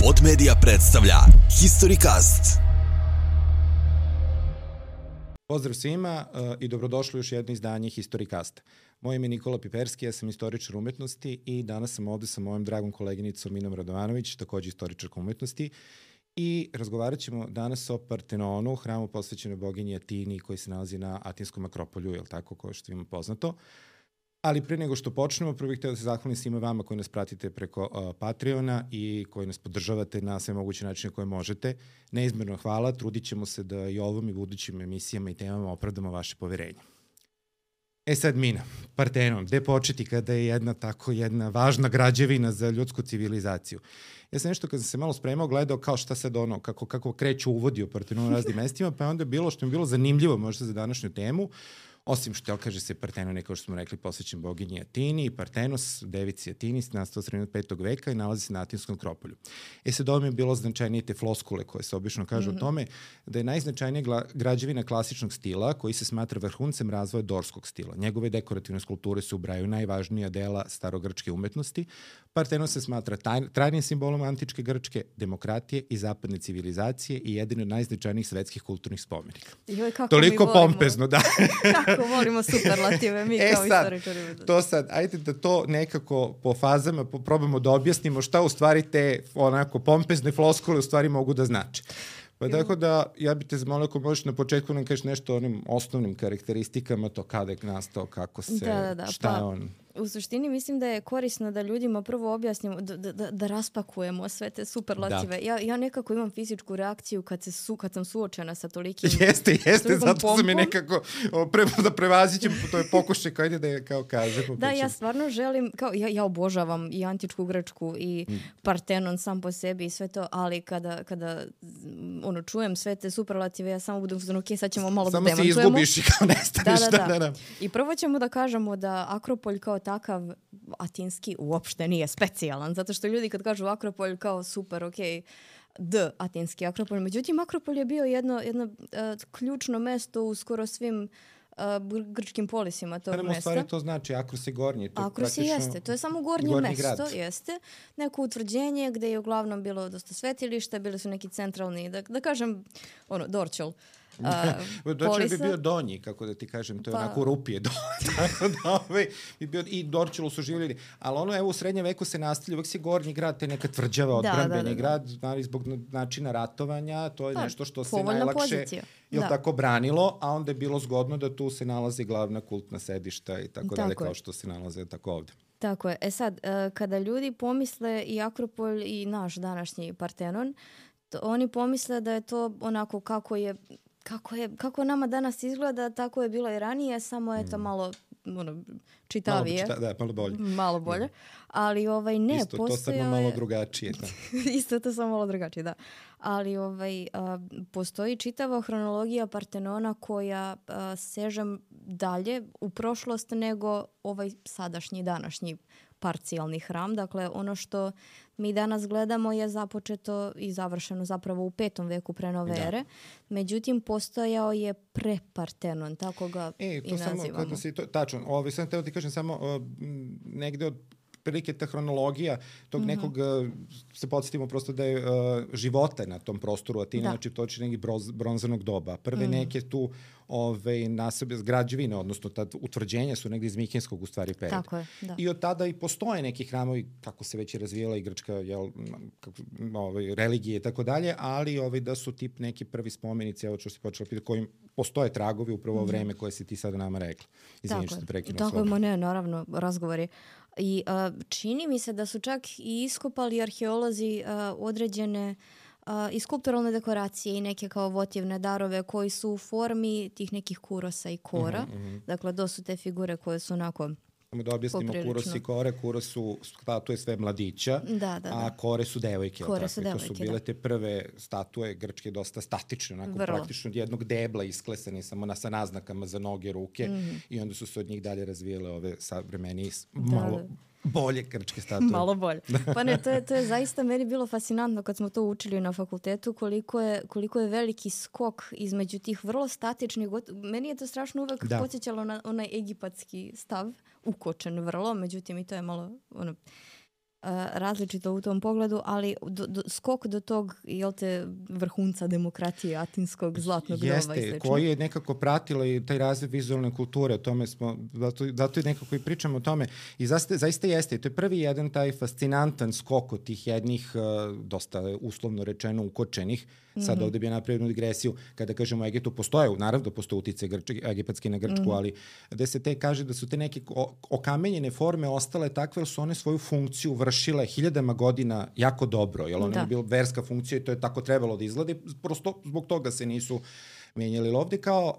Pod Media predstavlja Historicast. Pozdrav svima i dobrodošli u još jedno izdanje Historicasta. Moje ime je Nikola Piperski, ja sam istoričar umetnosti i danas sam ovde sa mojom dragom koleginicom Minom Radovanović, takođe istoričarka umetnosti. I razgovarat ćemo danas o Partenonu, hramu posvećenoj boginji Atini koji se nalazi na Atinskom akropolju, je li tako, kao što ima poznato. Ali pre nego što počnemo, prvo bih htio da se zahvalim svima vama koji nas pratite preko Patreona i koji nas podržavate na sve moguće načine koje možete. Neizmerno hvala, trudit ćemo se da i ovom i budućim emisijama i temama opravdamo vaše poverenje. Sad Mina, Partenon, gde početi kada je jedna važna građevina za ljudsku civilizaciju? Ja sam nešto kad sam se malo spremao gledao kao šta sad kako kreću uvodi o Partenonu na raznim mestima, pa je onda bilo što mi bilo zanimljivo možda za današnju temu, osim što kaže se Partenon je, kao što smo rekli, posvećen boginji Atini, Partenos, devici Atini, nastao sredinom 5. veka i nalazi se na Atinskom akropolju. Sad ovo mi je bilo značajnije te floskule koje se obično kažu o tome da je najznačajnija građevina klasičnog stila koji se smatra vrhuncem razvoja dorskog stila. Njegove dekorativne skulpture se ubrajaju najvažnija dela starogrčke umetnosti. Partenon se smatra trajnim simbolom antičke Grčke, demokratije i zapadne civilizacije i jedan od najznačajnijih svetskih kulturnih spomenika. Toliko pompezno, da. Kako volimo superlative, mi kao istoričari. To sad, ajde da to nekako po fazama probamo da objasnimo šta u stvari te onako pompezne floskule u stvari mogu da znače. Pa tako da, ja bih te zamolio ako možeš na početku nam kažeš nešto o onim osnovnim karakteristikama, to kada je nastao, kako se, šta je on. U suštini mislim da je korisno da ljudima prvo objasnimo, da raspakujemo sve te superlative. Ja nekako imam fizičku reakciju kad sam suočena sa tolikim Jeste, zato sam je nekako da prevazićem, to je pokušaj kao ide da je kao kažemo. Da, ja stvarno želim, kao ja obožavam i antičku Grčku i Partenon sam po sebi i sve to, ali kada čujem sve te superlative, ja samo budem ok, sad ćemo malo da demantujemo. Samo se izgubiš i kao nestaneš. Da. I prvo ćemo da kažemo da Akropolj kao takav atinski uopšte nije specijalan, zato što ljudi kad kažu Akropolj kao super, atinski Akropolj. Međutim, Akropolj je bio jedno ključno mesto u skoro svim grčkim polisima tog mesta. U stvari to znači Akros je gornji. Akros jeste, to je samo gornje mesto, grad. Jeste. Neko utvrđenje gde je uglavnom bilo dosta svetilišta, bili su neki centralni, da kažem, Dorćol. Dorćol bi bio donji, kako da ti kažem, to je onako rupije tako da i Dorćolu su živjeli, ali u srednjem veku se nastavlja, uvek si gornji grad, te neka tvrđava odbrambeni grad, zbog načina ratovanja, to je nešto što se najlakše tako branilo, a onda je bilo zgodno da tu se nalazi glavna kultna sedišta i tako dalje, kao što se nalaze tako ovde. Tako je. Sad, kada ljudi pomisle i Akropolj i naš današnji Partenon, oni pomisle da je to onako kako nama danas izgleda, tako je bilo i ranije, samo je to malo čitavije. Malo bolje. Ali ne, isto to samo malo drugačije. Da. Isto to samo malo drugačije, da. Ali postoji čitava hronologija Partenona koja seže dalje u prošlost nego ovaj sadašnji, današnji parcijalni hram. Dakle, ono što mi danas gledamo je započeto i završeno zapravo u 5. veku pre nove ere. Međutim, postojao je pre-Partenon, tako ga i nazivamo. Tačno. Sam teo ti kažem samo negde od prilike ta hronologija tog nekog, se podsjetimo prosto da je života na tom prostoru Atine, znači to je neki bronzanog doba. Prve neke tu građevine, odnosno utvrđenja su negdje iz Mikenskog u stvari perioda. Tako je, da. I od tada i postoje neki hramovi, kako se već je razvijela i grčka religije i tako dalje, ali da su tip neki prvi spomenici, evo što si počela pitati, kojim postoje tragovi upravo vreme koje si ti sada nama rekla. Izvinite što te prekinuo slovo. Tako je, ne, naravno, razgovori. I čini mi se da su čak i iskopali arheolozi određene i skulpturalne dekoracije i neke kao votivne darove koji su u formi tih nekih kurosa i kora. Dakle, to su te figure koje su onako da objasnimo kuros i kore. Kuros su statue sve mladića, a kore su devojke. To su bile te prve statue grčke dosta statične, onako praktično od jednog debla isklesane samo sa naznakama za noge, ruke i onda su se od njih dalje razvijele ove savremenije malo bolje grčke statue. Malo bolje. Pa ne, to je zaista meni bilo fascinantno kad smo to učili na fakultetu, koliko je veliki skok između tih vrlo statičnih. Meni je to strašno uvek podsjećalo na onaj egipatski stav, ukočen vrlo, međutim i to je malo različito u tom pogledu, ali skok do tog, jel te, vrhunca demokratije, atinskog zlatnog doba i slično. Jeste, koji je nekako pratila i taj razvoj vizualne kulture, o tome smo, zato i nekako i pričamo o tome. I zaista jeste, to je prvi jedan taj fascinantan skok od tih jednih, dosta uslovno rečeno ukočenih. Sad ovde bi ja napravio jednu digresiju, kada kažemo o Egiptu, naravno postoje utice egipatske na Grčku, ali gde se kaže da su te neke okamenjene forme ostale takve, jer su one svoju funkciju vršile hiljadama godina jako dobro, jer ona je bila verska funkcija i to je tako trebalo da izgleda, prosto zbog toga se nisu menjali. Ovde kao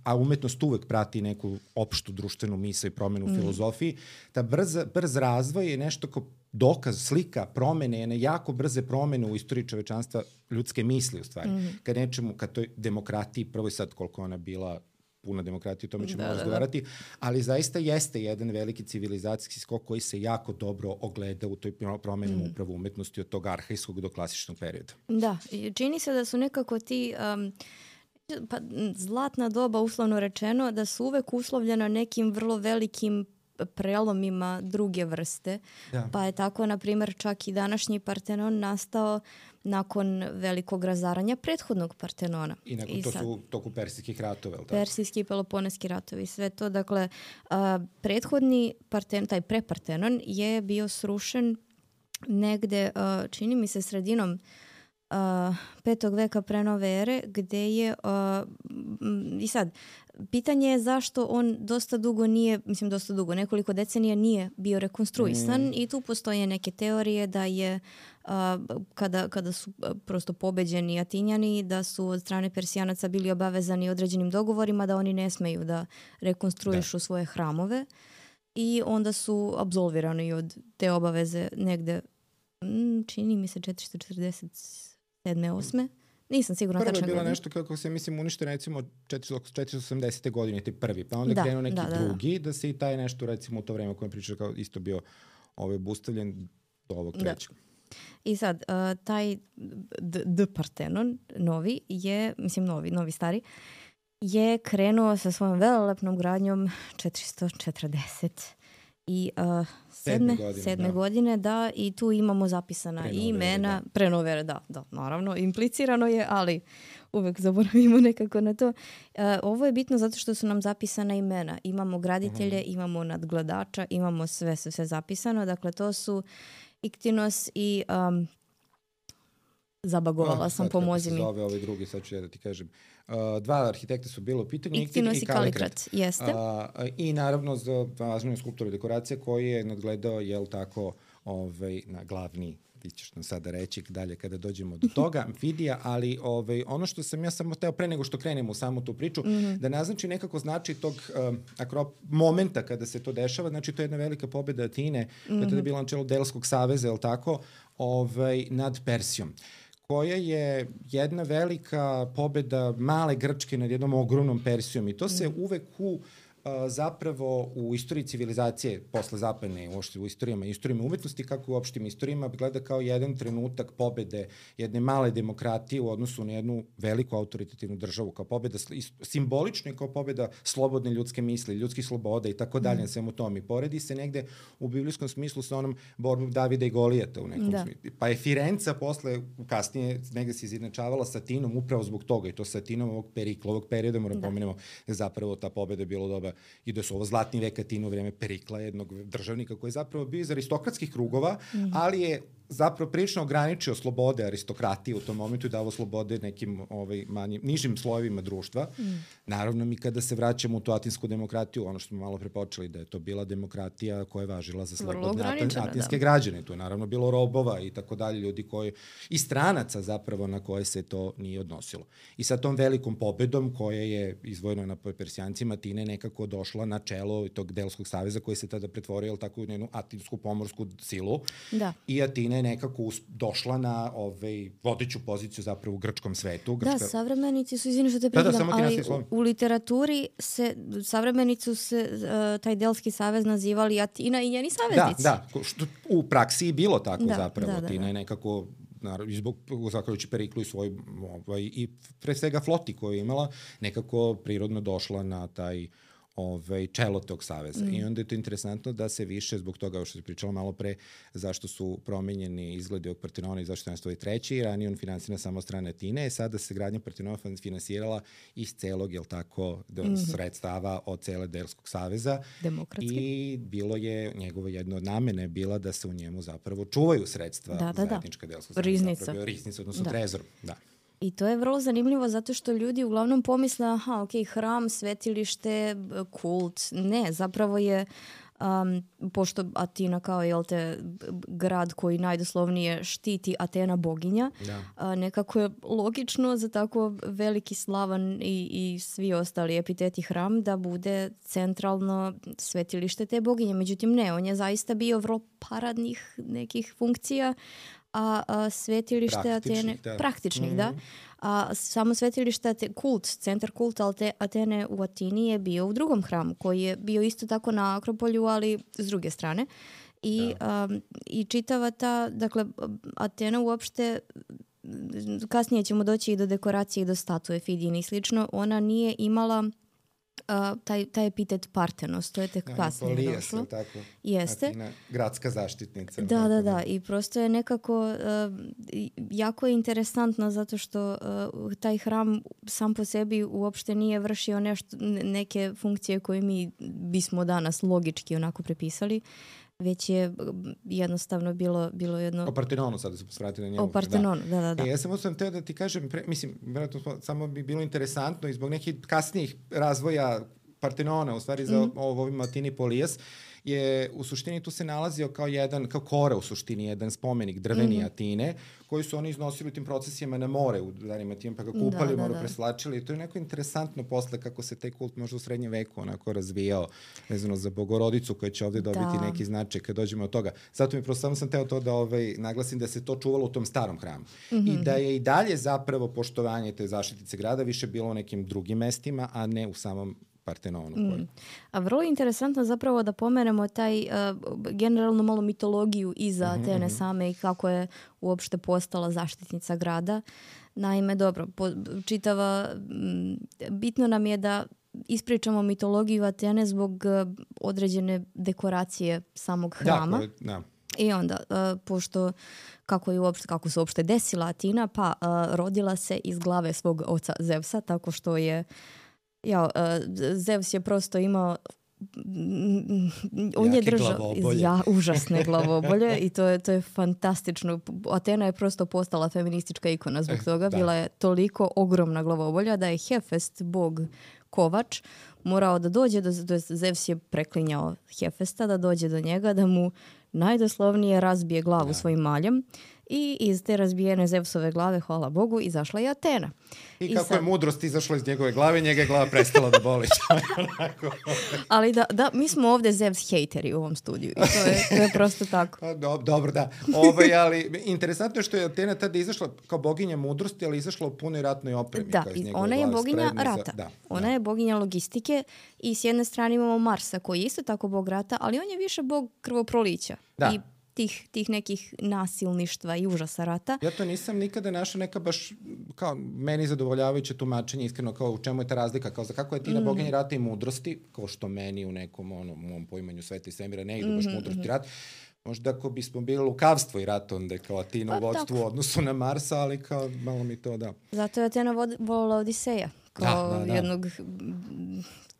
a umetnost uvek prati neku opštu društvenu misao i promenu u filozofiji, ta brz razvoj je nešto kao dokaz, slika, promene, jako brze promene u istoriji čovečanstva, ljudske misli u stvari. Kad toj demokratiji, prvo i sad koliko ona bila puna demokratija, o tome ćemo razgovarati, ali zaista jeste jedan veliki civilizacijski skok koji se jako dobro ogleda u toj promeni upravo umetnosti od tog arhajskog do klasičnog perioda. Da, čini se da su nekako ti zlatna doba, uslovno rečeno, da su uvek uslovljena nekim vrlo velikim prelomima druge vrste. Da. Pa je tako, na primjer, čak i današnji Partenon nastao nakon velikog razaranja prethodnog Partenona. I nakon to su toku persijskih ratova, je li tako? Persijski i peloponeski ratovi, sve to. Dakle, prethodni taj prepartenon je bio srušen negde, čini mi se, sredinom 5. veka pre nove ere, gde je i sad, pitanje je zašto on nekoliko decenija nije bio rekonstruisan i tu postoje neke teorije da je kada su prosto pobeđeni Atinjani, da su od strane Persijanaca bili obavezani određenim dogovorima da oni ne smeju da rekonstruišu svoje hramove i onda su apsolvirani od te obaveze negde, čini mi se 447. 8. Nisam sigurna tačno. Prvo je bilo nešto kako se, uništeno recimo 480. godine, ti prvi, pa onda krenuo neki drugi, da se i taj nešto recimo u to vreme koje priča kao isto bio obustavljen do ovog trećeg. I sad, taj Partenon novi je, novi stari, je krenuo sa svojom velelepnom gradnjom 440 i sedme godine, i tu imamo zapisana imena, prenovere, da, naravno, implicirano je, ali uvek zaboravimo nekako na to. Ovo je bitno zato što su nam zapisana imena. Imamo graditelje, imamo nadgledača, imamo sve zapisano, dakle to su Iktinos i zabagovala sam, pomozi mi. Sad zove ovaj drugi, sad ću ja da ti kažem. Dva arhitekta su bilo u pitanju, Iktinos i Kalikrat. Jeste. I naravno za važnu skulpturu i dekoracije koji je nadgledao, na glavni, ti ćeš nam sada reći dalje kada dođemo do toga, Amfidija, ali ono što sam ja samo teo pre nego što krenemo u samu tu priču, da naznači nekako znači tog momenta kada se to dešava, znači to je jedna velika pobeda Atine, kada je bila na čelu Delskog saveza, je tako, nad Persijom, koja je jedna velika pobeda male Grčke nad jednom ogromnom Persijom i to se uvek zapravo u istoriji civilizacije posle zapadne, uopšte u istorijama umetnosti, kako u opštim istorijama, gleda kao jedan trenutak pobede jedne male demokratije u odnosu na jednu veliku autoritativnu državu, kao pobeda, simbolično kao pobeda slobodne ljudske misli, ljudskih sloboda i tako dalje, na svemu tom. I poredi se negde u biblijskom smislu sa onom borbom Davida i Golijata u nekom smislu. Pa je Firenca posle, kasnije, negde se izjednačavala sa Atinom upravo zbog toga, i to sa Atinom ovog Perikla, ovog perioda, moram pomenemo, da je zapravo ta pobeda bilo doba i da su ovo zlatni vek Atine u vreme Perikla, jednog državnika koji je zapravo bio iz aristokratskih krugova, ali je zapravo prilično ograničio slobode aristokratije u tom momentu i davo slobode nekim nižim slojevima društva. Naravno, mi kada se vraćamo u tu atinsku demokratiju, ono što smo malo prepočeli, da je to bila demokratija koja je važila za slobodne atinske građane. Tu je naravno bilo robova i tako dalje, ljudi koji, i stranaca zapravo na koje se to nije odnosilo. I sa tom velikom pobedom koja je izvojena na Persijancima, Atine nekako došla na čelo tog Delskog saveza koji se tada pretvorio tako u jednu atinsku pomorsku silu. Da. I Atine je nekako došla na vodeću poziciju zapravo u grčkom svetu. Savremenici su, izvini što te prekidam, ali u literaturi savremenici se taj Delski savez nazivali Atina i njeni saveznici. Da, što u praksi je bilo tako zapravo. Atina je nekako, zahvaljujući Periklu i svoj i pre svega floti koju je imala, nekako prirodno došla na taj čelo tog saveza. I onda je to interesantno da se više, zbog toga što se pričalo malo pre, zašto su promenjeni izgledi ovog Partenona i zašto je nastao treći, i ranije on finansira samo strane Atine, sada se gradnja Partenona finansirala iz celog, sredstava od cele Delskog saveza. Demokratski. I bilo je, njegovo jedno od namene bila da se u njemu zapravo čuvaju sredstva zajednička Delskog saveza. Riznica. Riznica, odnosno trezor. Da. I to je vrlo zanimljivo zato što ljudi uglavnom pomisle, hram, svetilište, kult. Ne, zapravo je, pošto Atina kao grad koji najdoslovnije štiti Atena boginja, nekako je logično za tako veliki, slavan i svi ostali epiteti hram da bude centralno svetilište te boginje. Međutim, ne, on je zaista bio vrlo paradnih nekih funkcija, a svetilište Atene, praktičnih, da. A samo svetilište, centar kulta Atene u Atini je bio u drugom hramu, koji je bio isto tako na Akropolju, ali s druge strane. I čitava ta, dakle, Atena uopšte, kasnije ćemo doći i do dekoracije i do statue Fidine i slično, ona nije imala taj epitet Partenos, to je tek kasnije došlo. Tako. Jeste. Atina, gradska zaštitnica. Da. I prosto je nekako jako je interesantno zato što taj hram sam po sebi uopšte nije vršio neke funkcije koje mi bismo danas logički onako prepisali, već je jednostavno bilo jedno... O Partenonu sada se posvrati na njemu. O Partenonu, da. Ja sam teo da ti kažem, vjerojatno samo bi bilo interesantno i zbog nekih kasnijih razvoja Partenona, u stvari za ovim Atini Polijas, je u suštini tu se nalazio kao kora u suštini, jedan spomenik drveni Atine, koji su oni iznosili u tim procesijama na more u danima tim, pa ga kupali, preslačili. To je neko interesantno posle kako se taj kult možda u srednjem veku onako razvijao, vezano za Bogorodicu koja će ovde dobiti neki značaj kad dođemo od toga. Zato mi prosto samo sam teo to da naglasim da se to čuvalo u tom starom hramu. I da je i dalje zapravo poštovanje te zaštitice grada više bilo u nekim drugim mestima, a ne u samom Partenonu. A vrlo je interesantno zapravo da pomenemo taj generalno malo mitologiju iza Atene same i kako je uopšte postala zaštitnica grada. Naime, bitno nam je da ispričamo mitologiju Atene zbog određene dekoracije samog hrama. I onda, pošto kako se uopšte desila Atina, pa rodila se iz glave svog oca Zevsa, tako što je Zevs je prosto imao on je držao užasne glavobolje i to je fantastično. Atena je prosto postala feministička ikona zbog toga. Bila je toliko ogromna glavobolja da je Hefest, bog kovač, morao da dođe Zevs je preklinjao Hefesta da dođe do njega, da mu najdoslovnije razbije glavu svojim maljem. I iz te razbijene Zevsove glave, hvala Bogu, izašla je Atena. I kako je mudrost izašla iz njegove glave, njega je glava prestala da boli. Ali mi smo ovde Zevs hejteri u ovom studiju. I to je prosto tako. Dobro, da. Ali interesantno je što je Atena tada izašla kao boginja mudrosti, ali izašla u punoj ratnoj opremi. Da, ona je boginja rata. Ona je boginja logistike i s jedne strane imamo Marsa koji je isto tako bog rata, ali on je više bog krvoprolića. Da. I tih nekih nasilništva i užasa rata. Ja to nisam nikada našao neka baš kao meni zadovoljavajuće tumačenje, iskreno kao u čemu je ta razlika, kao za kako je Atina boginja rata i mudrosti, kao što meni u nekom mom poimanju sveta i svemira ne idu baš mudrost i rat. Možda ako bismo bili lukavstvo i rat, onda je kao Atina u vodstvu u odnosu na Marsa, ali kao malo mi to da. Zato je Atena volila Odiseja, kao jednog...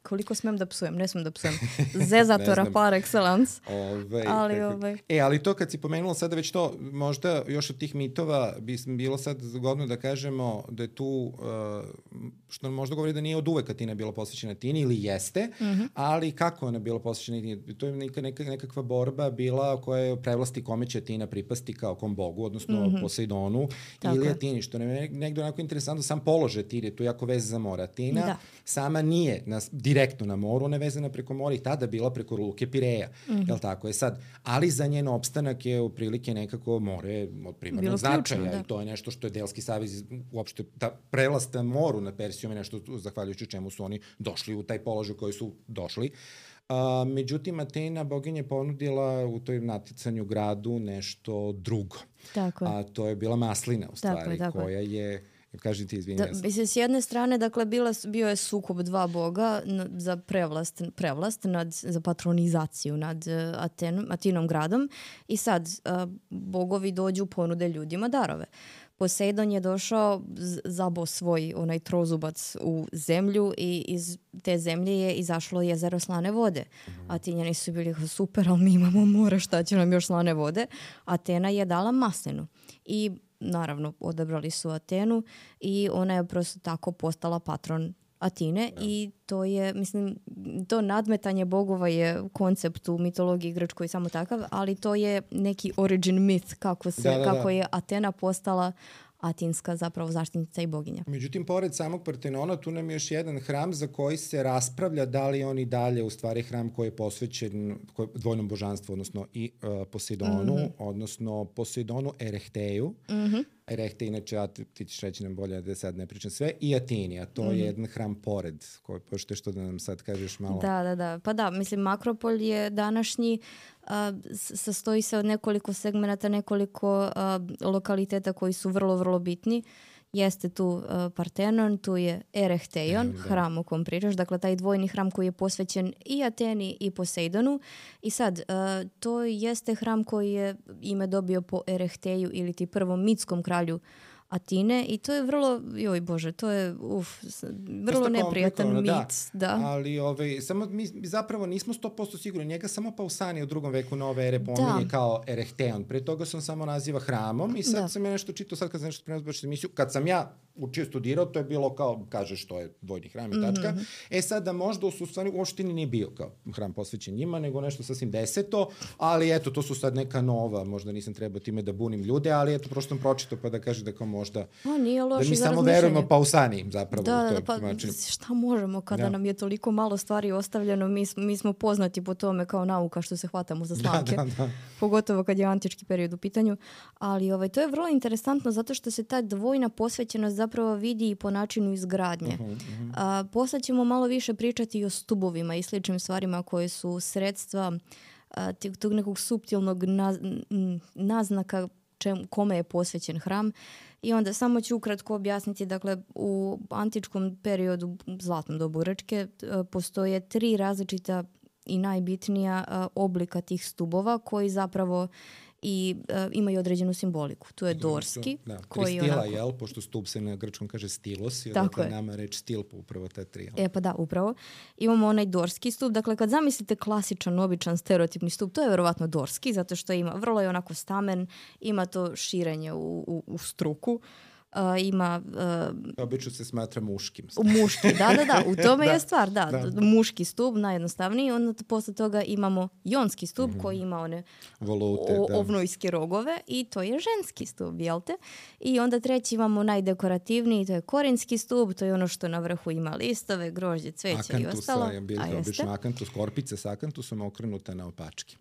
Koliko smem da psujem? Ne smem da psujem. Zezatora par excellence. Ali to kad si pomenula sada već to, možda još od tih mitova bi bilo sad zgodno da kažemo da je tu, što možda govori da nije od uvek Atina bila posvećena Atini, ili jeste, ali kako ona bila posvećena Atini? To je nekakva borba bila koja je prevlasti kome će Atina pripasti kao kom bogu, odnosno Poseidonu ili Atini, što nam je negdje onako interesantno, sam položaj Atine, tu je jako vez za mora. Atina sama nije direktno na moru, ona je vezana preko mora i tada bila preko luke Pireja. Jel tako je sad? Ali za njen opstanak je u prilike nekako more od primarnog značaja i to je nešto što je Delski savez uopšte prelast na moru na Persijom je nešto zahvaljujući čemu su oni došli u taj položaj koji su došli. Međutim, Atena boginja ponudila u toj natjecanju gradu nešto drugo. Tako je. A to je bila maslina u stvari koja je Kaži ti, izvini. Mislim, s jedne strane, dakle, bio je sukob dva boga za prevlast za patronizaciju nad Atinom gradom i sad bogovi dođu, ponude ljudima darove. Poseidon je došao, zabo svoj onaj trozubac u zemlju i iz te zemlje je izašlo jezero slane vode. Atinjani su bili super, ali mi imamo more, šta će nam još slane vode? Atena je dala maslinu i naravno odabrali su Atenu i ona je prosto tako postala patron Atine i to je, mislim, to nadmetanje bogova je koncept u mitologiji grčkoj samo takav, ali to je neki origin myth kako je Atena postala atinska zapravo zaštitnica i boginja. Međutim, pored samog Partenona, tu nam je još jedan hram za koji se raspravlja da li on i dalje u stvari hram koji je posvećen dvojnom božanstvu, odnosno i Poseidonu, odnosno Poseidonu Erehtheju. Erehte, inače, ti ćeš reći nam bolje da sad ne pričam sve, i Atini, a to je jedan hram pored, pošto je što da nam sad kažeš malo. Da. Pa da, mislim, Makropolj je današnji, sastoji se od nekoliko segmenata, nekoliko lokaliteta koji su vrlo, vrlo bitni. Jeste tu Partenon, tu je Erechtheion, hram o kom pričaš, dakle taj dvojni hram koji je posvećen i Ateni i Poseidonu. I sad, to jeste hram koji je ime dobio po Erechteju ili ti prvom mitskom kralju Atine i to je vrlo, joj Bože, to je vrlo neprijatan mit. Da. Ali samo mi zapravo nismo 100% sigurni. Njega samo Pausani u 2. veku nove ere pominje kao Erechtheion. Pre toga sam samo naziva hramom i sad sam ja nešto čitao, sad kad sam nešto spremao zbačiti emisiju, kad sam ja učio studirao, to je bilo kao, kažeš, to je dvojni hram i tačka. Sad da možda u stvari u oštini nije bio kao hram posvećen njima, nego nešto sasvim deseto, ali eto, to su sad neka nova, možda nisam trebao time da bunim ljude, ali eto, prosto sam pročitao pa da kaže da kao možda, da mi samo verujemo Pausani zapravo. Da, pa šta možemo kada nam je toliko malo stvari ostavljeno, mi smo poznati po tome kao nauka što se hvatamo za slamke, pogotovo kad je antički period u pitanju, ali to je vrlo interesantno zato što se ta dvojna posvećenost zapravo vidi i po načinu izgradnje. Posle ćemo malo više pričati i o stubovima i sličnim stvarima koje su sredstva tog nekog suptilnog naznaka kome je posvećen hram. I onda samo ću ukratko objasniti, dakle, u antičkom periodu, zlatnom dobu Grčke, postoje 3 različita i najbitnija oblika tih stubova koji zapravo i imaju određenu simboliku. Tu je dorski. Koji stila, jel? Pošto stup se na grčkom kaže stilos, i dakle nama reč stil po upravo ta 3. Pa da, upravo. Imamo onaj dorski stup. Dakle, kad zamislite klasičan, običan, stereotipni stup, to je verovatno dorski, zato što vrlo je onako stamen, ima to širenje u struku. Ima... Obično se smatra muškim. Muški, da, u tome je stvar, muški stup, najjednostavniji, onda posle toga imamo jonski stup koji ima one ovnojske rogove i to je ženski stup, jel te? I onda treći imamo najdekorativniji, to je korinski stup, to je ono što na vrhu ima listove, grožđe, cveće i ostalo. Akantusa je bilo obično akantus, korpice sa akantusom okrenuta na opački.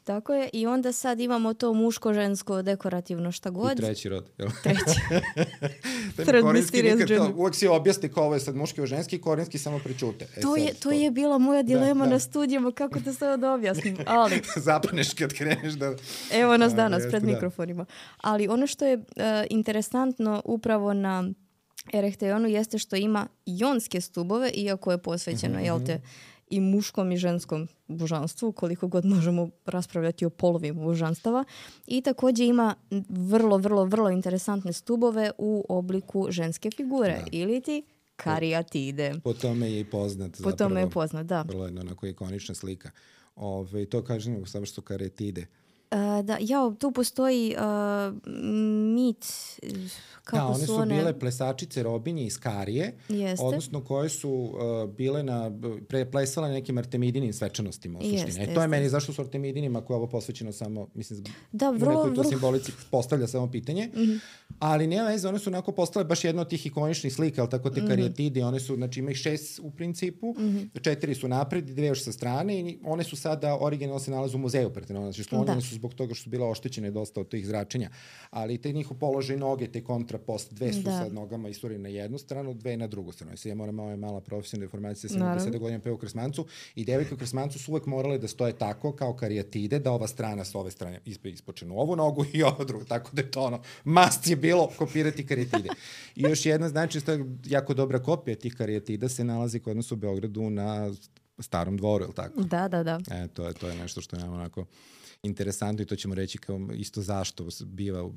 Tako je. I onda sad imamo to muško, žensko, dekorativno, šta god. I treći rod, jel? Treći. Uvijek si objasni kao ovo je sad muški o ženski, korinski samo pričute. To je bila moja dilema na studijama, kako to sve da objasnim. Ali... Zapaneš kad kreneš da... Evo nas danas pred mikrofonima. Ali ono što je interesantno upravo na Erechtheionu jeste što ima jonske stubove, iako je posvećeno, jel te, i muškom i ženskom božanstvu, koliko god možemo raspravljati o polovima božanstava. I također ima vrlo, vrlo, vrlo interesantne stubove u obliku ženske figure, ili ti karijatide. Po tome je i poznat. Po tome je poznat, da. Vrlo je onako ikonična slika. To kažem samo što karijatide. Tu postoji mit kako one su bile plesačice robinje iz Karije, odnosno koje su bile plesale nekim artemidinim svečanostima u suštini. To je meni zašto su artemidinima koje je ovo posvećeno samo, mislim, u nekoj to simbolici postavlja samo pitanje, ali nema veze, one su onako postale baš jedna od tih ikoničnih slika, ali tako te karijatide, one su, znači ima ih 6 u principu, 4 su napred, 2 još sa strane i one su sada originalno se nalaze u muzeju Partenona, znači sklonjene su zbog toga što su bila oštećene dosta od tih zračenja, ali te njihov položaj noge, te kontrapost, 2 su sa nogama isturene na jednu stranu, 2 na drugu stranu. Ja moram mala profesionalna informacija, sam 10 godina peo u Krsmancu i devojke u Krsmancu su uvek morale da stoje tako kao karijatide, da ova strana s ove strane ispočenu ovu nogu i ovu drugu, tako da je to must je bilo kopirati karijatide. I još jedna znači što je jako dobra kopija tih karijatida se nalazi kod nas u Beogradu na Starom dvoru, je li tako? Da. To je nešto što je nam onako interesantno i to ćemo reći kao isto zašto biva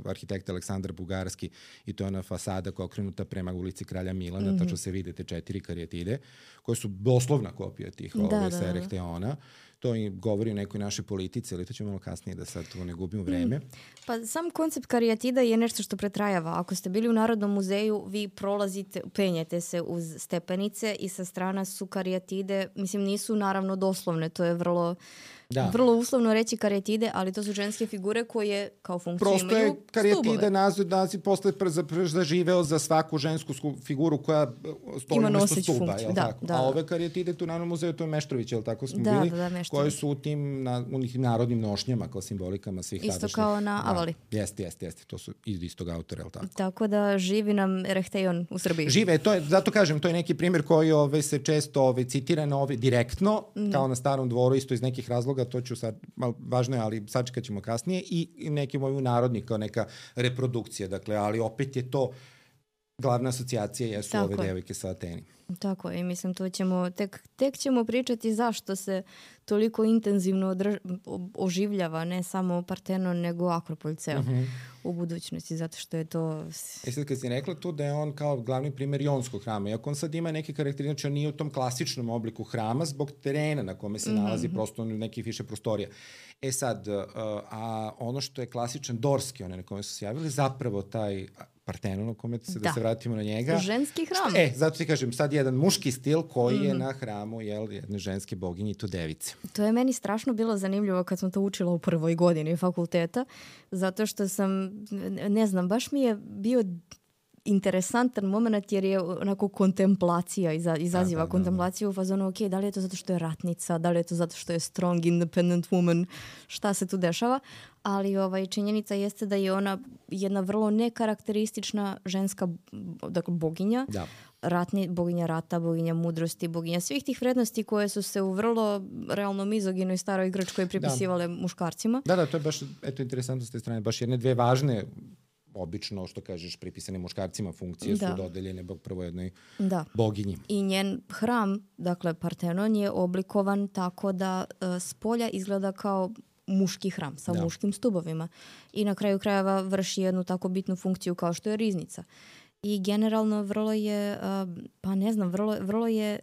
arhitekt Aleksandar Bugarski i to je ona fasada koja je okrenuta prema ulici Kralja Milana, tačno se vide te 4 karijatide koje su doslovna kopija tih sa Erechtheiona. To i govori o nekoj našoj politici, ali to ćemo malo kasnije da sad tu ne gubimo vreme. Pa sam koncept karijatida je nešto što pretrajava. Ako ste bili u Narodnom muzeju, vi prolazite, penjete se uz stepenice i sa strana su karijatide, mislim nisu naravno doslovne, to je vrlo uslovno reći karijatide, ali to su ženske figure koje kao funkciju imaju stubove. Prosto je karijatide naziv posle zaživeo za svaku žensku figuru koja stoji umesto stuba. A ove karijatide tu u Narodnom muzeju, to je Meštrović, je li tako smo bili? Koje su u tim narodnim nošnjama kao simbolikama svih tadašnjih. Isto kao na Avali. Jeste. To su iz istog autora, je li tako? Tako da živi nam Erechtheion u Srbiji. Žive, zato kažem, to je neki primjer koji se često citira direktno, kao na Starom dvoru, isto iz nekih razloga, to ću sad, važno je, ali sačekat ćemo kasnije, i neki moju narodni kao neka reprodukcija, dakle, ali opet je to glavna asocijacija jesu ove devojke sa Ateni. Tako je, mislim, to ćemo, tek ćemo pričati zašto se toliko intenzivno oživljava, ne samo Partenon, nego Akropolj ceo u budućnosti, zato što je to... Sad kad si rekla tu da je on kao glavni primjer jonskog hrama, iako on sad ima neke karakteristike, znači on nije u tom klasičnom obliku hrama zbog terena na kome se nalazi prosto nekih više prostorija. Sad, a ono što je klasičan dorski, one na kome su se javili, zapravo taj Partenon, u kome da se vratimo na njega. Ženski hram. Zato ti kažem, sad jedan muški stil koji je na hramu jedne ženske boginje i to device. To je meni strašno bilo zanimljivo kad sam to učila u prvoj godini fakulteta, zato što sam, ne znam, baš mi je bio interesantan moment jer je onako kontemplacija, izaziva kontemplaciju u fazonu, ok, da li je to zato što je ratnica, da li je to zato što je strong, independent woman, šta se tu dešava, ali činjenica jeste da je ona jedna vrlo nekarakteristična ženska boginja, boginja rata, boginja mudrosti, boginja svih tih vrednosti koje su se u vrlo realno mizoginoj staroj Grčkoj pripisivale muškarcima. Da, to je baš interesantno s te strane, baš jedne dve važne obično, što kažeš, pripisane muškarcima funkcije su dodeljene prvo jednoj boginji. I njen hram, dakle Partenon, je oblikovan tako da s polja izgleda kao muški hram sa muškim stubovima. I na kraju krajeva vrši jednu tako bitnu funkciju kao što je riznica. I generalno vrlo je, vrlo je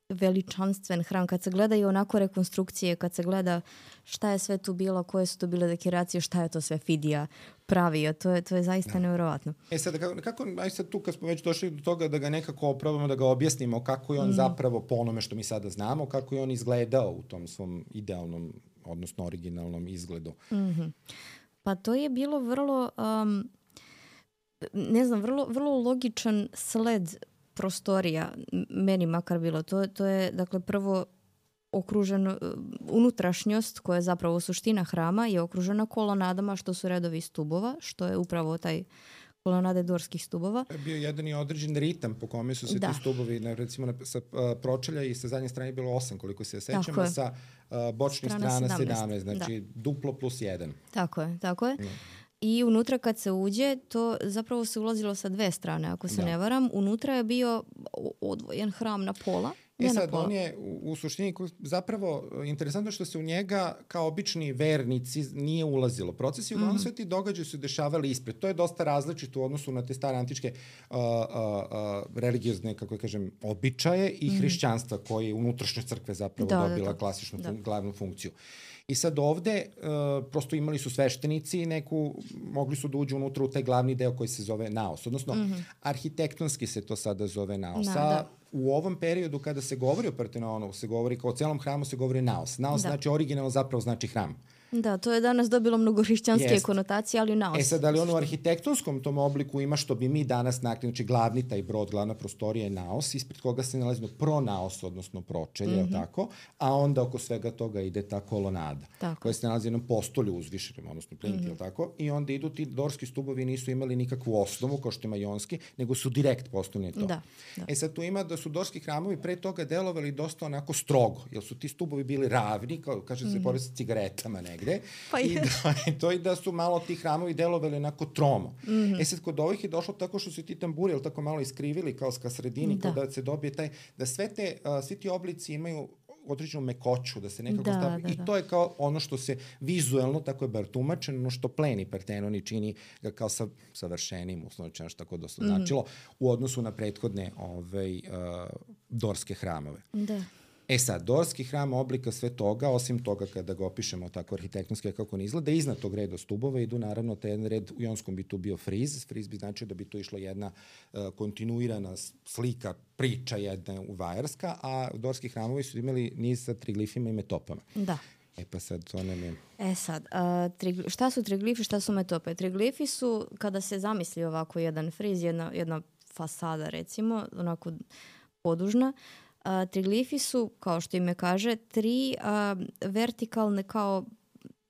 veličanstven hram. Kad se gledaju onako rekonstrukcije, kad se gleda šta je sve tu bilo, koje su to bile dekoracije, šta je to sve Fidija pravio, to je zaista nevjerovatno. Sad, aj sad tu kad smo već došli do toga da ga nekako opravimo, da ga objasnimo kako je on zapravo po onome što mi sada znamo, kako je on izgledao u tom svom idealnom, odnosno originalnom izgledu. Pa to je bilo vrlo, vrlo logičan sled prostorija, meni makar bilo. To je, dakle, prvo okruženo, unutrašnjost koja je zapravo suština hrama je okružena kolonadama što su redovi stubova, što je upravo taj kolonade dorskih stubova. Je bio jedan i određen ritam po kome su se ti stubovi, recimo sa pročelja i sa zadnje strane je bilo 8, koliko se sećamo, sa bočnih strana 17, znači duplo plus 1. Tako je. I unutra kad se uđe, to zapravo se ulazilo sa 2 strane, ako se ne varam. Unutra je bio odvojen hram na pola. On je u suštini zapravo interesantno što se u njega kao obični vernici nije ulazilo. Procesi uglavnom sve ti događaji su dešavali ispred. To je dosta različito u odnosu na te stare antičke religiozne, kako kažem, običaje i hrišćanstva koji je unutrašnje crkve zapravo dobila klasičnu glavnu funkciju. I sad ovde prosto imali su sveštenici mogli su da uđu unutra u taj glavni deo koji se zove naos. Odnosno, arhitektonski se to sada zove naos. U ovom periodu kada se govori o Partenonu, se govori kao o celom hramu, se govori naos. Naos znači originalno zapravo znači hram. Da, to je danas dobilo mnogo hrišćanske konotacije, ali naos. Sad, ali u arhitektonskom tom obliku ima što bi mi danas nakli, znači glavni taj brod, glavna prostorija je naos, ispred koga se nalazi pronaos, odnosno pročelje, tako, a onda oko svega toga ide ta kolonada, koja se nalazi na postolju uzvišenom, odnosno plinti, tako, i onda idu ti dorski stubovi, nisu imali nikakvu osnovu, kao što ima jonski, nego su direkt postavljeni to. Sad tu ima da su dorski hramovi pre toga delovali dosta onako strogo, jer su ti stubovi bili ravni, kao kaže se pored sa cigaretama negde, Pa i da su malo ti hramovi delovali onako tromo. Sad kod ovih je došlo tako što su ti tamburi, tako malo iskrivili kao ka sredini, kao da se dobije taj, da svi ti oblici imaju određenu mekoću, da se nekako stavi. I to je kao ono što se vizuelno, tako je bar tumačeno, ono što pleni Partenoni čini ga kao savršenim, uslovno što tako dosta značilo, u odnosu na prethodne dorske hramove. Da. Sad, dorski hram oblika sve toga, osim toga kada ga opišemo tako arhitektonski kako on izgleda, iznad tog reda stubova idu naravno taj jedan red, u jonskom bi tu bio friz. Friz bi značio da bi tu išla jedna kontinuirana slika, priča jedna uvajarska, a dorski hramovi su imali niz sa triglifima i metopama. Da. Pa sad to nam je... Šta su triglifi, šta su metope? Triglifi su, kada se zamisli ovako jedan friz, jedna fasada recimo, onako podužna, triglifi su, kao što ime kaže, 3 vertikalne kao,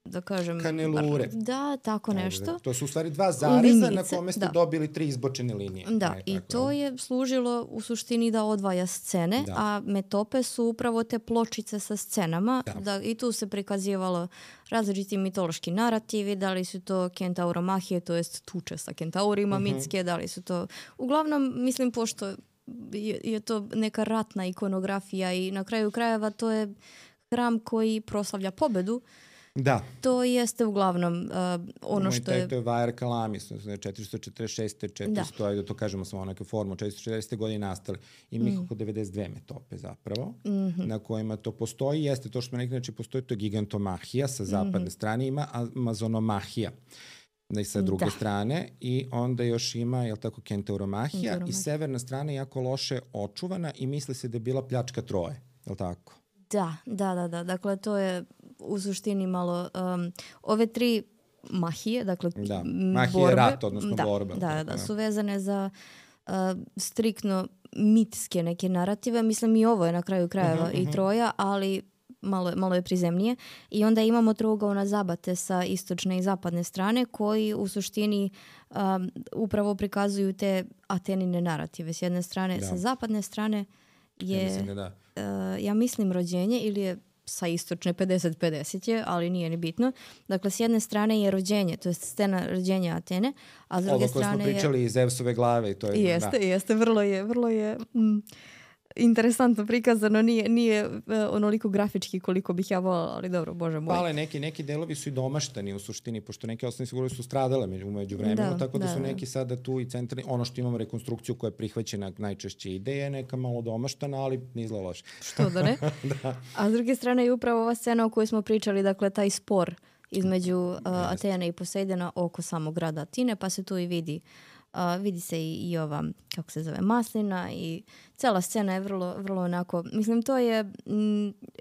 da kažem... Kanelure. Da, tako nešto. To su u stvari 2 zareza na kome ste dobili 3 izbočene linije. Da, i to je služilo u suštini da odvaja scene, a metope su upravo te pločice sa scenama. I tu se prikazivalo različiti mitološki narativi, da li su to kentauromahije, to jest tuče sa kentaurima mitske, da li su to... Uglavnom, mislim, pošto je to neka ratna ikonografija i na kraju krajeva to je hram koji proslavlja pobedu. Da. To jeste uglavnom ono što je... To je Vajar Kalamis, 446. 400, ajde to kažemo samo neke formu, 440. godine nastali. Ima ih oko 92 metope zapravo, na kojima to postoji. Jeste to što smo neki, znači postoji to gigantomahija sa zapadne strane, ima amazonomahija i sa druge strane i onda još ima, jel tako, kentauromahija i severna strana je jako loše očuvana i misli se da je bila pljačka Troje, jel tako? Da. Dakle, to je u suštini malo ove 3 mahije, dakle mahije je rat, odnosno borba. Da, su vezane za striktno mitske neke narative. Mislim i ovo je na kraju krajeva i Troja, ali malo je prizemnije. I onda imamo trougaona zabate sa istočne i zapadne strane koji u suštini upravo prikazuju te Atenine narative. S jedne strane, sa zapadne strane je, ja mislim, rođenje ili je sa istočne 50-50 je, ali nije ni bitno. Dakle, s jedne strane je rođenje, to je scena rođenja Atene, a s druge strane je... Ovo koje smo pričali iz Zevsove glave. I to je, jeste, vrlo je interesantno prikazano, nije onoliko grafički koliko bih ja volala, ali dobro, bože moj. Ali neki delovi su i domaštani u suštini, pošto neke osnovne figure su stradale među vremenu, tako da su neki sada tu i centralni, ono što imamo rekonstrukciju koja je prihvaćena najčešće ideje, neka malo domaštana, ali nije zlo loše. Što da ne? A s druge strane je upravo ova scena o kojoj smo pričali, dakle taj spor između Atene i Posejdona oko samog grada Atine, pa se tu i vidi se i ova, kako se zove, maslina i cela scena je vrlo onako, mislim, to je,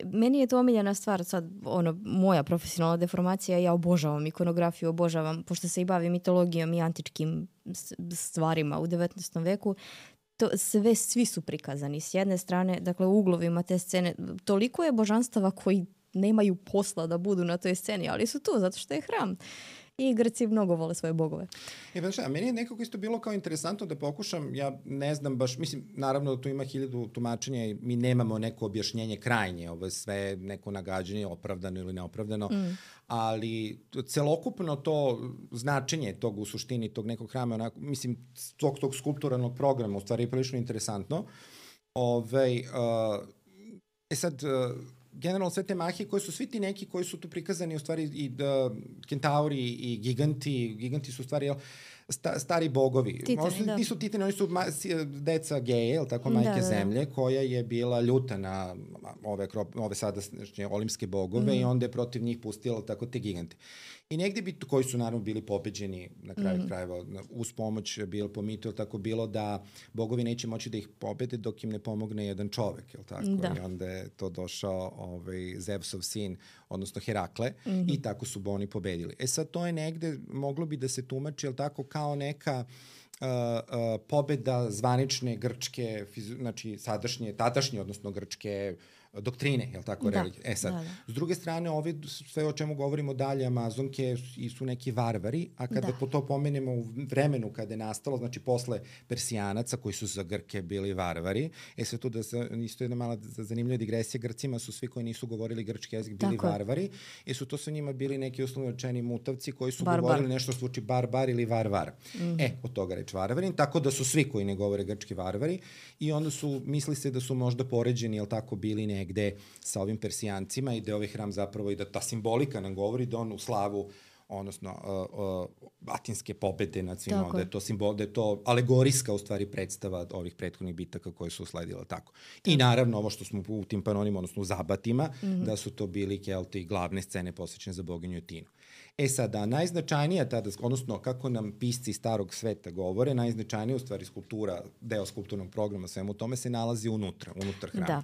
meni je to omiljena stvar, sad, moja profesionalna deformacija, ja obožavam ikonografiju, obožavam, pošto se i bavim mitologijom i antičkim stvarima u 19. veku, svi su prikazani s jedne strane, dakle u uglovima te scene, toliko je božanstava koji nemaju posla da budu na toj sceni, ali su tu zato što je hram. I Grci mnogo vole svoje bogove. Meni je nekako isto bilo kao interesantno da pokušam, ja ne znam baš, mislim, naravno da tu ima 1000 tumačenja i mi nemamo neko objašnjenje krajnje, ovo je sve neko nagađanje, opravdano ili neopravdano, ali celokupno to značenje tog u suštini, tog nekog hrama, onako, mislim, tog skulpturalnog programa, u stvari je prilično interesantno. Sad... generalno sve te mahije koje su svi ti neki koji su tu prikazani u stvari i kentauri i giganti su u stvari stari bogovi. Titani, nisu titani, oni su deca Geje, tako, majke zemlje, koja je bila ljuta na ove sadašnje olimpske bogove i onda je protiv njih pustila tako te gigante. I negde koji su naravno bili pobeđeni na kraju krajeva uz pomoć po mitu, tako bilo da bogovi neće moći da ih pobede dok im ne pomogne jedan čovek, jel tako? I onda je to došao Zevsov sin, odnosno Herakle, i tako su oni pobedili. Sad to je negde, moglo bi da se tumači, jel tako, kao neka pobeda zvanične grčke, znači tadašnje, odnosno grčke doktrine, je li tako, religije. Sad, s druge strane, ovi sve o čemu govorimo dalje, Amazonke su neki varvari, a kada to pomenemo u vremenu kada je nastalo, znači posle Persijanaca koji su za Grke bili varvari, sve tu da se, isto jedna mala zanimljiva digresija, Grcima su svi koji nisu govorili grčki jezik bili varvari, su to su njima bili neki uslovno rečeni mutavci koji su govorili nešto što zvuči barbar ili varvar. Od toga reč varvarin, tako da su svi koji ne govore grčki varvari i onda su, misli se da su možda poređeni, jel tako, bili negde sa ovim Persijancima i da je ovaj hram zapravo i da ta simbolika nam govori da on u slavu odnosno atinske pobede nad svima, da je to simbol, da je to alegorijska u stvari predstava ovih prethodnih bitaka koje su usledile tako. I naravno ovo što smo u tim panonima, odnosno u zabatima, da su to bili Kelti i glavne scene posvećene za boginju Atinu. Sada, najznačajnija tada, odnosno kako nam pisci starog sveta govore, najznačajnija u stvari skulptura, deo skulpturnog programa, svemu tome se nalazi unutar hrama.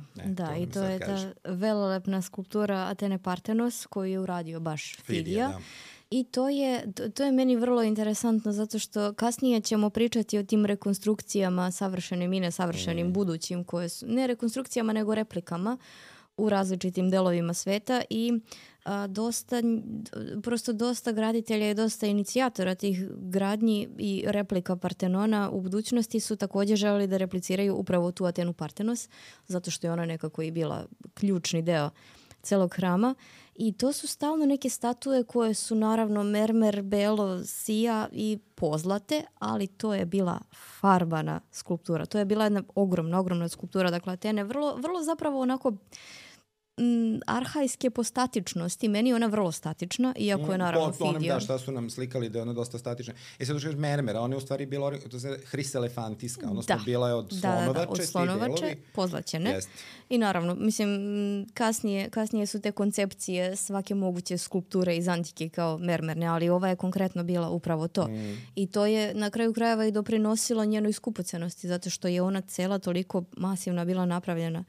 I to je ta velelepna skulptura Atene Partenos koju je uradio baš Fidija. I to je meni vrlo interesantno zato što kasnije ćemo pričati o tim rekonstrukcijama savršenim i nesavršenim budućim koje su, ne rekonstrukcijama nego replikama u različitim delovima sveta i dosta graditelja i dosta inicijatora tih gradnji i replika Partenona u budućnosti su također želeli da repliciraju upravo tu Atenu Partenos zato što je ona nekako i bila ključni deo celog hrama. I to su stalno neke statue koje su naravno mermer, belo, sija i pozlate, ali to je bila farbana skulptura. To je bila jedna ogromna skulptura. Dakle, Atene vrlo zapravo onako arhajske po statičnosti. Meni je ona vrlo statična, iako je naravno Fidija. Da, šta su nam slikali da je ona dosta statična. Sad da kažeš mermera, ona je u stvari bila hriselefantiska, odnosno bila je od slonovače. Od slonovače, pozlaćene. Jest. I naravno, mislim, kasnije su te koncepcije svake moguće skulpture iz antike kao mermerne, ali ova je konkretno bila upravo to. I to je na kraju krajeva i doprinosilo njenoj skupocenosti, zato što je ona cela toliko masivna bila napravljena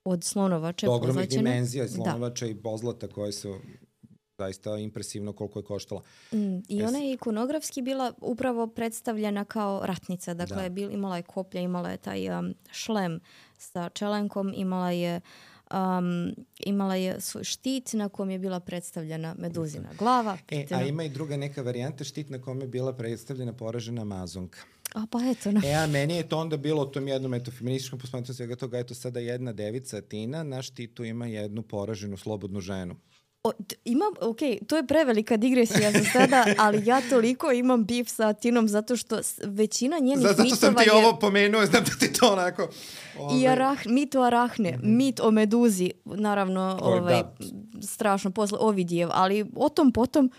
od slonovače. Ogromnih dimenzija slonovača i pozlata koje su zaista impresivno koliko je koštala. I ona je ikonografski bila upravo predstavljena kao ratnica. Dakle, imala je koplja, imala je taj šlem sa čelenkom, imala je svoj štit na kom je bila predstavljena meduzina glava. A ima i druga neka varijanta, štit na kom je bila predstavljena poražena Amazonka. Pa eto. A meni je to onda bilo u tom jednom feminističkom posmatranju svega toga, eto sada jedna devica Atina, na štitu ima jednu poraženu slobodnu ženu. To je prevelika digresija za sada, ali ja toliko imam bif sa Atinom zato što većina njenih mitova je... Zato sam ti ovo pomenuo, znam da ti to onako... I mit o Arahne, mit o Meduzi, naravno strašno posle Ovidijev, ali o tom potom...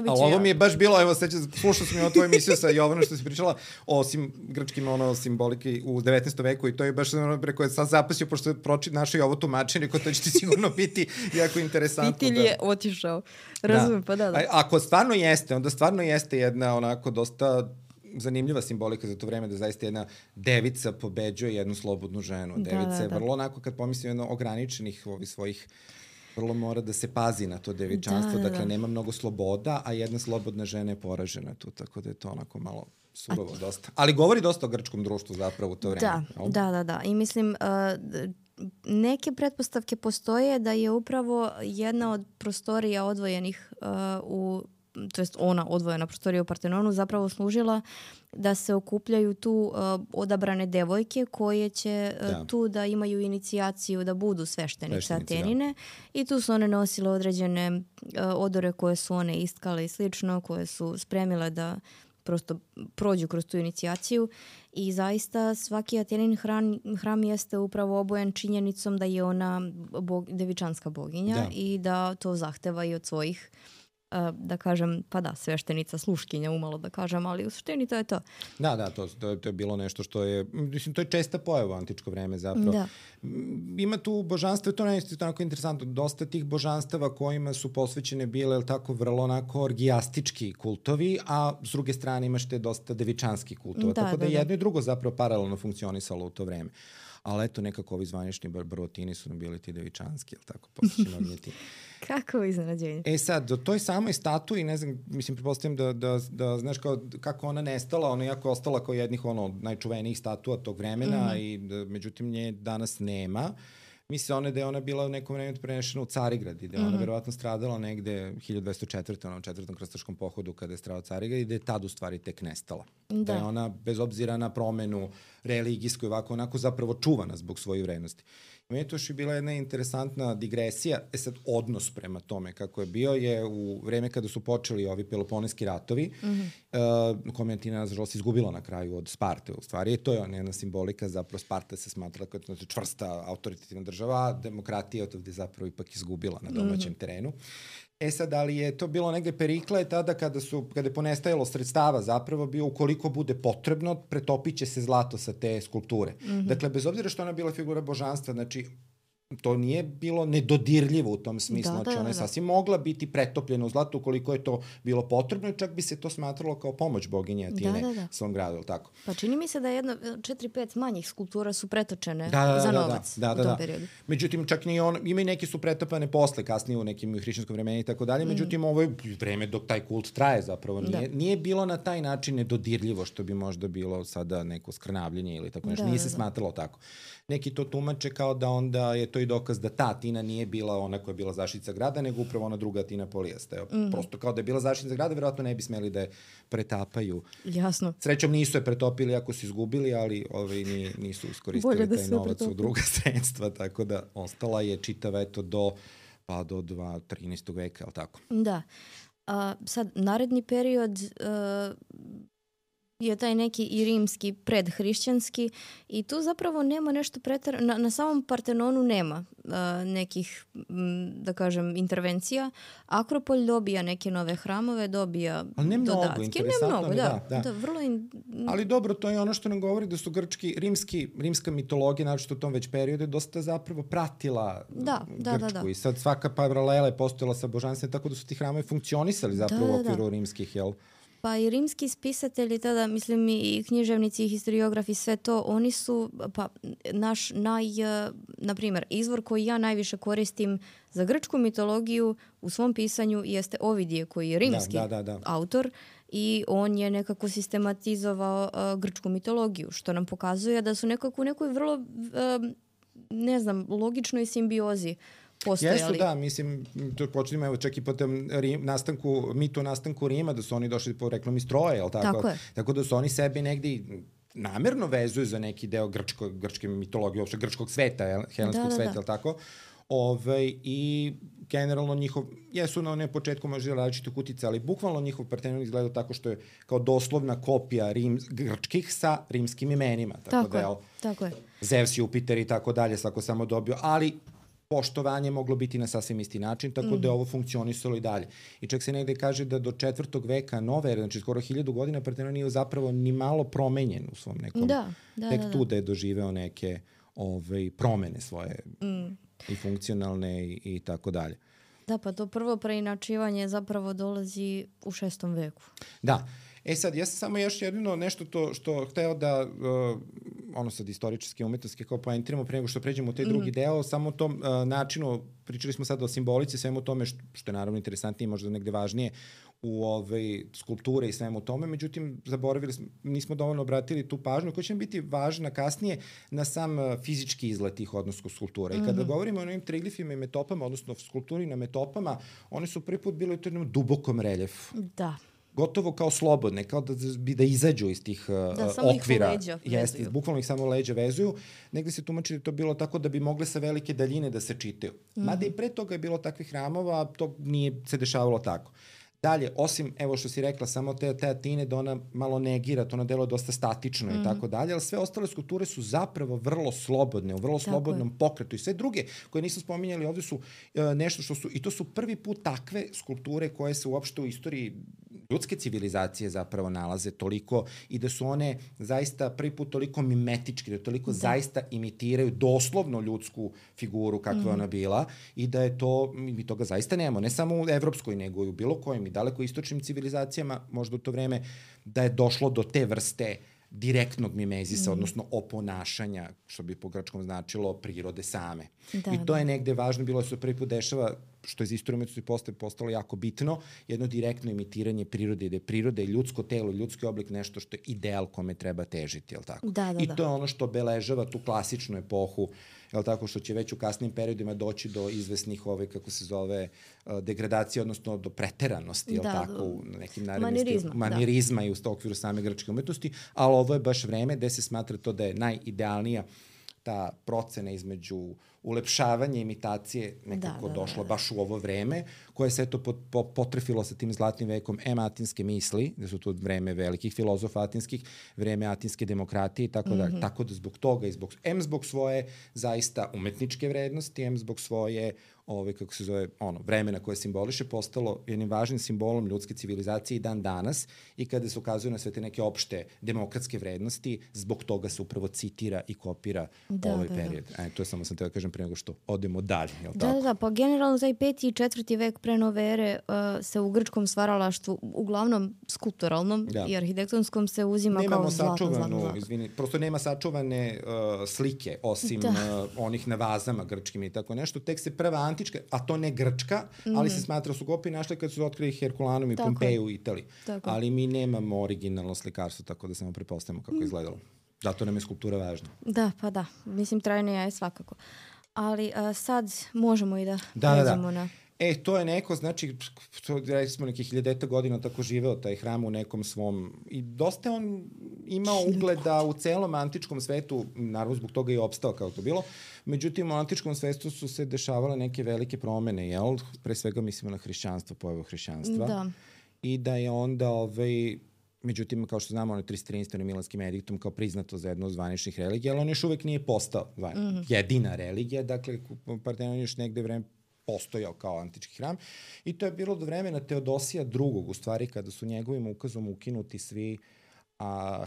A ovo mi je baš bilo, evo slušao sam i o tvojoj emisiju sa Jovanom što si pričala o grčkim simboliki u 19. veku i to je baš preko je sad zapasio, pošto je našao i ovo tumačenje, ko to će ti sigurno biti jako interesantno. Pitilj je otišao, razumem, pa da. Ako stvarno jeste, onda stvarno jeste jedna onako dosta zanimljiva simbolika za to vreme, da zaista jedna devica pobeđuje jednu slobodnu ženu. Devica je vrlo onako, kad pomislim jedno ograničenih svojih vrlo mora da se pazi na to devičanstvo, dakle nema mnogo sloboda, a jedna slobodna žena je poražena tu, tako da je to onako malo surovo dosta. Ali govori dosta o grčkom društvu zapravo u to vreme. Da. I mislim, neke pretpostavke postoje da je upravo jedna od prostorija odvojenih to jest ona odvojena prostorija u Partenonu zapravo služila da se okupljaju tu odabrane devojke koje će tu da imaju inicijaciju da budu sveštenice Atenine i tu su one nosile određene odore koje su one istkale i slično, koje su spremile da prosto prođu kroz tu inicijaciju i zaista svaki Atenin hram jeste upravo obojen činjenicom da je ona devičanska boginja i da to zahteva i od svojih da kažem, sveštenica, sluškinja umalo da kažem, ali u suštini to je to. Da, to je bilo nešto što je, mislim, to je česta pojava u antičko vreme zapravo. Ima tu božanstva, to je tako interesantno, dosta tih božanstava kojima su posvećene bile, tako vrlo onako orgijastički kultovi, a s druge strane imaš te dosta devičanski kultova, tako da jedno i drugo zapravo paralelno funkcionisalo u to vreme. Ali eto, nekako ovi zvanični Barotini su nam bili ti devičanski, ili tako, posvećeni ognjeti. Kako iznenađenje. Sad, do toj samoj statui, ne znam, mislim, pretpostavljam da znaš kako ona nestala, ona je jako ostala kao jednih najčuvenijih statua tog vremena i međutim nje danas nema. misle da je ona bila u nekom vremenu prenešena u Carigrad i da je ona verovatno stradala negde 1204. u četvrtom krstaškom pohodu kada je stradao Carigrad i da je tad u stvari tek nestala. Da je ona, bez obzira na promenu religijsku i ovako onako, zapravo čuvana zbog svojih vrednosti. Meni je to još i bila jedna interesantna digresija, sad odnos prema tome kako je bio je u vreme kada su počeli ovi Peloponeski ratovi, kome je Atina nažalost izgubila na kraju od Sparte u stvari, i to je jedna simbolika, zapravo Sparta se smatrala kao čvrsta autoritativna država, demokratija je ovde zapravo ipak izgubila na domaćem terenu. Sad, ali je to bilo negde Perikla je tada kada je ponestajalo sredstava zapravo bio ukoliko bude potrebno, pretopit će se zlato sa te skulpture. Dakle, bez obzira što ona bila figura božanstva, znači to nije bilo nedodirljivo u tom smislu, znači ona je sasvim mogla biti pretopljena u zlatu ukoliko je to bilo potrebno i čak bi se to smatralo kao pomoć boginje Atine svom gradu, ili tako? Pa čini mi se da 4-5 manjih skulptura su pretočene za novac u tom periodu. Međutim, čak ni on, ima i neke su pretopane posle, kasnije u nekim hrišćanskom vremenu i tako dalje, međutim ovo je vreme dok taj kult traje zapravo, nije bilo na taj način nedodirljivo što bi možda bilo sada neko skrnavljenje ili tako nešto, nije se smatralo tako. Neki to tumače kao da onda je to i dokaz da ta Atina nije bila ona koja je bila zaštitnica grada, nego upravo ona druga Atina Polijasta. Prosto kao da je bila zaštitnica grada, verovatno ne bi smeli da je pretapaju. Jasno. Srećom nisu je pretopili ako su izgubili, ali nisu iskoristili taj novac u druga sredstva, tako da ostala je čitava eto do 13. veka, ali tako? Da. Sad, naredni period je taj neki i rimski predhrišćanski i tu zapravo nema nešto na samom Partenonu nema nekih, da kažem, intervencija. Akropolj dobija neke nove hramove, dobija dodatke. Ne mnogo, da. Vrlo ali dobro, to je ono što nam govori da su rimska mitologija, naročito u tom već periodu, dosta zapravo pratila grčku. I sad svaka paralela je postojala sa božanstvom, tako da su ti hramovi funkcionisali zapravo u okviru rimskih, jel? Pa i rimski spisatelji tada, mislim i književnici i historiografi, sve to, oni su, pa naš na primjer, izvor koji ja najviše koristim za grčku mitologiju u svom pisanju jeste Ovidije, koji je rimski autor i on je nekako sistematizovao grčku mitologiju, što nam pokazuje da su nekako u nekoj vrlo, logičnoj simbiozi postojali. Jesu, da, mislim, to počnemo, evo, čak i po tem mitu o nastanku Rima, da su oni došli po reklami stroje, jel tako? Tako je. Tako da su oni sebi negdje namerno vezuju za neki deo grčke mitologije, uopšte grčkog sveta, helenskog sveta, jel tako? I generalno jesu na onom početku možda različite kutice, ali bukvalno njihov Partenon izgleda tako što je kao doslovna kopija grčkih sa rimskim imenima. Tako je. Zeus, Jupiter i tako dalje, svako samo dobio, ali poštovanje moglo biti na sasvim isti način, tako da je ovo funkcionisalo i dalje. I čak se negde kaže da do 4. veka nove ere, znači skoro 1000 godina, Partenon nije zapravo ni malo promenjen u svom nekom... Tek tu da je doživeo neke promene svoje i funkcionalne i tako dalje. Da, pa to prvo preinačivanje zapravo dolazi u 6. veku. Da. Sad, ja sam samo još jedino nešto to što hteo da, sad istoričarske umetnosti kao poentiramo pre nego što pređemo u taj drugi deo, samo u tom načinu, pričali smo sad o simbolici, svemu tome što je naravno interesantnije, možda negde važnije u skulpture i svemu tome, međutim, zaboravili smo, nismo dovoljno obratili tu pažnju koja će nam biti važna kasnije na sam fizički izgled tih odnosno skulptura. I kada govorimo o ovim triglifima i metopama, odnosno skulpturi na metopama, one su prvi put bile u jednom dubokom reljefu. Da. Gotovo kao slobodne, kao da izađu iz tih okvira. Jeste, bukvalno ih samo leđa vezuju. Negde se tumači da je to bilo tako da bi mogle sa velike daljine da se čitaju. Mada i pre toga je bilo takvih hramova, to nije se dešavalo tako. Dalje, osim, evo što si rekla, samo te Atine da ona malo negira, to ona delo dosta statično i tako dalje, ali sve ostale skulpture su zapravo vrlo slobodne, u vrlo slobodnom pokretu i sve druge koje nisam spominjali ovdje su nešto što su, i to su prvi put takve skulpture koje se uopšte u istoriji ljudske civilizacije zapravo nalaze toliko i da su one zaista prvi put toliko mimetički, da toliko zaista imitiraju doslovno ljudsku figuru kakva ona bila i da je to, mi toga zaista nemamo, ne samo u evropskoj, nego i u bilo kojem i daleko istočnim civilizacijama, možda u to vreme, da je došlo do te vrste direktnog mimezisa, odnosno oponašanja, što bi po grčkom značilo prirode same. I to je negde važno, bilo se prvi put dešava što je za istoriju umetnosti postalo jako bitno, jedno direktno imitiranje prirode, gde priroda je ljudsko telo, ljudski oblik nešto što je ideal kome treba težiti, je li tako? I to je ono što obeležava tu klasičnu epohu, je li tako, što će već u kasnim periodima doći do izvesnih, kako se zove, degradacije, odnosno do preteranosti, je li tako, u nekim manirizma i u okviru same grčke umetnosti, ali ovo je baš vreme gde se smatra to da je najidealnija ta procena između ulepšavanja imitacije nekako došla baš u ovo vreme, koje se eto potrefilo sa tim zlatnim vekom atinske misli, gde su to vreme velikih filozofa atinskih, vreme atinske demokratije i tako da. Tako da zbog toga i zbog svoje zaista umetničke vrednosti, zbog svoje vremena koje simboliše, postalo jednim važnim simbolom ljudske civilizacije i dan danas, i kada se ukazuje na sve te neke opšte demokratske vrednosti, zbog toga se upravo citira i kopira ovaj period. To je samo sam teo da kažem pre nego što odemo dalje. Pa generalno taj 5. i 4. vek pre nove ere se u grčkom stvaralaštvu, uglavnom skulpturalnom i arhitektonskom, se uzima kao zlatno. Prosto nema sačuvane slike, osim onih na vazama grčkim i tako nešto. Tek se prva antička, a to ne grčka, ali se smatra su kopije našli kad su otkrili Herkulanum i Pompeju u Italiji. Ali mi nemamo originalno slikarstvo, tako da samo prepostavimo kako je izgledalo. Zato nam je skulptura važna. Da. Mislim, trajnija je svakako. Ali sad možemo i da pređemo na... To je neko, znači, rekli smo nekih 1000 godina tako živeo taj hram u nekom svom... I dosta on imao ugleda u celom antičkom svetu, naravno zbog toga je opstao kao to bilo. Međutim, u antičkom svetu su se dešavale neke velike promene, jel? Pre svega mislimo na hrišćanstvo, pojavu hrišćanstva. Da. I da je onda međutim, kao što znamo, on je 313. Milanskim ediktom kao priznato za jednu od zvaničnih religija, ali on još uvek nije postao jedina religija, dakle, Partenon još negde vreme postojao kao antički hram, i to je bilo do vremena Teodosija II, u stvari, kada su njegovim ukazom ukinuti svi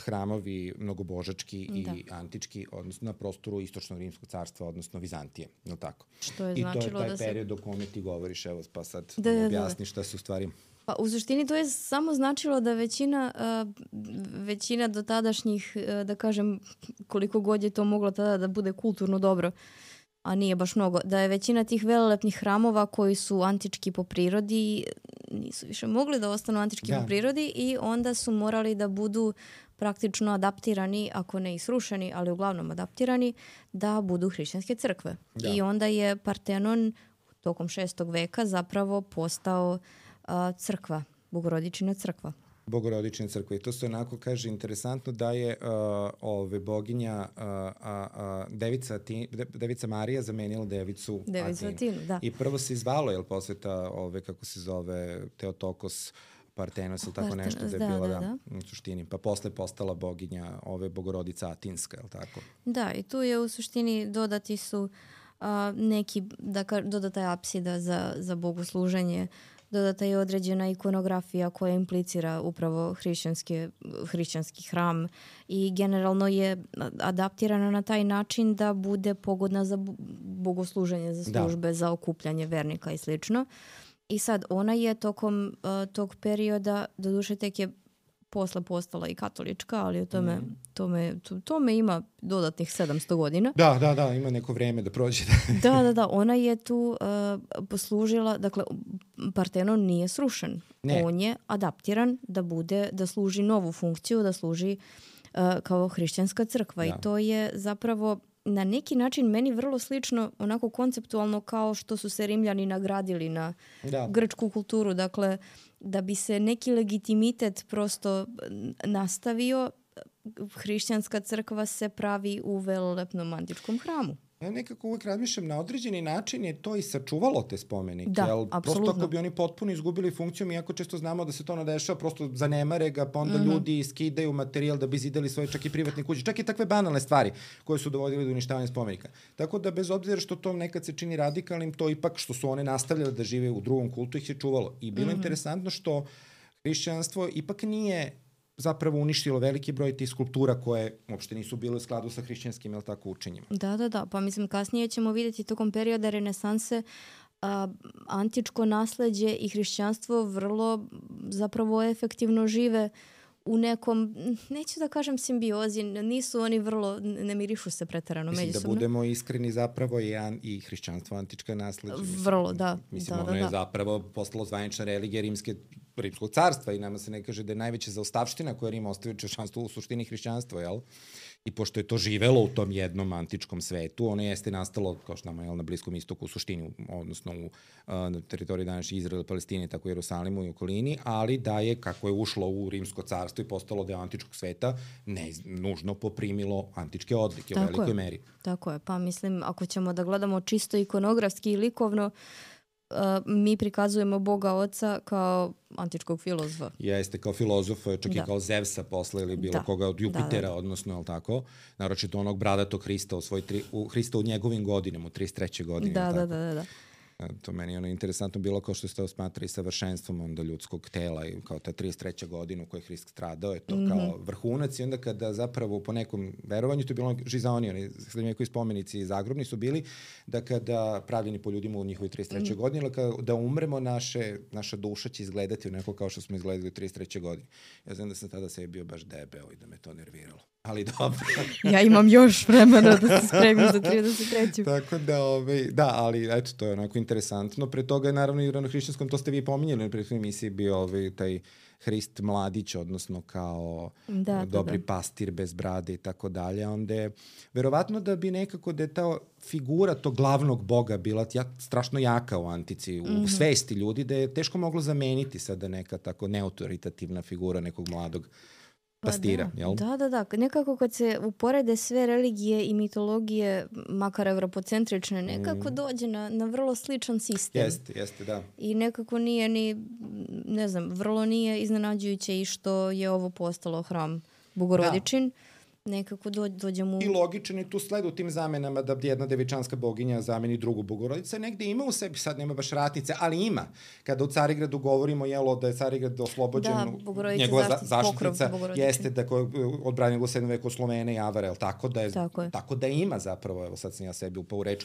hramovi mnogobožački i antički, odnosno na prostoru Istočnog rimskog carstva, odnosno Vizantije, je li tako? Što je značilo da se... I to je taj period o kome ti govoriš, evo, pa sad objasni šta se u stvari... Pa u suštini to je samo značilo da većina dotadašnjih, da kažem, koliko god je to moglo tada da bude kulturno dobro, a nije baš mnogo, da je većina tih velelepnih hramova koji su antički po prirodi nisu više mogli da ostanu antički po prirodi, i onda su morali da budu praktično adaptirani, ako ne i srušeni, ali uglavnom adaptirani, da budu hrišćanske crkve. I onda je Partenon tokom 6. veka zapravo postao crkva, Bogorodičina crkva. Bogorodične crkve. I to se onako kaže interesantno da je boginja Devica Marija zamenila Devicu Atinu. I prvo se izvalo, jel, posveta kako se zove Teotokos Partenos ili tako nešto, da je bila u suštini. Pa posle postala boginja Bogorodica Atinska, jel tako? Da, i tu je u suštini dodati su dodata je apsida za bogosluženje, dodata je određena ikonografija koja implicira upravo hrišćanski hram, i generalno je adaptirana na taj način da bude pogodna za bogosluženje, za službe, za okupljanje vernika i slično. I sad ona je tokom tog perioda, doduše tek je posle postala i katolička, ali tome ima dodatnih 700 godina. Da, ima neko vreme da prođe. Da, ona je tu poslužila, dakle, Partenon nije srušen. On je adaptiran da služi novu funkciju, da služi kao hrišćanska crkva. I to je zapravo na neki način meni vrlo slično, onako konceptualno, kao što su se Rimljani nagradili na grčku kulturu. Dakle, da bi se neki legitimitet prosto nastavio, hrišćanska crkva se pravi u velelepnom antičkom hramu. Ja nekako uvek razmišljam, na određeni način je to i sačuvalo te spomenike. Da, apsolutno. Prosto ako bi oni potpuno izgubili funkciju, iako često znamo da se to nadešava, prosto zanemare ga, pa onda ljudi skidaju materijal da bi zidali svoje čak i privatne kuće. Čak i takve banalne stvari koje su dovodili do uništavanja spomenika. Tako da bez obzira što to nekad se čini radikalnim, to ipak što su one nastavljale da žive u drugom kultu ih je čuvalo. I bilo interesantno što hrišćanstvo ipak nije zapravo uništilo veliki broj tih skulptura koje uopšte nisu bile u skladu sa hrišćanskim, jel tako, učenjima. Da. Pa mislim, kasnije ćemo vidjeti tokom perioda renesanse antičko nasleđe i hrišćanstvo vrlo zapravo efektivno žive u nekom, neću da kažem simbiozi, nisu oni vrlo, ne mirišu se preterano međusobno. Mislim da budemo iskreni, zapravo i hrišćanstvo antička nasleđa. Vrlo, da. Mislim, ono je zapravo postalo zvanična religija Rimskog carstva i nama se ne kaže da je najveća zaostavština koja Rim ostavio češćanstvo u suštini hrišćanstvo, jel? I pošto je to živelo u tom jednom antičkom svetu, ono jeste nastalo, kao što nam je na Bliskom istoku u suštini, odnosno na teritoriji današnje Izraela, Palestine, tako i Jerusalimu i okolini, ali da je, kako je ušlo u Rimsko carstvo i postalo deo antičkog sveta, ne nužno poprimilo antičke odlike u velikoj meri. Tako je, pa mislim, ako ćemo da gledamo čisto ikonografski i likovno, mi prikazujemo Boga Oca kao antičkog filozofa. Jeste, kao filozofa, čak i kao Zevsa posle ili bilo koga od Jupitera, odnosno, je li tako? Naročito onog bradatog Hrista Hrista u njegovim godinama, u 33. godine. Da. To meni je interesantno bilo kao što ste osmatrali savršenstvom onda ljudskog tela i kao ta 33. godina u kojoj je Hrist stradao, je to kao vrhunac i onda kada zapravo po nekom verovanju, to je bilo Žizaoni, oni srednjovekovi spomenici zagrobni su bili, da kada pravljeni po ljudima u njihovoj 33. godini, da umremo, naša duša će izgledati onako kao što smo izgledali u 33. godini. Ja znam da sam tada sebi bio baš debeo i da me to nerviralo. Ali dobro. Ja imam još vremena da se spremim za 33. Tako da, ali eto, to je onako interesantno. Pre toga je naravno i u ranohrišćanskom, to ste vi pominjali na prethodnoj emisiji, bio taj Hrist mladić, odnosno kao dobri pastir bez brade i tako dalje. Onda je, verovatno da bi nekako da je ta figura tog glavnog boga bila strašno jaka u antici, u svesti ljudi, da je teško moglo zameniti sada neka tako neautoritativna figura nekog mladog pastira, jel? Da. Nekako kad se uporede sve religije i mitologije, makar evropocentrične, nekako dođe na vrlo sličan sistem. Jeste, da. I nekako nije ni, ne znam, vrlo nije iznenađujuće i što je ovo postalo hram Bogorodičin. Nekako dođemo... I logičan je tu sled u tim zamenama da jedna devičanska boginja zameni drugu Bogorodicu. Negde ima u sebi, sad nema baš ratnice, ali ima. Kada u Carigradu govorimo, da je Carigrad oslobođen, njegova zaštitnica jeste da je odbranila u 7. veku Slovene i Avara, tako da ima zapravo, evo sad sam ja sebi upao u reč,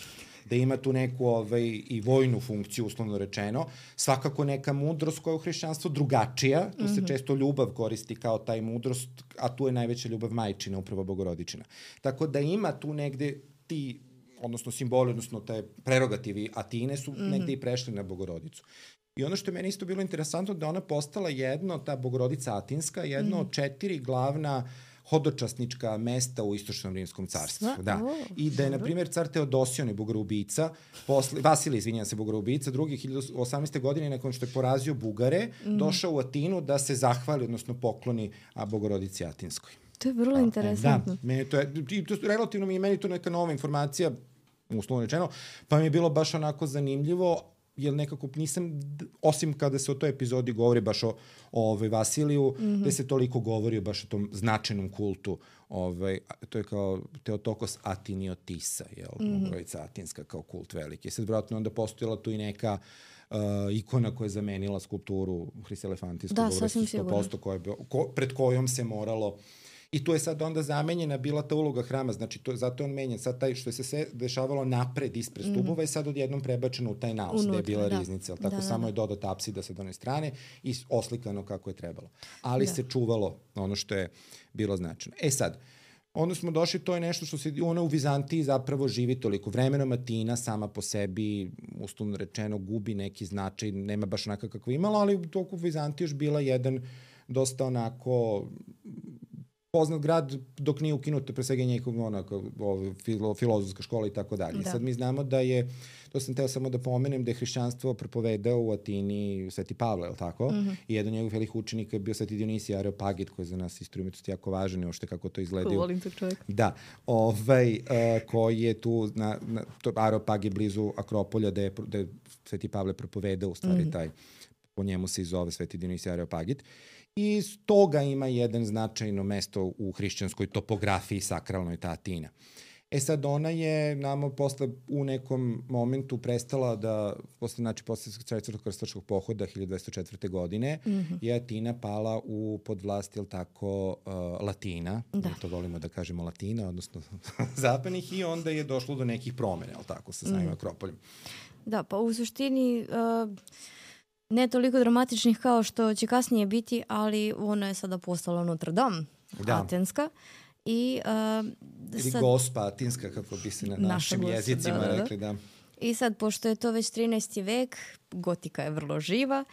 da ima tu neku i vojnu funkciju, uslovno rečeno. Svakako neka mudrost koja je u hrišćanstvu drugačija, tu se često ljubav koristi kao taj mudrost, a tu je najveća ljubav majčina, upravo Bogorodičina. Tako da ima tu negde ti, odnosno simboli, odnosno te prerogativi Atine su negde i prešli na Bogorodicu. I ono što je meni isto bilo interesantno, da ona postala ta Bogorodica Atinska, jedno od 4 glavna hodočasnička mesta u Istočnom Rimskom carstvu. I da je, na primjer, car Teodosijon, bogoubica, Vasilij, izvinjam se, bogoubica, drugi 1018. godine, nakon što je porazio Bugare, došao u Atinu da se zahvali, odnosno pokloni Bogorodici Atinskoj. To je vrlo interesantno. Relativno meni to neka nova informacija, uslovno rečeno, pa mi je bilo baš onako zanimljivo, jer nekako nisam, osim kada se o toj epizodi govori baš o Vasiliju, gde se toliko govori baš o tom značajnom kultu, to je kao Teotokos Atiniotisa, Bogorodica Atinska kao kult veliki. Sad vjerojatno onda postojala tu i neka ikona koja je zamenila skulpturu Hrista Elefantijskog, pred kojom se moralo. I tu je sad onda zamenjena bila ta uloga hrama, znači zato je on menjen. Sad taj što se sve dešavalo napred ispred stubova je sad odjednom prebačeno u taj naos, gde je bila riznica. Tako samo je dodata apsida sa one strane i oslikano kako je trebalo. Ali se čuvalo ono što je bilo značajno. Sad, onda smo došli, to je nešto što se u Vizantiji zapravo živi toliko. Vremenom Atina sama po sebi, uslovno rečeno, gubi neki značaj, nema baš onaka kako imala, ali u toku Vizantiji još bila jedan dosta onako poznat grad dok nije ukinuto pre svega njihov filozofska škola i tako dalje. Sad mi znamo da je, to sam teo samo da pomenem, da je hrišćanstvo propovedao u Atini Sveti Pavle, je li tako? I jedan od njegovih velikih učenika je bio Sveti Dionisije Areopagit, koji je za nas istoriju umetnosti jako važan, ošte kako to izgledaju. Volim tog čovjeka. Da, koji je tu, Areopagit blizu Akropolja, da je Sveti Pavle propovedao, u stvari taj, po njemu se i zove Sveti Dionisije Areopagit. I iz toga ima jedan značajno mesto u hrišćanskoj topografiji sakralnoj ta Atina. Sad ona je nama posle u nekom momentu prestala da, posle Četvrtog krstaškog pohoda 1204. godine, je Atina pala pod vlast, jel tako, Latina, mi to volimo da kažemo Latina, odnosno zapadnih, i onda je došlo do nekih promjena, jel tako, sa samim Akropoljem. Da, pa u suštini ne toliko dramatičnih kao što će kasnije biti, ali ono je sada postalo Notre Dame, atenska. Ili Gospa atinska, kako bi se na našim jezicima rekli, da. I sad, pošto je to već 13. vek, gotika je vrlo živa,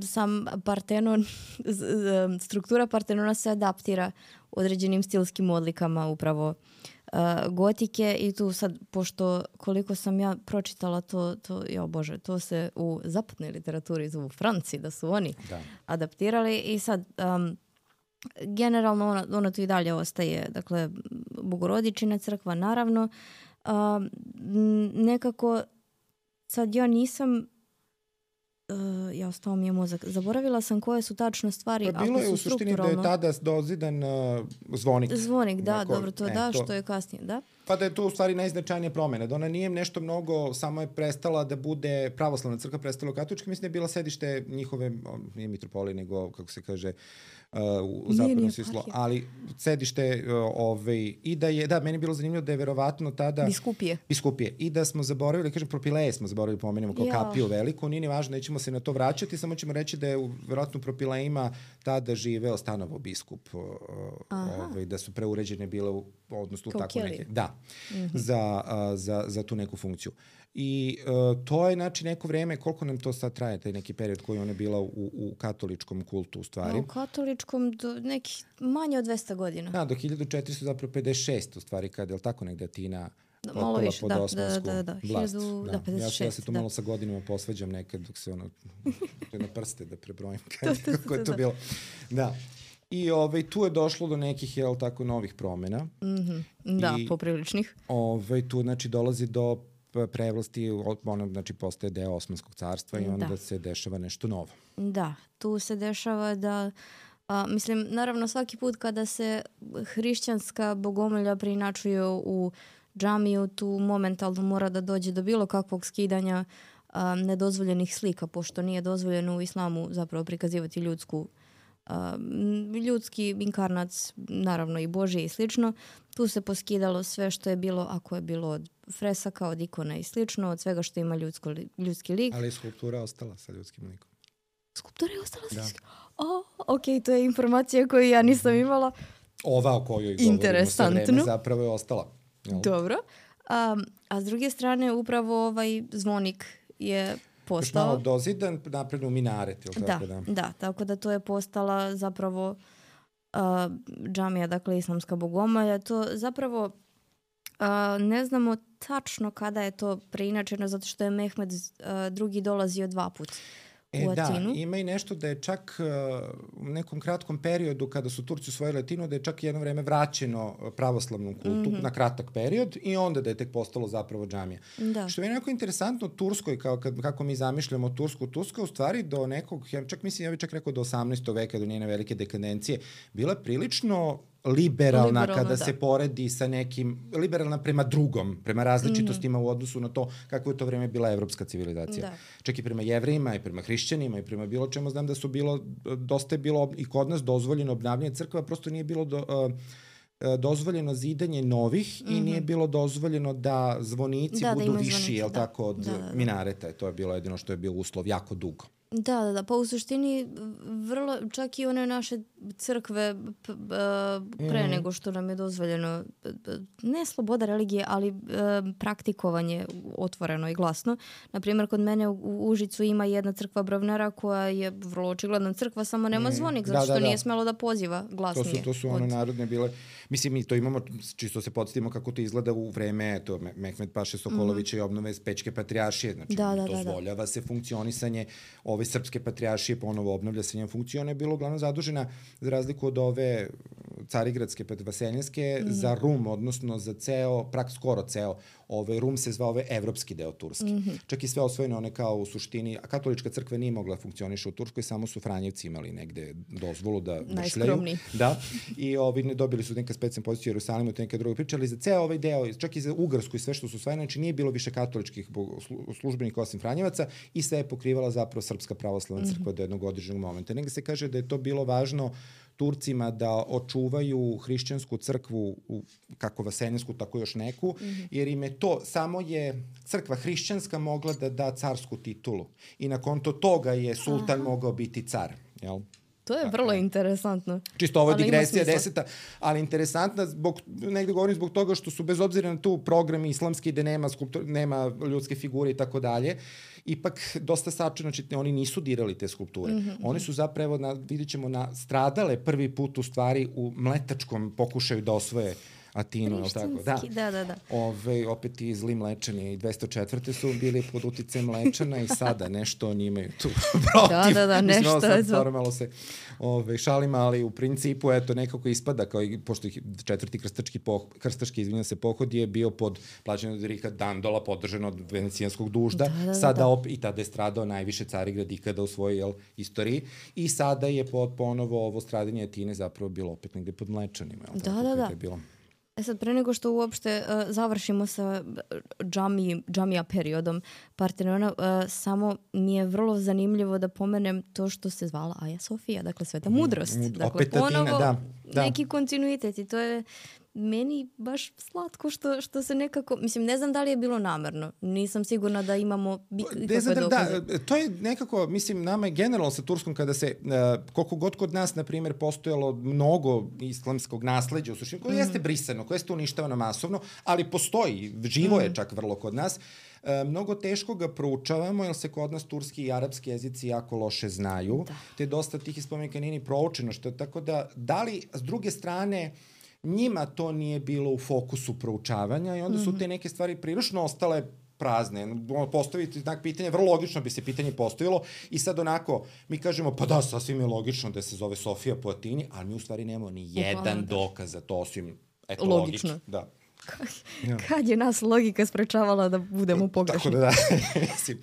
sam Partenon, struktura Partenona se adaptira određenim stilskim odlikama upravo gotike i tu sad, pošto koliko sam ja pročitala to se u zapadnoj literaturi zovu Franci, da su oni adaptirali i sad generalno ona tu i dalje ostaje, dakle, Bogorodičina crkva, naravno. Nekako sad ja nisam ostao mi je mozak. Zaboravila sam koje su tačno stvari. Pa bilo je u suštini da je tada dozidan zvonik. Zvonik, da, dobro, to da, što je kasnije, da. Pa da je to u stvari najznačajnija promjena. Da ona nije nešto mnogo, samo je prestala da bude pravoslavna crkva, prestala katolička. Mislim da je bila sedište njihove, nije mitropolije, nego, kako se kaže, u zapadnom smislu, ali sedište i da je, meni je bilo zanimljivo da je verovatno tada biskupije i da smo zaboravili, kažem, Propileje smo zaboravili pomenemo kao kapiju veliku, nije ni važno, nećemo se na to vraćati, samo ćemo reći da je verovatno u Propilejima tada živeo Stanovo biskup, da su preuređene bile odnosno tako neke, za tu neku funkciju. I to je znači neko vreme, koliko nam to sad traje, taj neki period koji ona bila u katoličkom kultu u stvari? U katoličkom do nekih manje od 200 godina. Da, do 1456 u stvari, kada je tako negde Atina potpala pod osmansku vlast. Ja se tu malo sa godinama posvađam nekad dok se na prste da prebrojim kako je to bilo. Da. I znači je došlo do nekih novih promjena. Da, popriličnih. Tu znači dolazi do prevlasti, ono znači postaje deo Osmanskog carstva i onda se dešava nešto novo. Da, tu se dešava da, mislim, naravno svaki put kada se hrišćanska bogomolja preinačuju u džamiju, tu momentalno mora da dođe do bilo kakvog skidanja nedozvoljenih slika, pošto nije dozvoljeno u islamu zapravo prikazivati ljudski inkarnac, naravno i Božji i slično. Tu se poskidalo sve što je bilo, ako je bilo od fresaka, od ikona i slično, od svega što ima ljudski lik. Ali skulptura ostala sa ljudskim likom. Skulptura je ostala sa ljudskim likom? Ok, to je informacija koju ja nisam imala. Ova o kojoj govorimo sa vreme zapravo je ostala. Dobro. A s druge strane, upravo ovaj zvonik je postao... Malo dozidan napred u minaret, ili tako da? Da, tako da to je postala zapravo džamija, dakle islamska bogomolja. To zapravo ne znamo tačno kada je to preinačeno, zato što je Mehmed II dolazio 2 puta u Atinu. Da, ima i nešto da je čak u nekom kratkom periodu kada su Turci osvojili Atinu, da je čak jedno vreme vraćeno pravoslavnom kultu na kratak period i onda da je tek postalo zapravo džamija. Da. Što je nekako interesantno Turskoj, kako mi zamišljamo Tursku. Turska u stvari do nekog, ja bih čak rekao do 18. veka, do njene velike dekadencije, bila prilično liberalna kada se poredi sa nekim, liberalna prema drugom, prema različitostima u odnosu na to kako je to vreme bila evropska civilizacija. Da. Čak i prema Jevrejima i prema hrišćanima i prema bilo čemu, znam da su dosta je bilo i kod nas dozvoljeno obnavljanje crkva, prosto nije bilo dozvoljeno zidanje novih i nije bilo dozvoljeno da zvonici budu viši, tako, od minareta. To je bilo jedino što je bio uslov jako dugo. Da, pa u suštini vrlo, čak i one naše crkve pre nego što nam je dozvoljeno, ne sloboda religije, ali praktikovanje otvoreno i glasno. Naprimjer, kod mene u Užicu ima jedna crkva Brovnara koja je vrlo očigledna crkva, samo nema zvonik, zato što nije smelo da poziva glasnije. To su one narodne bile. Mislim, mi to imamo, čisto se podsjetimo kako to izgleda u vreme Mehmed Paše Sokolovića i obnove Pečke patrijaršije. Znači, dozvoljava se funkcionisanje ove srpske patrijaršije, ponovo obnavlja se njen funkciju. Ona je bila uglavnom zadužena, za razliku od ove carigradske, vaseljenske, za Rum, odnosno za skoro ceo. Rum se zvao evropski deo Turske. Čak i sve osvojeno, one kao u suštini, a katolička crkva nije mogla funkcioniše u Turskoj, samo su Franjevci imali negde dozvolu da vršljaju. Da. I dobili su neka specijalna pozicija u Jerusalimu, to neka druga priča, ali za ceo ovaj deo, čak i za Ugarsku i sve što su osvojene, znači nije bilo više katoličkih službenika osim Franjevaca i sve je pokrivala zapravo Srpska pravoslavna crkva do jednog određenog momenta. Negde se kaže da je to bilo važno Turcima da očuvaju hrišćansku crkvu, kako vaseljensku, tako još neku, jer im je to, samo je crkva hrišćanska mogla da da carsku titulu. I na konto toga je sultan mogao biti car, jel? To je vrlo interesantno. Čisto ovo je digresija 10. Ali interesantna, negde govorim zbog toga što su, bez obzira na tu program islamski gde nema ljudske figure i tako dalje, ipak dosta sačeno, znači oni nisu dirali te skulpture. Oni su zapravo, vidjet ćemo, stradale prvi put u stvari u mletačkom pokušaju da osvoje Atinu, je li tako? Da. Opet i zli Mlečani i 204. su bili pod uticajem Mlečana i sada nešto oni imaju tu protiv. Da, nešto je to. Malo se šalima, ali u principu, eto, nekako ispada, kao i, pošto četvrti krstaški pohod je bio pod plaćanjem od Rika Dandola, podržan od venecijanskog dužda, i tada je stradao najviše Carigrad ikada u svojoj istoriji, i sada je ponovo ovo stradanje Atine zapravo bilo opet negde pod Mlečanima. Da. Sad, pre nego što uopšte završimo sa džamija periodom Partenona, samo mi je vrlo zanimljivo da pomenem to što se zvala Aja Sofija, dakle Sveta mudrost. Dakle, ponovo neki kontinuitet, i to je meni baš slatko što se nekako, mislim, ne znam da li je bilo namerno, nisam sigurna da imamo ikakve dokaze. To je nekako, mislim, nama je generalno sa Turskom, kada se, koliko god kod nas, na primjer, postojalo mnogo islamskog nasleđa u suštini, koje jeste brisano, koje jeste uništavano masovno, ali postoji, živo je čak vrlo kod nas. Mnogo teško ga proučavamo, jer se kod nas turski i arapski jezici jako loše znaju, te dosta tih spomenika nije ni proučeno, tako da li, s druge strane, njima to nije bilo u fokusu proučavanja i onda su te neke stvari prilično ostale prazne. Postaviti znak pitanja, vrlo logično bi se pitanje postavilo, i sad onako, mi kažemo, pa da, sasvim je logično da se zove Sofija po Atini, ali mi u stvari nemamo ni jedan dokaz za to, osim, eto, logično. Da. Kad je nas logika sprečavala da budemo pogrešni? Tako da, mislim,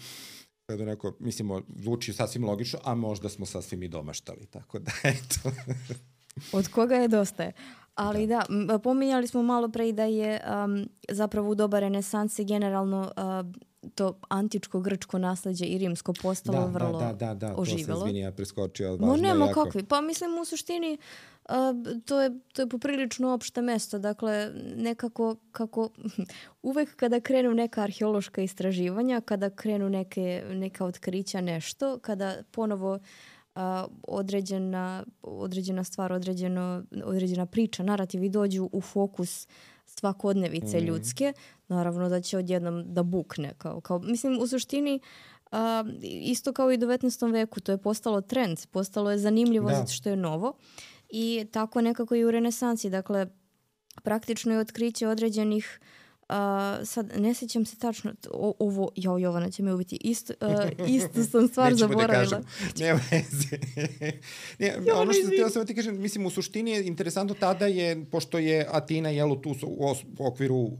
kada neko, mislimo, zvuči sasvim logično, a možda smo sasvim i domaštali, tako da, eto. Od koga je dosta. Ali da, pominjali smo malo pre da je zapravo u doba renesanse generalno to antičko grčko nasleđe i rimsko postalo vrlo oživelo. To se, izvini, ja preskočio. Nema kakvi. Pa mislim, u suštini to je poprilično opšte mesto. Dakle, nekako kako uvek kada krenu neka arheološka istraživanja, kada krenu neka otkrića, nešto, kada ponovo određena stvar, određena priča, narativi dođu u fokus svakodnevice ljudske, naravno da će odjednom da bukne. Mislim, u suštini, isto kao i u 19. veku, to je postalo trend, postalo je zanimljivo zato što je novo, i tako nekako i u renesansi. Dakle, praktično je otkriće određenih, sad ne sjećam se tačno, ovo, Jovana će me ubiti, istu sam stvar zaboravila. Nema veze. Ono što htio sam ti kažem, mislim, u suštini je interesantno tada je, pošto je Atina tu u okviru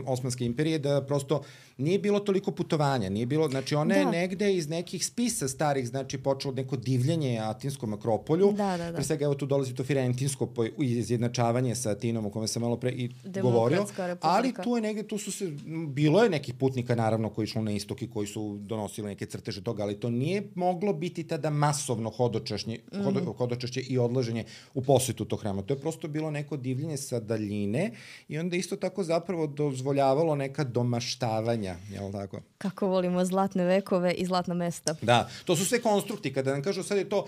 Osmanske imperije, da prosto nije bilo toliko putovanja, nije bilo, znači ona je negde iz nekih spisa starih, znači počelo neko divljenje Atinskom akropolju, pre svega evo tu dolazi to Firentinsko izjednačavanje sa Atinom, o kome sam malo pre i govorio, ali tu je negde, bilo je nekih putnika naravno koji išlo na istok i koji su donosili neke crteže toga, ali to nije moglo biti tada masovno hodočašće i odlaženje u posetu tog hrama, to je prosto bilo neko divljenje sa daljine i onda isto tako zapravo dozvoljavalo neka domaštavanja, jel tako? Kako volimo zlatne vekove i zlatna mesta. Da, to su sve konstrukti. Kada nam kažu sad je to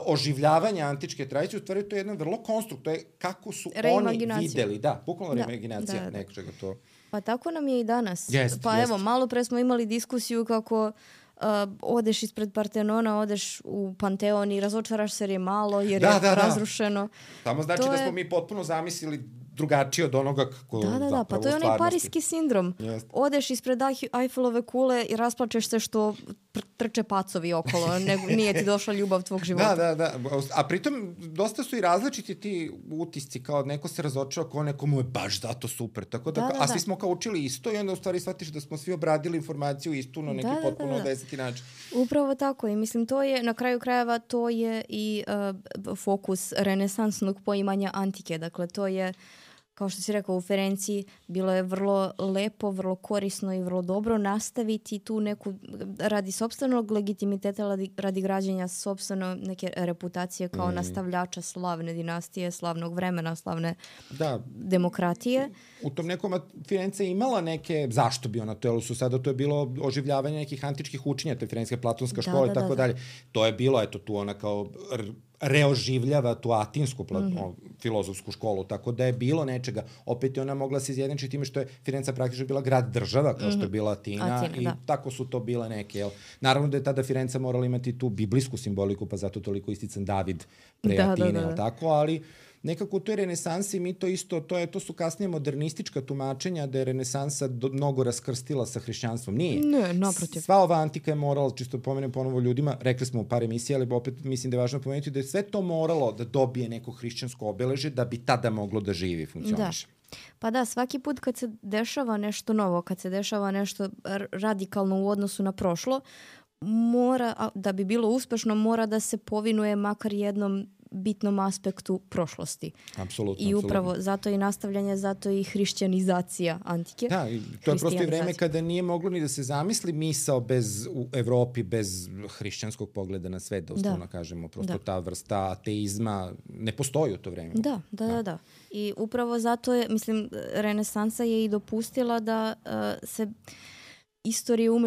oživljavanje antičke tradicije, u stvari to je jedan vrlo konstrukt. To je kako su oni videli. Da, bukvalno reimaginacija nečega to. Pa tako nam je i danas. Evo, malo pre smo imali diskusiju kako odeš ispred Partenona, odeš u Panteon i razočaraš se jer je malo, jer je razrušeno. Tamo znači da smo mi potpuno zamislili drugačije od onoga kako Da, pa to je onaj parijski sindrom. Odeš ispred Eiffelove kule i rasplačeš se što trče pacovi okolo, nije ti došla ljubav tvog života. Da. A pritom dosta su i različiti ti utisci, kao neko se razočarao, kao nekomu je baš zato super. Tako da, a svi smo kao učili isto i onda u stvari shvatiš da smo svi obradili informaciju istu na neki potpuno deseti način. Upravo tako i mislim to je, na kraju krajeva to je i fokus renesansnog poimanja antike. Dakle, to je kao što si rekao u Ferenciji, bilo je vrlo lepo, vrlo korisno i vrlo dobro nastaviti tu neku, radi sopstvenog legitimiteta, radi građenja sopstveno neke reputacije kao nastavljača slavne dinastije, slavnog vremena, slavne demokratije. U tom nekom Firenca je imala neke, zašto bi ona to, jel su sada to je bilo oživljavanje nekih antičkih učenja, to je Firenska platonska škola i tako dalje. To je bilo, eto tu ona kao reoživljava tu atinsku filozofsku školu, tako da je bilo nečega. Opet je ona mogla se izjednačiti time što je Firenca praktično bila grad država, kao što je bila Atina i tako su to bile neke. Jel? Naravno da je tada Firenca morala imati tu biblijsku simboliku, pa zato toliko istican David pre Atine, tako, ali nekako u toj renesansi mi to isto, to su kasnije modernistička tumačenja da je renesansa mnogo raskrstila sa hrišćanstvom. Nije. Ne, naprotiv. Sva ova antika je morala, čisto pomenem ponovo ljudima, rekli smo u par emisija, ali opet mislim da je važno pomenuti da je sve to moralo da dobije neko hrišćansko obeležje da bi tada moglo da živi i funkcioniše. Pa da, svaki put kad se dešava nešto novo, kad se dešava nešto radikalno u odnosu na prošlo, mora, da bi bilo uspešno, mora da se povinuje makar jednom bitnom aspektu prošlosti. Apsolutno. I upravo zato i nastavljanje, zato i hrišćanizacija antike. Da, i to je prosto i vreme kada nije moglo ni da se zamisli misao u Evropi bez hrišćanskog pogleda na svet, da uslovno kažemo. Prosto ta vrsta ateizma ne postoji u to vreme. Da. I upravo zato je, mislim, renesansa je i dopustila da se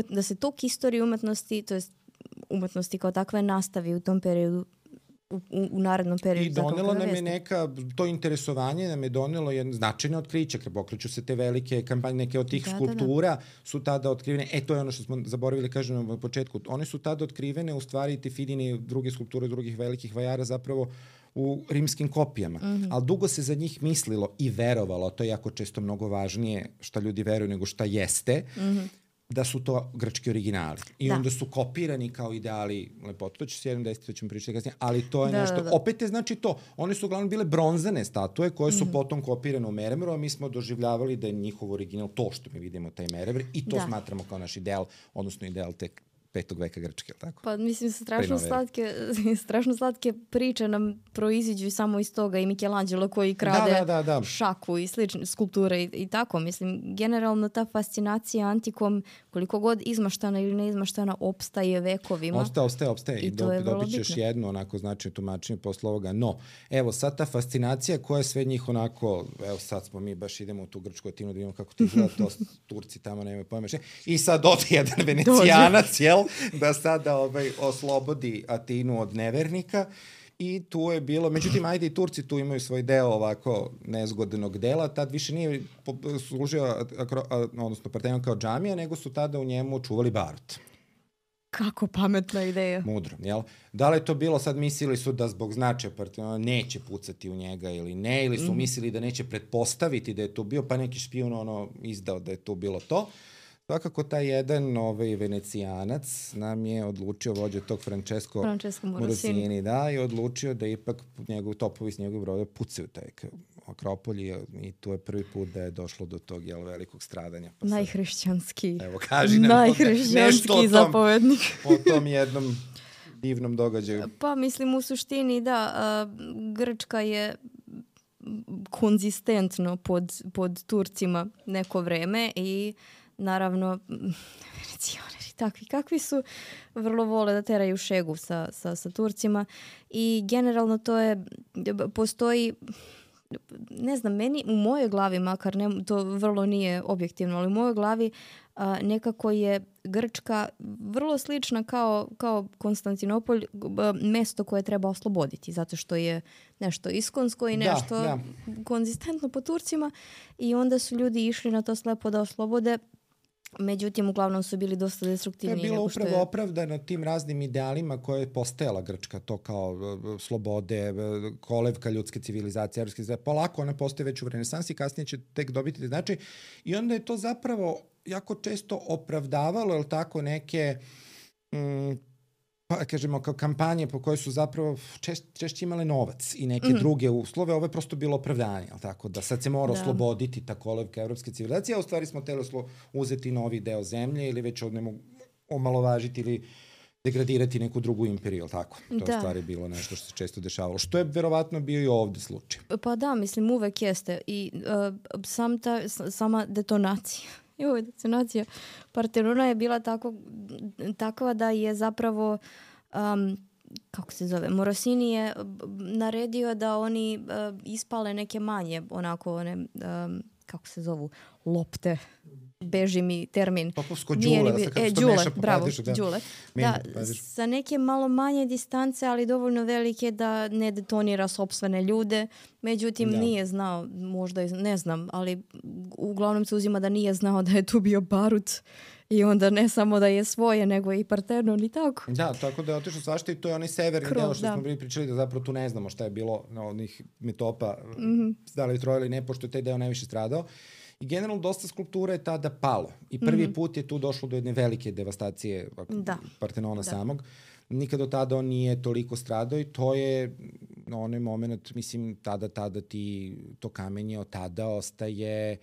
da se tok istorije umetnosti, to jest umetnosti kao takve, nastavi u tom periodu, u narednom periodu. I donelo nam je to interesovanje nam je donelo jedno značajno otkriće, kad pokreću se te velike kampanje, neke od tih skulptura su tada otkrivene, to je ono što smo zaboravili kažem na početku, one su tada otkrivene, u stvari te Fidine i druge skulpture drugih velikih vajara zapravo u rimskim kopijama, ali dugo se za njih mislilo i verovalo, to je jako često mnogo važnije šta ljudi veruju nego šta jeste, da su to grčki originali. I onda su kopirani kao ideali lepote. To će se jednom desiti, to ćemo pričati kasnije, ali to je nešto. Opet je znači to. One su uglavnom bile bronzane statue koje su potom kopirane u meremru, a mi smo doživljavali da je njihov original to što mi vidimo, taj meremr, i to smatramo kao naš ideal, odnosno ideal te 5. veka Grčke, tako? Pa mislim, strašno slatke priče nam proiziđu samo iz toga, i Michelangelo koji krade šaku i slične skulpture i tako. Mislim, generalno ta fascinacija antikom, koliko god izmaštana ili neizmaštana, opstaje vekovima. Ostaje. I dobit ćeš jedno onako značajno tumačenje posle ovoga. No, evo sad ta fascinacija koja sve njih onako, evo sad smo mi baš idemo u tu grčku Atinu da vidimo kako ti gleda, to Turci tamo nemaju pojma. I sad ode jedan Venecijanac, jel? Da sada oslobodi Atinu od nevernika i tu je bilo, međutim, ajde i Turci tu imaju svoj deo ovako nezgodnog dela, tad više nije služio, odnosno Partenon kao džamija, nego su tada u njemu čuvali barut. Kako pametna ideja. Mudro, jel? Da li je to bilo, sad mislili su da zbog značaja Partenona neće pucati u njega ili ne, ili su mislili da neće pretpostaviti da je to bio, pa neki špijun izdao da je to bilo to. Svakako taj jedan Venecijanac nam je odlučio, vođa tog Francesco Morosini, i odlučio da ipak topovi s njegovog broda pucaju taj Akropolj i tu je prvi put da je došlo do tog velikog stradanja. Najhrišćanski. Evo, kaži nam najhrišćanski zapovednik. O tom jednom divnom događaju. Pa mislim, u suštini Grčka je konzistentno pod Turcima neko vreme i naravno, Venecijaneri takvi kakvi su, vrlo vole da teraju šegu sa Turcima i generalno postoji, ne znam, meni u mojoj glavi, makar to vrlo nije objektivno, ali u mojoj glavi nekako je Grčka vrlo slična kao Konstantinopolj, mesto koje treba osloboditi, zato što je nešto iskonsko i nešto konzistentno po Turcima i onda su ljudi išli na to slepo da oslobode. Međutim, uglavnom su bili dosta destruktivni. To je bilo upravo opravdano tim raznim idealima koje je postajala Grčka, to kao slobode, kolevka ljudske civilizacije, polako ona postaje već u renesansi, kasnije će tek dobiti značaj. I onda je to zapravo jako često opravdavalo, jel tako, neke pa kažemo kao kampanje po kojoj su zapravo češće imale novac i neke druge uslove, ovo je prosto bilo opravdanje, jel tako, da sad se mora osloboditi ta kolevka evropske civilizacije, a u stvari smo hteli uzeti novi deo zemlje ili već omalovažiti ili degradirati neku drugu imperiju, tako? To je stvari bilo nešto što se često dešavalo. Što je verovatno bio i ovde slučaj. Pa da, mislim, uvek jeste. I sama detonacija. Detonacija Partenona je bila takva da je zapravo kako se zove, Morosini je naredio da oni ispale neke manje, onako one, kako se zovu, lopte. Beži mi termin. Popovsko đule. Đule, bravo, đule. Da, sa neke malo manje distance, ali dovoljno velike da ne detonira sopstvene ljude. Međutim, nije znao, možda ne znam, ali uglavnom se uzima da nije znao da je tu bio barut. I onda ne samo da je svoje, nego i Partenon i tako. Da, tako da je otišao svašta i to je onaj severni deo što smo bili pričali da zapravo tu ne znamo šta je bilo na onih metopa, da li troje ili ne, pošto je taj deo najviše stradao. I generalno dosta skulptura je tada palo. I prvi put je tu došlo do jedne velike devastacije Partenona samog. Nikad do tada on nije toliko stradao i to je onaj moment, mislim, tada ti to kamenje od tada ostaje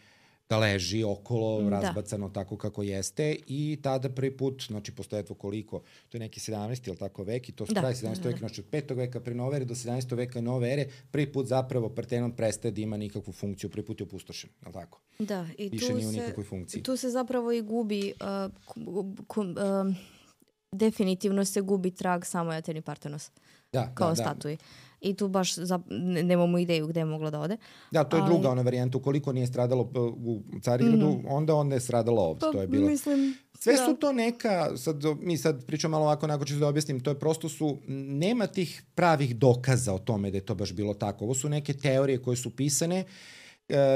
da leži okolo, razbacano tako kako jeste i tada prvi put, znači postoje koliko, to je neki 17. ili tako vek i to su kraj 17. veka, znači od 5. veka pre nove ere do 17. veka nove ere, prvi put zapravo Partenon prestaje da ima nikakvu funkciju, prvi put je opustošen, je li tako? Da, i više nije u nikakvoj funkciji. Tu se zapravo i gubi, definitivno se gubi trag samo Ateni Partenos kao statuji. I tu baš nemamo ideju gde je moglo da ode. Da, to je druga ona varijanta. Ukoliko nije stradalo u Carigradu, onda je stradalo ovdje. To je bilo. Sve su to neka, mi sad pričamo malo ovako, onako ću da objasnim, to je prosto nema tih pravih dokaza o tome da je to baš bilo tako. Ovo su neke teorije koje su pisane,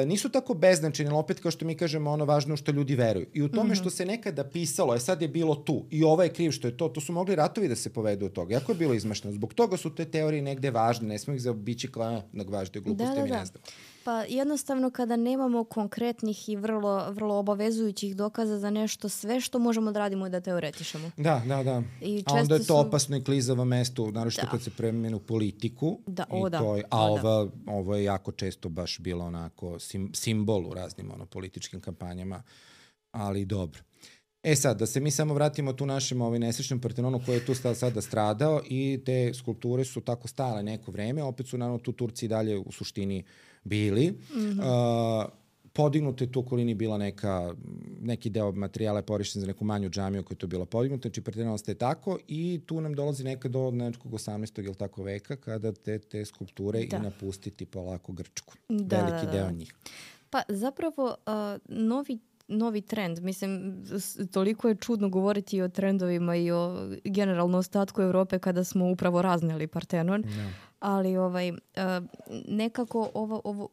nisu tako beznačajne, ali opet kao što mi kažemo, ono važno što ljudi veruju. I u tome što se nekada pisalo, sad je bilo tu i ovo je kriv što je to su mogli ratovi da se povedu od toga. Jako je bilo izmašteno. Zbog toga su te teorije negde važne, ne smo ih zaobići kao važne gluposti, mi ne znam. Pa jednostavno kada nemamo konkretnih i vrlo obavezujućih dokaza za nešto, sve što možemo da radimo je da teoretišemo. Da. A onda je to opasno i klizavo mesto, naročito kad se premenu politiku. Ovo je jako često baš bilo onako simbol u raznim političkim kampanjama, ali dobro. Sad, da se mi samo vratimo tu našem nesrećnom Partenonu koji je tu sada stradao i te skulpture su tako stale neko vreme, opet su naravno tu Turci dalje u suštini bili. Podignuta je tu okolini bila neki deo materijala je porišten za neku manju džamiju koja je to bila podignuta, znači Partenon ostaje tako i tu nam dolazi nekad do nekog 18. ili tako veka kada te skulpture i napustiti polako Grčku. Veliki deo njih. Pa zapravo novi trend. Mislim, toliko je čudno govoriti o trendovima i o generalno ostatku Evrope kada smo upravo razneli Partenon. Ali nekako ovo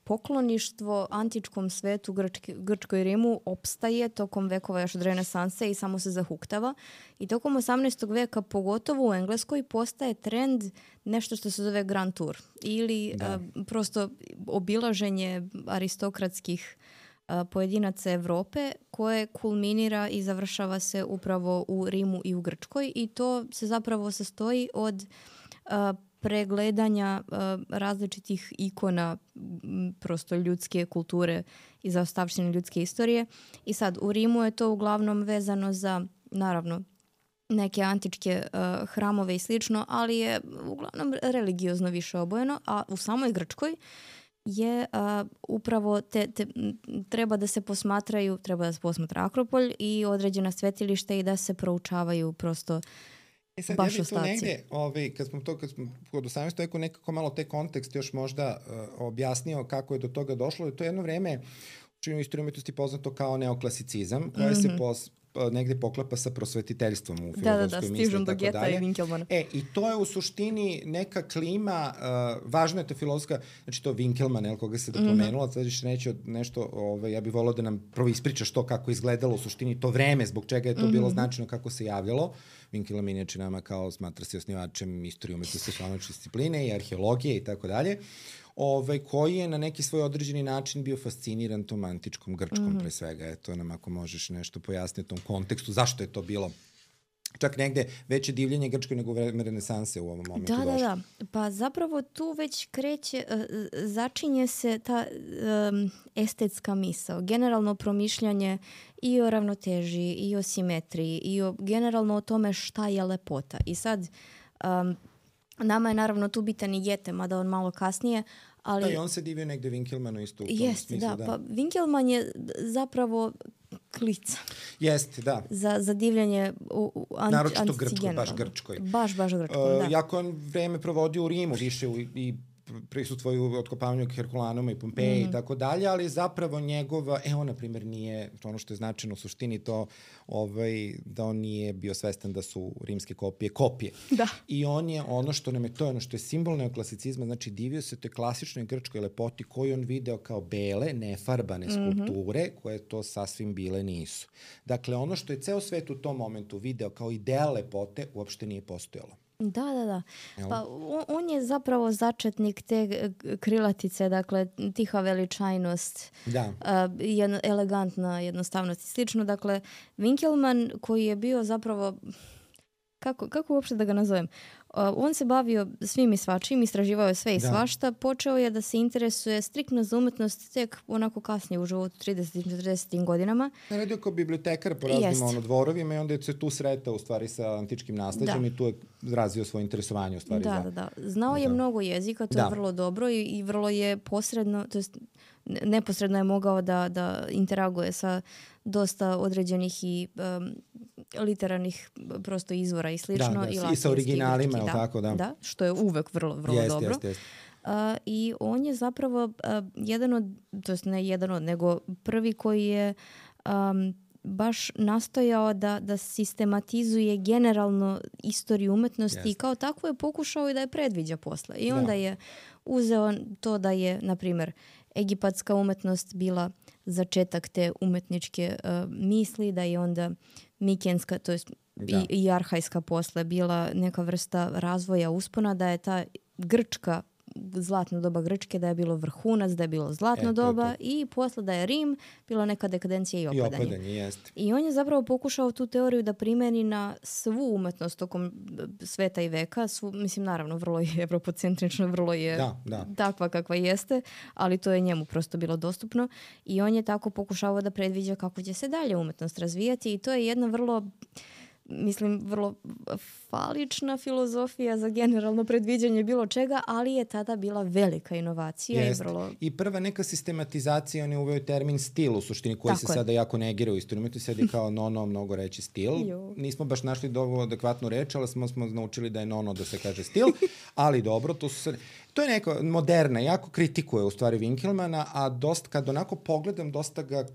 pokloništvo antičkom svetu, Grčkoj i Rimu opstaje tokom vekova još od renesanse i samo se zahuktava. I tokom 18. veka, pogotovo u Engleskoj, postaje trend nešto što se zove Grand Tour. Ili prosto obilaženje aristokratskih pojedinaca Evrope koje kulminira i završava se upravo u Rimu i u Grčkoj i to se zapravo sastoji od pregledanja različitih ikona prosto ljudske kulture i zaostavštine ljudske istorije. I sad u Rimu je to uglavnom vezano za, naravno, neke antičke hramove i slično, ali je uglavnom religiozno više obojeno, a u samoj Grčkoj je upravo treba da se posmatra Akropolj i određena svetilišta i da se proučavaju prosto baš ostaci. Negde, kad smo kod 18. veku nekako malo te kontekst još možda objasnio kako je do toga došlo. To je jedno vreme u istoriji umetnosti poznato kao neoklasicizam, koje se negde poklapa sa prosvetiteljstvom u filozofskoj misli. Stižem do Geta i Winkelmana. I to je u suštini neka klima, važna je ta filozofska, znači to Winkelman, koga se pomenula, sad ćeš reći nešto, ja bih volao da nam prvo ispričaš to kako izgledalo u suštini to vreme, zbog čega je to bilo značajno, kako se javljalo. Winkelman inače nama kao smatra se osnivačem istorije umetnosti slovačke discipline i arheologije i tako dalje. Koji je na neki svoj određeni način bio fasciniran tom antičkom Grčkom pre svega. Eto nam ako možeš nešto pojasniti u tom kontekstu, zašto je to bilo čak negde veće divljenje Grčkoj nego vreme renesanse u ovom momentu došlo. Da. Pa zapravo tu već kreće, začinje se ta estetska misao, generalno promišljanje i o ravnoteži, i o simetriji, i generalno o tome šta je lepota. I sad, nama je naravno tu bitan i Goethe, mada on malo kasnije, ali... Da, i on se divio negde Winkelmanu isto u tom smislu. Da, pa Winkelman je zapravo klica. Jeste, da. Za divljanje naročito Grčkoj, baš Grčkoj. Baš Grčkoj, da. Jako on vreme provodio u Rimu, više i prisustvuju otkopavanju Herkulanuma i Pompeji i tako dalje, ali zapravo njegova, on na primjer nije, ono što je značajno u suštini to, da on nije bio svestan da su rimske kopije. Da. I on je ono što nam je, to je ono što je simbol neoklasicizma, znači divio se toj klasičnoj grčkoj lepoti koju on video kao bele, nefarbane skulpture, koje to sasvim bile nisu. Dakle, ono što je ceo svet u tom momentu video kao ideal lepote, uopšte nije postojalo. Da. Pa on je zapravo začetnik te krilatice, dakle tiha veličajnost, elegantna jednostavnost i slično. Dakle, Winkelman koji je bio zapravo, kako uopšte da ga nazovem, on se bavio svim i svačim, istraživao je sve i svašta, počeo je da se interesuje striktno za umetnost tek onako kasnije u životu, 30-40 godinama. Radio kao bibliotekar po raznim dvorovima i onda je se tu sretao u stvari sa antičkim nasleđem i tu je razvio svoje interesovanje u stvari. Da. Znao je mnogo jezika, to je vrlo dobro i vrlo je posredno, to jest neposredno je mogao da interaguje sa dosta određenih i literarnih prosto izvora i slično. I sa originalima, je tako? Da, što je uvek vrlo dobro. Jest. I on je zapravo nego prvi koji je baš nastojao da sistematizuje generalno istoriju umetnosti i kao takvo je pokušao i da je predviđa posle. I onda je uzeo to da je, na primjer, egipatska umetnost bila začetak te umetničke misli, da je onda mikenska, to jest i arhajska posle bila neka vrsta razvoja uspona, da je ta grčka, zlatno doba Grčke, da je bilo vrhunac, da je bilo zlatno doba i posle da je Rim bilo neka dekadencija i opadanje. I on je zapravo pokušao tu teoriju da primeni na svu umetnost tokom sveta i veka. Mislim, naravno, vrlo je evropocentrično, vrlo je takva kakva jeste, ali to je njemu prosto bilo dostupno i on je tako pokušao da predviđa kako će se dalje umetnost razvijati i to je jedna vrlo falična filozofija za generalno predviđanje bilo čega, ali je tada bila velika inovacija. I prva neka sistematizacija, on je uveo termin stil u suštini koji se sada jako negira u istoriji. Tu sedi kao mnogo reći stil. Nismo baš našli dovoljno adekvatnu reč, ali smo naučili da je da se kaže stil, ali dobro, to je neka moderna, jako kritikuje u stvari Winkelmana, a kad onako pogledam, dosta ga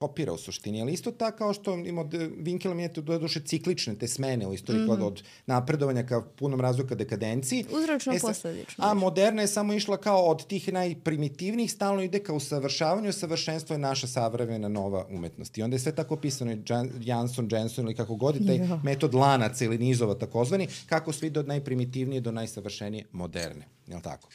kopira u suštini, ali isto tako kao što Winkelman je to duše ciklične te smene u istoriji od napredovanja ka punom razvoju ka dekadenciji. Uzročno posledično. A moderna je samo išla kao od tih najprimitivnijih, stalno ide ka usavršavanju, savršenstvo je naša savremena nova umetnost. I onda je sve tako opisano, Jenson ili kako god, taj metod lanaca ili nizova takozvani, kako sve ide od najprimitivnije do najsavršenije moderne. Jel' tako?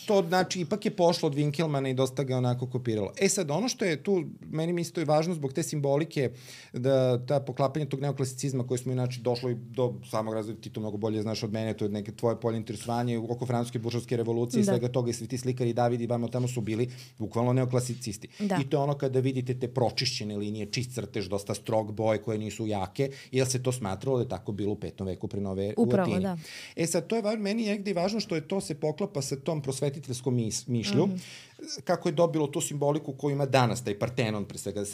To znači ipak je pošlo od Winkelmana i dosta ga onako kopiralo. Sad, ono što je tu, meni mi isto je važno zbog te simbolike, da ta poklapanja tog neoklasicizma koji smo inače došli do samog razvoja, ti to mnogo bolje znaš od mene, to je neke tvoje polje interesovanje oko francuske buržovske revolucije i svega toga i svi ti slikari David i Van tamo su bili bukvalno neoklasicisti. I to je ono kada vidite te pročišćene linije, čist crtež, dosta strog boje koje nisu jake, jer se to smatralo da je tako bilo u 5. veku pre nove u Latini. Sad, to je meni negdje važno što je to se poklapa sa tom prosvetiteljskom mišlju, kako je dobilo tu simboliku koju ima danas, taj Partenon, pre svega da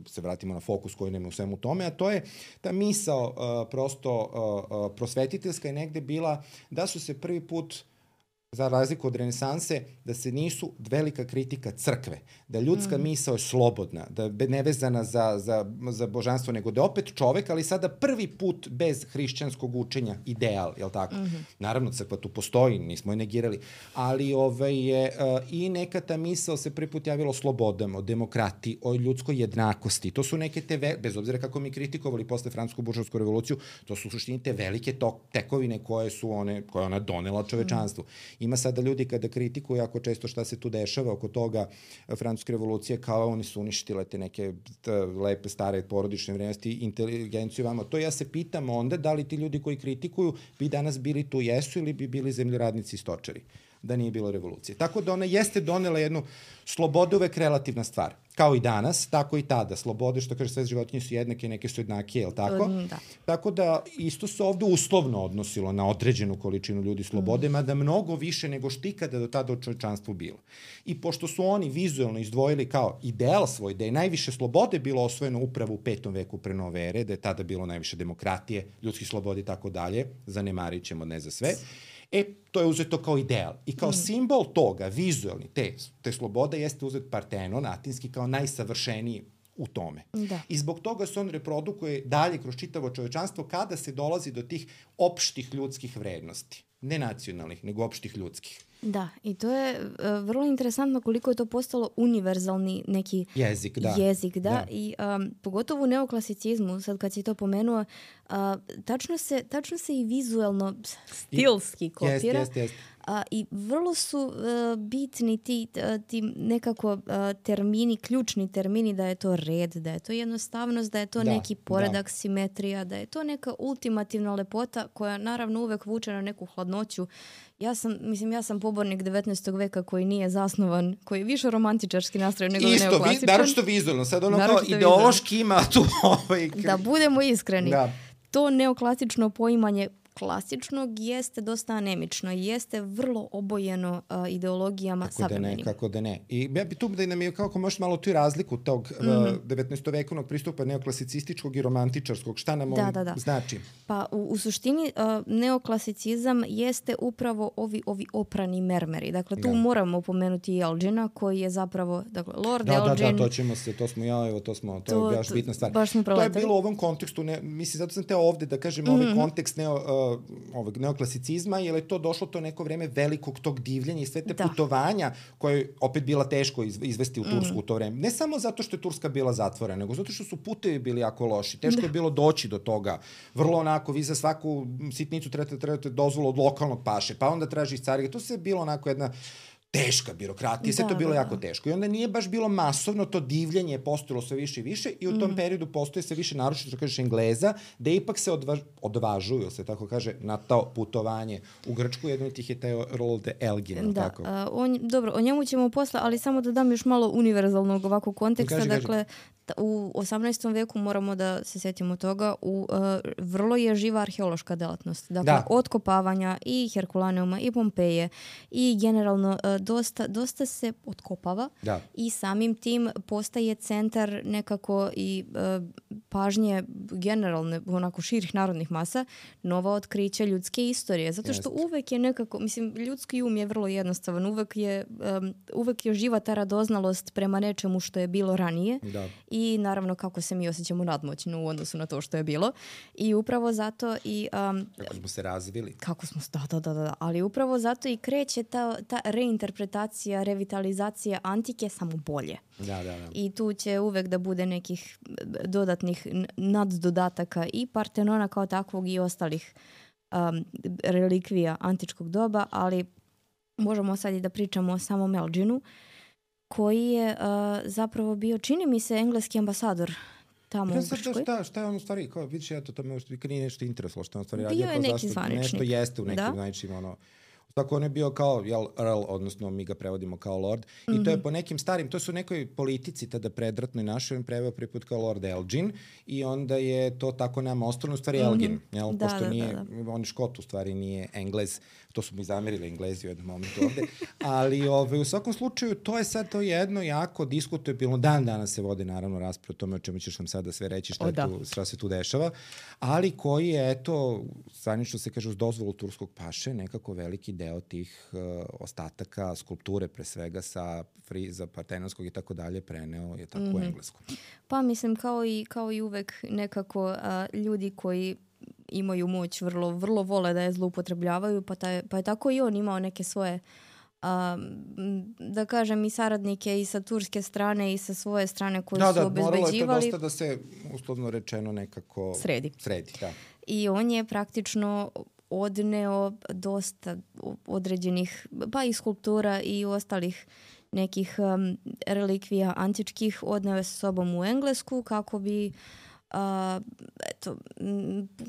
se vratimo na fokus koji nema u svemu tome, a to je ta misao prosto prosvetiteljska je negde bila da su se prvi put, za razliku od renesanse, da se nisu velika kritika crkve, da ljudska misao je slobodna, da je nevezana za božanstvo, nego da je opet čovek, ali sada prvi put bez hrišćanskog učenja ideal, jel tako? Naravno, crkva tu postoji, nismo je negirali, ali i neka ta misao se prvi put javila o slobodama, o demokratiji, o ljudskoj jednakosti. To su neke te, bez obzira kako mi kritikovali posle francusku buržovsku revoluciju, to su u suštini te velike tekovine koje je ona donela čovečanstvu. Ima sada ljudi kada kritikuju jako često šta se tu dešava oko toga francuske revolucije, kao oni su uništile te neke lepe, stare porodične vrednosti, inteligenciju vama. To ja se pitam onda da li ti ljudi koji kritikuju bi danas bili tu jesu ili bi bili zemljoradnici i stočari, da nije bilo revolucije. Tako da ona jeste donela jednu slobodu, uvek relativna stvar. Kao i danas, tako i tada. Slobode, što kaže, sve životinje su jednake, neke su jednake, je li tako? Da. Tako da isto se ovde uslovno odnosilo na određenu količinu ljudi slobode, mada mnogo više nego što ikada do tada u čovječanstvu bilo. I pošto su oni vizuelno izdvojili kao ideal svoj, da je najviše slobode bilo osvojeno upravo u 5. veku pre nove ere, da je tada bilo najviše demokratije, ljudskih sloboda i tako dalje, zanemarit ćemo ne za sve, to je uzeto kao ideal. I kao simbol toga, vizualni, te slobode, jeste uzet Partenon, atinski, kao najsavršeniji u tome. Da. I zbog toga se on reprodukuje dalje kroz čitavo čovečanstvo kada se dolazi do tih opštih ljudskih vrednosti. Ne nacionalnih, nego opštih ljudskih. Da, i to je vrlo interesantno koliko je to postalo univerzalni neki jezik. I pogotovo u neoklasicizmu, sad kad si to pomenuo, tačno se i vizuelno stilski kopira. Jest. I vrlo su bitni ti nekako termini, ključni termini, da je to red, da je to jednostavnost, da je to neki poredak, simetrija, da je to neka ultimativna lepota koja naravno uvek vuče na neku hladnoću. Ja sam pobornik 19. veka koji nije zasnovan, koji je više romantičarski nastrojen nego neoklasičan. Isto, naročito vizualno. Sad ono kao ideološki ima tu Da budemo iskreni. Da. To neoklasično poimanje klasičnog jeste dosta anemično i jeste vrlo obojeno ideologijama savremenim. Kako da ne. I ja bi tu da nam je kako možeš malo tu razliku tog 19. vekovnog pristupa neoklasicističkog i romantičarskog. Šta nam on znači? Pa u suštini neoklasicizam jeste upravo ovi oprani mermeri. Dakle, tu moramo pomenuti i Elgina koji je zapravo, dakle, Lord Elgin. To je baš bitna stvar. To je bilo u ovom kontekstu, mislim, zato sam teo ovde da kažem ovaj kontekst ovog neoklasicizma, jer je to došlo to neko vreme velikog tog divljenja i sve te putovanja koje je opet bila teško izvesti u Tursku u to vreme. Ne samo zato što je Turska bila zatvorena, nego zato što su putevi bili jako loši. Teško je bilo doći do toga. Vrlo onako, vi za svaku sitnicu trebate dozvolu od lokalnog paše, pa onda traži iz carige. To se bilo onako jedna teška birokratija, sve to bilo jako teško. I onda nije baš bilo masovno, to divljenje je postojalo sve više i više i u tom periodu postoje sve više naročito, što kažeš, Engleza, da ipak se odvažuju, se tako kaže, na to putovanje u Grčku. Jedan od tih je taj Roald Elgin. Tako? Dobro, o njemu ćemo posle, ali samo da dam još malo univerzalnog ovakvog konteksta. Dakle, u 18. veku moramo da se setimo toga, vrlo je živa arheološka delatnost. Dakle, otkopavanja i Herkulaneuma i Pompeje i generalno dosta se otkopava i samim tim postaje centar nekako i pažnje generalne, onako širih narodnih masa, nova otkrića ljudske istorije. Zato što uvek je nekako, mislim, ljudski um je vrlo jednostavan, uvek je živa ta radoznalost prema nečemu što je bilo ranije i naravno kako se mi osjećamo nadmoćno u odnosu na to što je bilo. I upravo zato i... kako smo se razvili. Ali upravo zato i kreće ta reinterpretacija, revitalizacija antike samo bolje. I tu će uvek da bude nekih dodatnih naddodataka i Partenona kao takvog i ostalih relikvija antičkog doba, ali možemo sad i da pričamo o samom Elginu, koji je zapravo bio, čini mi se, engleski ambasador tamo u Grčkoj. Šta je on u stvari, kao vidiš, to me nije nešto interesovalo što je on stvari radio. Bio je neki zvaničnik. Nešto jeste u nekim zvaničnim, tako on je bio kao Earl, odnosno mi ga prevodimo kao Lord. I to je po nekim starim, to su nekoj politici tada predratnoj našoj, on preveo prvi put kao Lord Elgin i onda je to tako nama ostalo, u stvari Elgin, pošto nije, on je Škot, u stvari nije Englez, to su mi zamerili Englezi u jednom momentu ovde, ali u svakom slučaju to je sad to jedno jako diskutabilno, dan danas se vode naravno rasprave o tome o čemu ćeš nam sada sve reći, šta se tu dešava, ali koji je, eto, zvanično se kaže uz dozvolu turskog paše, nekako veliki deo tih ostataka, skulpture pre svega sa friza partenonskog i tako dalje preneo je tako u Englesku. Pa mislim kao i uvek nekako ljudi koji imaju moć vrlo vole da je zloupotrebljavaju, pa je tako i on imao neke svoje da kažem i saradnike i sa turske strane i sa svoje strane koji su obezbeđivali. Moralo je to dosta da se uslovno rečeno nekako sredi. I on je praktično odneo dosta određenih, pa i skulptura i ostalih nekih relikvija antičkih, odneo je sa sobom u Englesku kako bi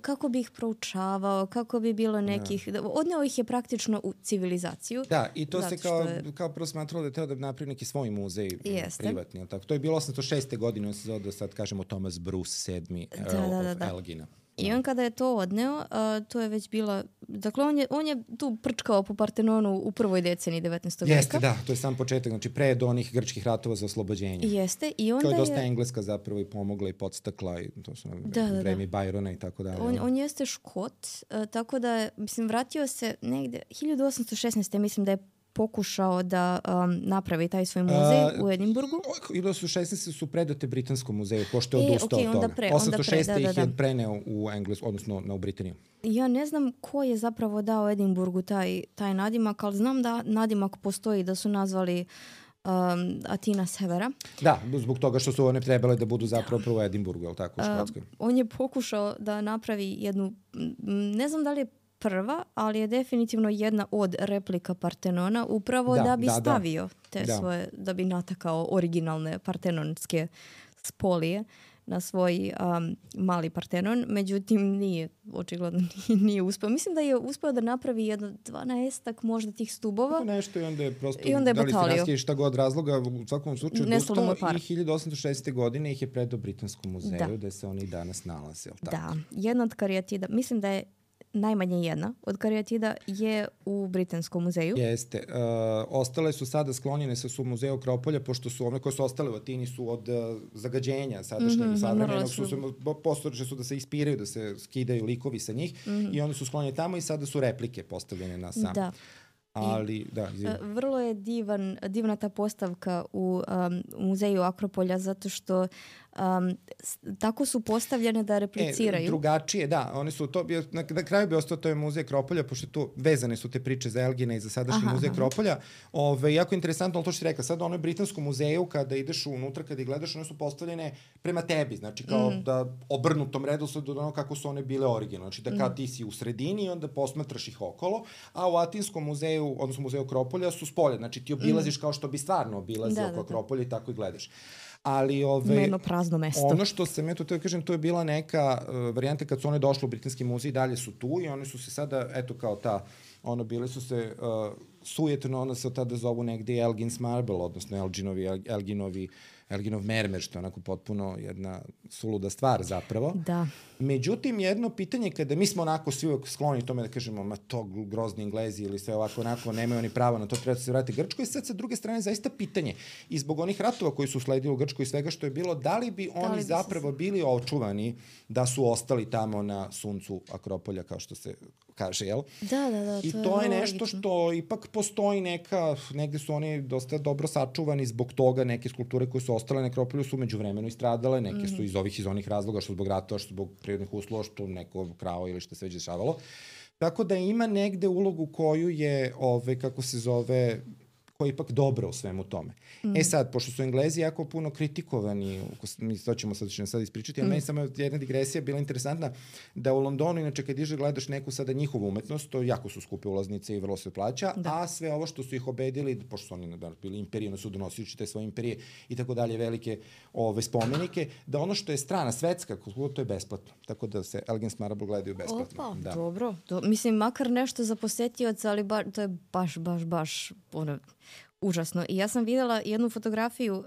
kako bi ih proučavao, kako bi bilo nekih... Odneo ih je praktično u civilizaciju. Da, i to se kao prvo smatralo da je teo da napravi neki svoj muzej privatni. Tako? To je bilo 806. godine, on se zove da sad kažemo Thomas Bruce VII, Earl of Elgina. I on kada je to odneo, to je već bila... Dakle, on je tu prčkao po Partenonu u prvoj deceniji 19. veka. Jeste, da, to je sam početak, znači pre do onih grčkih ratova za oslobođenje. Jeste, i onda to je dosta Engleska zapravo i pomogla i podstakla, i to su vreme Byrona i tako dalje. On jeste Škot, tako da je, mislim, vratio se negde, 1816. mislim da je pokušao da napravi taj svoj muzej u Edinburgu. 1816 su predate Britanskom muzeju, pošto je odustao od toga. 806 ih je preneo u Englesku, odnosno u Britaniju. Ja ne znam ko je zapravo dao Edinburgu taj nadimak, ali znam da nadimak postoji, da su nazvali Atina Severa. Da, zbog toga što su one trebale da budu zapravo prvo u Edinburgu, je li tako, u Škotskoj? On je pokušao da napravi jednu, ne znam da li je prva, ali je definitivno jedna od replika Partenona, upravo da bi stavio te svoje, da bi natakao originalne partenonske spolije na svoj mali Partenon. Međutim, očigledno nije uspeo. Mislim da je uspeo da napravi jedno 12-ak možda tih stubova. Nešto i onda je prosto, da li se raskije šta god razloga, u svakom slučaju odustao i 1806. godine ih je predao Britanskom muzeju, da se oni i danas nalaze. Da, jedna od karijatida, mislim da je najmanje jedna od karijatida je u Britanskom muzeju. Jeste. Ostale su sada sklonjene sa muzeju Akropolja, pošto su one koje su ostale u Atini su od zagađenja sadašnjeg savremenog, postojeće su da se ispiraju, da se skidaju likovi sa njih i one su sklonjene tamo i sada su replike postavljene na sam. Da. Ali, vrlo je divna ta postavka u muzeju Akropolja, zato što tako su postavljene da repliciraju. Drugačije, da. One su to, na kraju bi ostao to je muzej Akropolja, pošto tu vezane su te priče za Elgina i za sadašnji muzej Akropolja. Jako interesantno, ali to što ti rekla, sad ono je Britanskom muzeju, kada ideš unutra, kada ih gledaš, one su postavljene prema tebi, znači kao da obrnutom redosledu od ono kako su one bile originalne. Znači da kad ti si u sredini i onda posmatraš ih okolo, a u Atinskom muzeju, odnosno muzeju Akropolja, su spolje. Znači ti obilaziš kao što bi stvarno obilazio oko Akropolja i tako i gledaš. Ali jedno prazno mesto. Ono što sam ja to kažem, to je bila neka varijanta kad su one došle u Britanski muzej, dalje su tu i one su se sada, eto kao ta, bile su se sujetno, onda se od tada zovu negde Elgin's Marble, odnosno Elginov mermer, što je onako potpuno jedna suluda stvar zapravo. Da. Međutim, jedno pitanje, kada mi smo onako svi uvek skloni tome da kažemo, ma to grozni Englezi ili sve ovako onako, nemaju oni pravo na to, treba se vratiti Grčkoj, i sad sa druge strane zaista pitanje. I zbog onih ratova koji su sledili u Grčkoj i svega što je bilo, da li bi oni zapravo bili očuvani da su ostali tamo na suncu Akropolja, kao što se kaže, jel? Da. I to je nešto što ipak postoji negde su oni dosta dobro sačuvani zbog toga, neke skulpture koje su ostale na Akropolju su međuvremeno istradale, neke su iz onih razloga, što zbog ratova, što zbog prirodnih uslova, što neko krao ili što se već dešavalo. Tako da ima negde ulogu koju je, kako se zove, koja je ipak dobra u svemu tome. Sad, pošto su Englezi jako puno kritikovani, to ćemo sad ispričati, ali meni samo jedna digresija bila interesantna, da u Londonu, inače kad gledaš neku sada njihovu umetnost, to jako su skupe ulaznice i vrlo se plaća, a sve ovo što su ih obedili, pošto su oni bili imperije, oni su donosili te svoje imperije i tako dalje, velike spomenike, da ono što je strana, svetska, to je besplatno. Tako da se Elgin's Marble gledaju besplatno. Dobro. Mislim, makar nešto za posetioca, ali to je baš užasno. I ja sam videla jednu fotografiju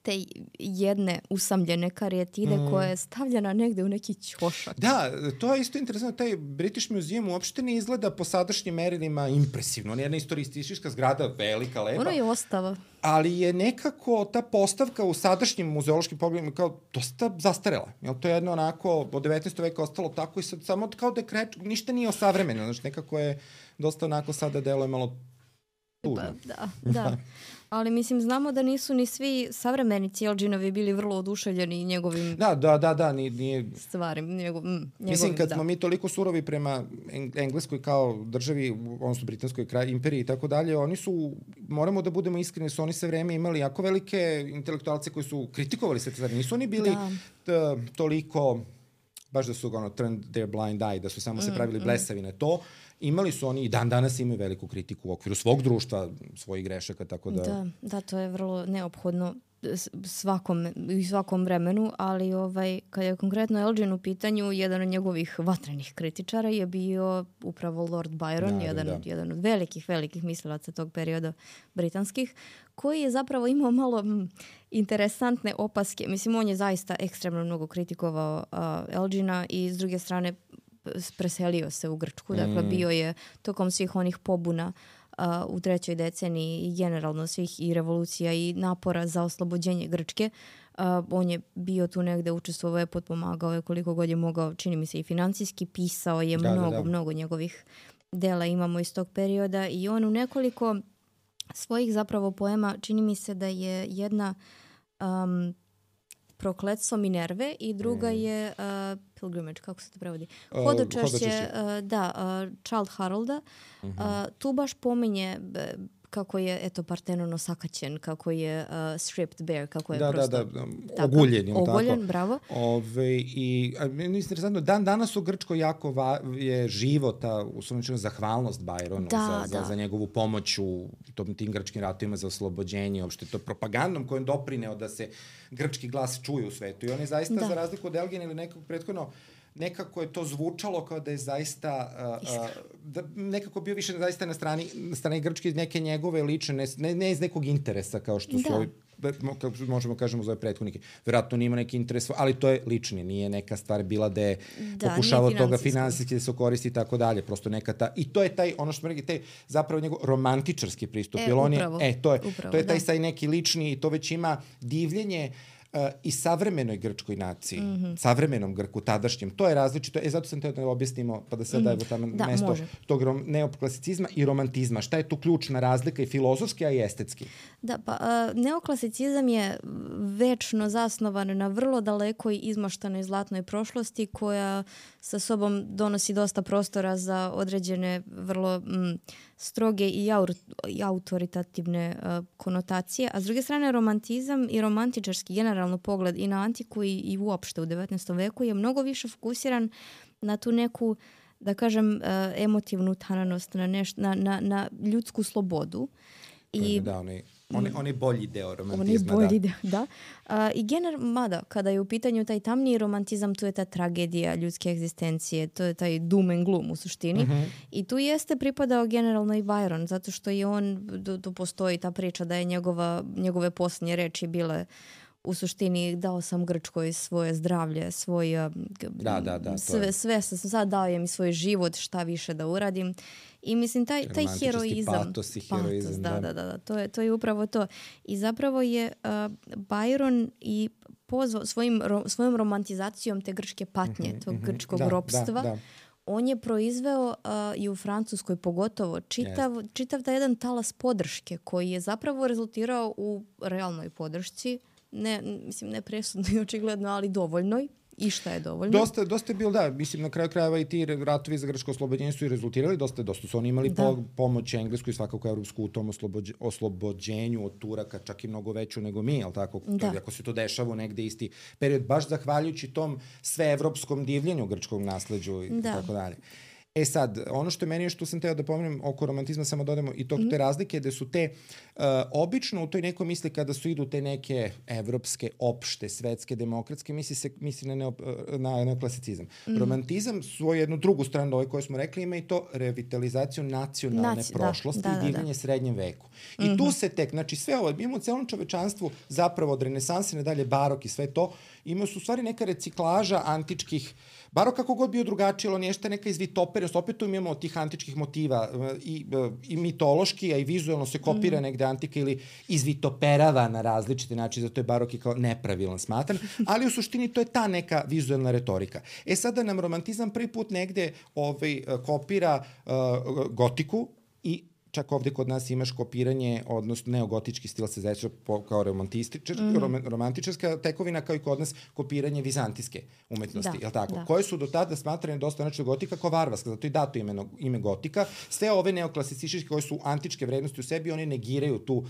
te jedne usamljene karijatide koja je stavljena negde u neki ćošak. Da, to je isto interesantno. Taj British Museum uopšte ne izgleda po sadašnjim merilima impresivno. On je jedna istorijska zgrada, velika, lepa. Ono je ostava. Ali je nekako ta postavka u sadašnjim muzeološkim pogledima kao dosta zastarela. To je jedno onako od 19. veka ostalo tako i sad samo kao da je ništa nije osavremeno. Znači nekako je dosta onako sada deluje malo tužno. Da. Ali mislim, znamo da nisu ni svi savremenici Elginovi bili vrlo oduševljeni njegovim stvarima. Mislim, kad smo mi toliko surovi prema Engleskoj kao državi, odnosno Britanskoj imperiji i tako dalje, oni su, moramo da budemo iskreni, su oni sve vreme imali jako velike intelektualce koji su kritikovali sve te stvari. Nisu oni bili toliko baš da su turned their blind eye, da su samo se pravili blesavi na to. Imali su oni i dan danas imaju veliku kritiku u okviru svog društva, svojih grešaka, tako da... Da, to je vrlo neophodno svakom vremenu, ali kada je konkretno Elgin u pitanju, jedan od njegovih vatrenih kritičara je bio upravo Lord Byron, jedan od velikih mislilaca tog perioda britanskih, koji je zapravo imao malo interesantne opaske. Mislim, on je zaista ekstremno mnogo kritikovao Elgina i s druge strane preselio se u Grčku. Dakle, bio je tokom svih onih pobuna u 3. deceniji i generalno svih i revolucija i napora za oslobođenje Grčke. On je bio tu negde, učestvovao je, potpomagao je koliko god je mogao, čini mi se i financijski, pisao je mnogo njegovih dela imamo iz tog perioda i on u nekoliko svojih zapravo poema, čini mi se da je jedna Prokletstvo Minerve i druga je Pilgrimage, kako se to prevodi? Hodočašće, Childe Harolda. Tu baš pominje kako je Partenon osakaćen, kako je stripped bare, kako je prosto... Oguljen, bravo. I interesantno, dan danas u Grčkoj jako je živo ta zahvalnost Byronu za njegovu pomoć u tim grčkim ratovima za oslobođenje, uopšte to propagandom kojom doprineo da se grčki glas čuje u svetu. I on je zaista, za razliku od Elgina ili nekog prethodno, nekako je to zvučalo kao da je zaista nekako bio više zaista na strani Grčke iz neke njegove lične, ne iz nekog interesa kao što su ovi, kako možemo kažemo za ove prethodnike. Verovatno nima neki interes, ali to je lični, nije neka stvar bila da je pokušavao toga finansijski da se koristi i tako dalje, prosto neka ta, i to je taj, ono što smo rekli, taj zapravo njegov romantičarski pristup, jer on je, to je taj saj neki lični i to već ima divljenje i savremenoj grčkoj naciji, savremenom Grku, tadašnjem. To je različito. Zato sam teo da objasnimo, pa da sad dajemo tamo mesto tog neoklasicizma i romantizma. Šta je tu ključna razlika i filozofski, a i estetski? Da, pa neoklasicizam je večno zasnovan na vrlo dalekoj izmaštanoj zlatnoj prošlosti koja sa sobom donosi dosta prostora za određene vrlo stroge i autoritativne konotacije, a s druge strane romantizam i romantičarski generalno pogled i na antiku i uopšte u 19. veku je mnogo više fokusiran na tu neku, da kažem, emotivnu tananost, na ljudsku slobodu. On je bolji deo romantizma. I mada, kada je u pitanju taj tamniji romantizam, tu je ta tragedija ljudske egzistencije, to je taj doom and gloom u suštini. I tu jeste pripadao generalno i Byron, zato što je on, tu postoji ta priča da je njegove posljednje reči bile u suštini dao sam Grčkoj svoje zdravlje, sve sam sad dao je mi svoj život, šta više da uradim. I mislim, taj heroizam. Patos i heroizam. Da. To je upravo to. I zapravo je Byron i pozvao svojom romantizacijom te grčke patnje, tog grčkog ropstva. On je proizveo i u Francuskoj pogotovo čitav taj jedan talas podrške koji je zapravo rezultirao u realnoj podršci. Ne presudno i očigledno, ali dovoljnoj. I šta je dovoljno? Dosta je bilo, mislim, na kraju krajeva i ti ratovi za grčko oslobođenje su i rezultirali, dosta su oni imali pomoć Englesku i svakako Evropsku u tom oslobođenju od Turaka, čak i mnogo veću nego mi, ali tako, ako se to dešava negde isti period, baš zahvaljujući tom sveevropskom divljenju grčkog nasleđu i tako dalje. Sad, ono što je meni, što sam teo da pomenem oko romantizma, samo dodamo i te razlike, da su te obično u toj nekoj misli kada su idu te neke evropske, opšte, svetske, demokratske, misli na neoklasicizam. Romantizam svoju jednu drugu stranu, ove koje smo rekli, ima i to revitalizaciju nacionalne prošlosti i divljenje srednjem veku. I tu se tek, znači sve ovo, imamo u celom čovečanstvu zapravo od renesanse nadalje, barok i sve to, imaju su u stvari neka reciklaža antičkih, barok kako god bio drugačiji, ali on je neka izvitoperenost, opet imamo tih antičkih motiva i mitološki, a i vizualno se kopira negde antika ili izvitoperava na različite načine, zato je barok i kao nepravilan smatran, ali u suštini to je ta neka vizualna retorika. Sada nam romantizam prvi put negde kopira gotiku i čak ovde kod nas imaš kopiranje, odnosno neogotički stil se zove kao romantičarska tekovina, kao i kod nas kopiranje vizantijske umetnosti, je li tako? Koje su do tada smatrane dosta gotika kao varvarska, zato i dato ime gotika. Sve ove neoklasicističke koje su antičke vrednosti u sebi, one negiraju tu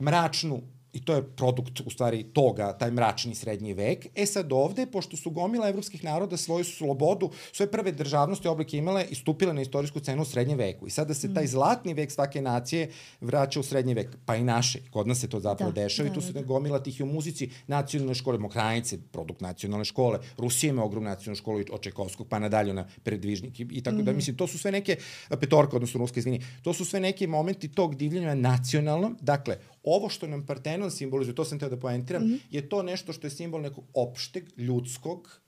mračnu i to je produkt u stvari toga, taj mračni srednji vek. Sad ovde, pošto su gomila evropskih naroda svoju slobodu, svoje prve državnosti oblike imale i stupile na istorijsku cenu u srednjem veku. I sada se taj zlatni vek svake nacije vraća u srednji vek, pa i naše. Kod nas se to zapravo dešava i tu se gomila tih i u muzici nacionalne škole, Mokrajnice, produkt nacionalne škole, Rusija ima ogromnu nacionalnu školu od Čajkovskog pa nadalje na Predvižnik i tako da, mislim, to su sve neke, Petorka, odnosno Ruska, izvini, to su sve neki momenti tog divljenja nacionalnom. Dakle, ovo što nam Partenon simbolizuje, to sam teo da poentiram, je to nešto što je simbol nekog opšteg, ljudskog,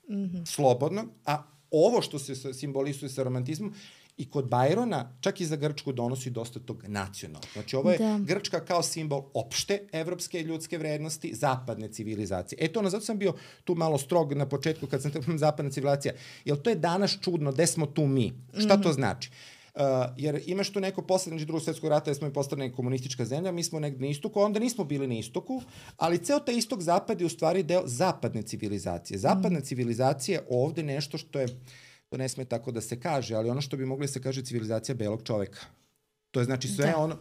slobodnog, a ovo što se simbolizuje sa romantizmom i kod Bajrona, čak i za Grčku donosi dosta tog nacionalnog. Znači, ovo je Grčka kao simbol opšte evropske ljudske vrednosti, zapadne civilizacije. Zato sam bio tu malo strog na početku kad sam tamo zapadna civilizacija. Jer to je danas čudno, gde smo tu mi? Šta to znači? Jer imaš tu neko poslednje drugog svetskog rata da smo i postali komunistička zemlja, mi smo negde na istoku, onda nismo bili na istoku, ali ceo taj istok zapad je u stvari deo zapadne civilizacije. Zapadna civilizacija ovde nešto što je, to ne sme tako da se kaže, ali ono što bi mogli da se kaže civilizacija belog čoveka. To je znači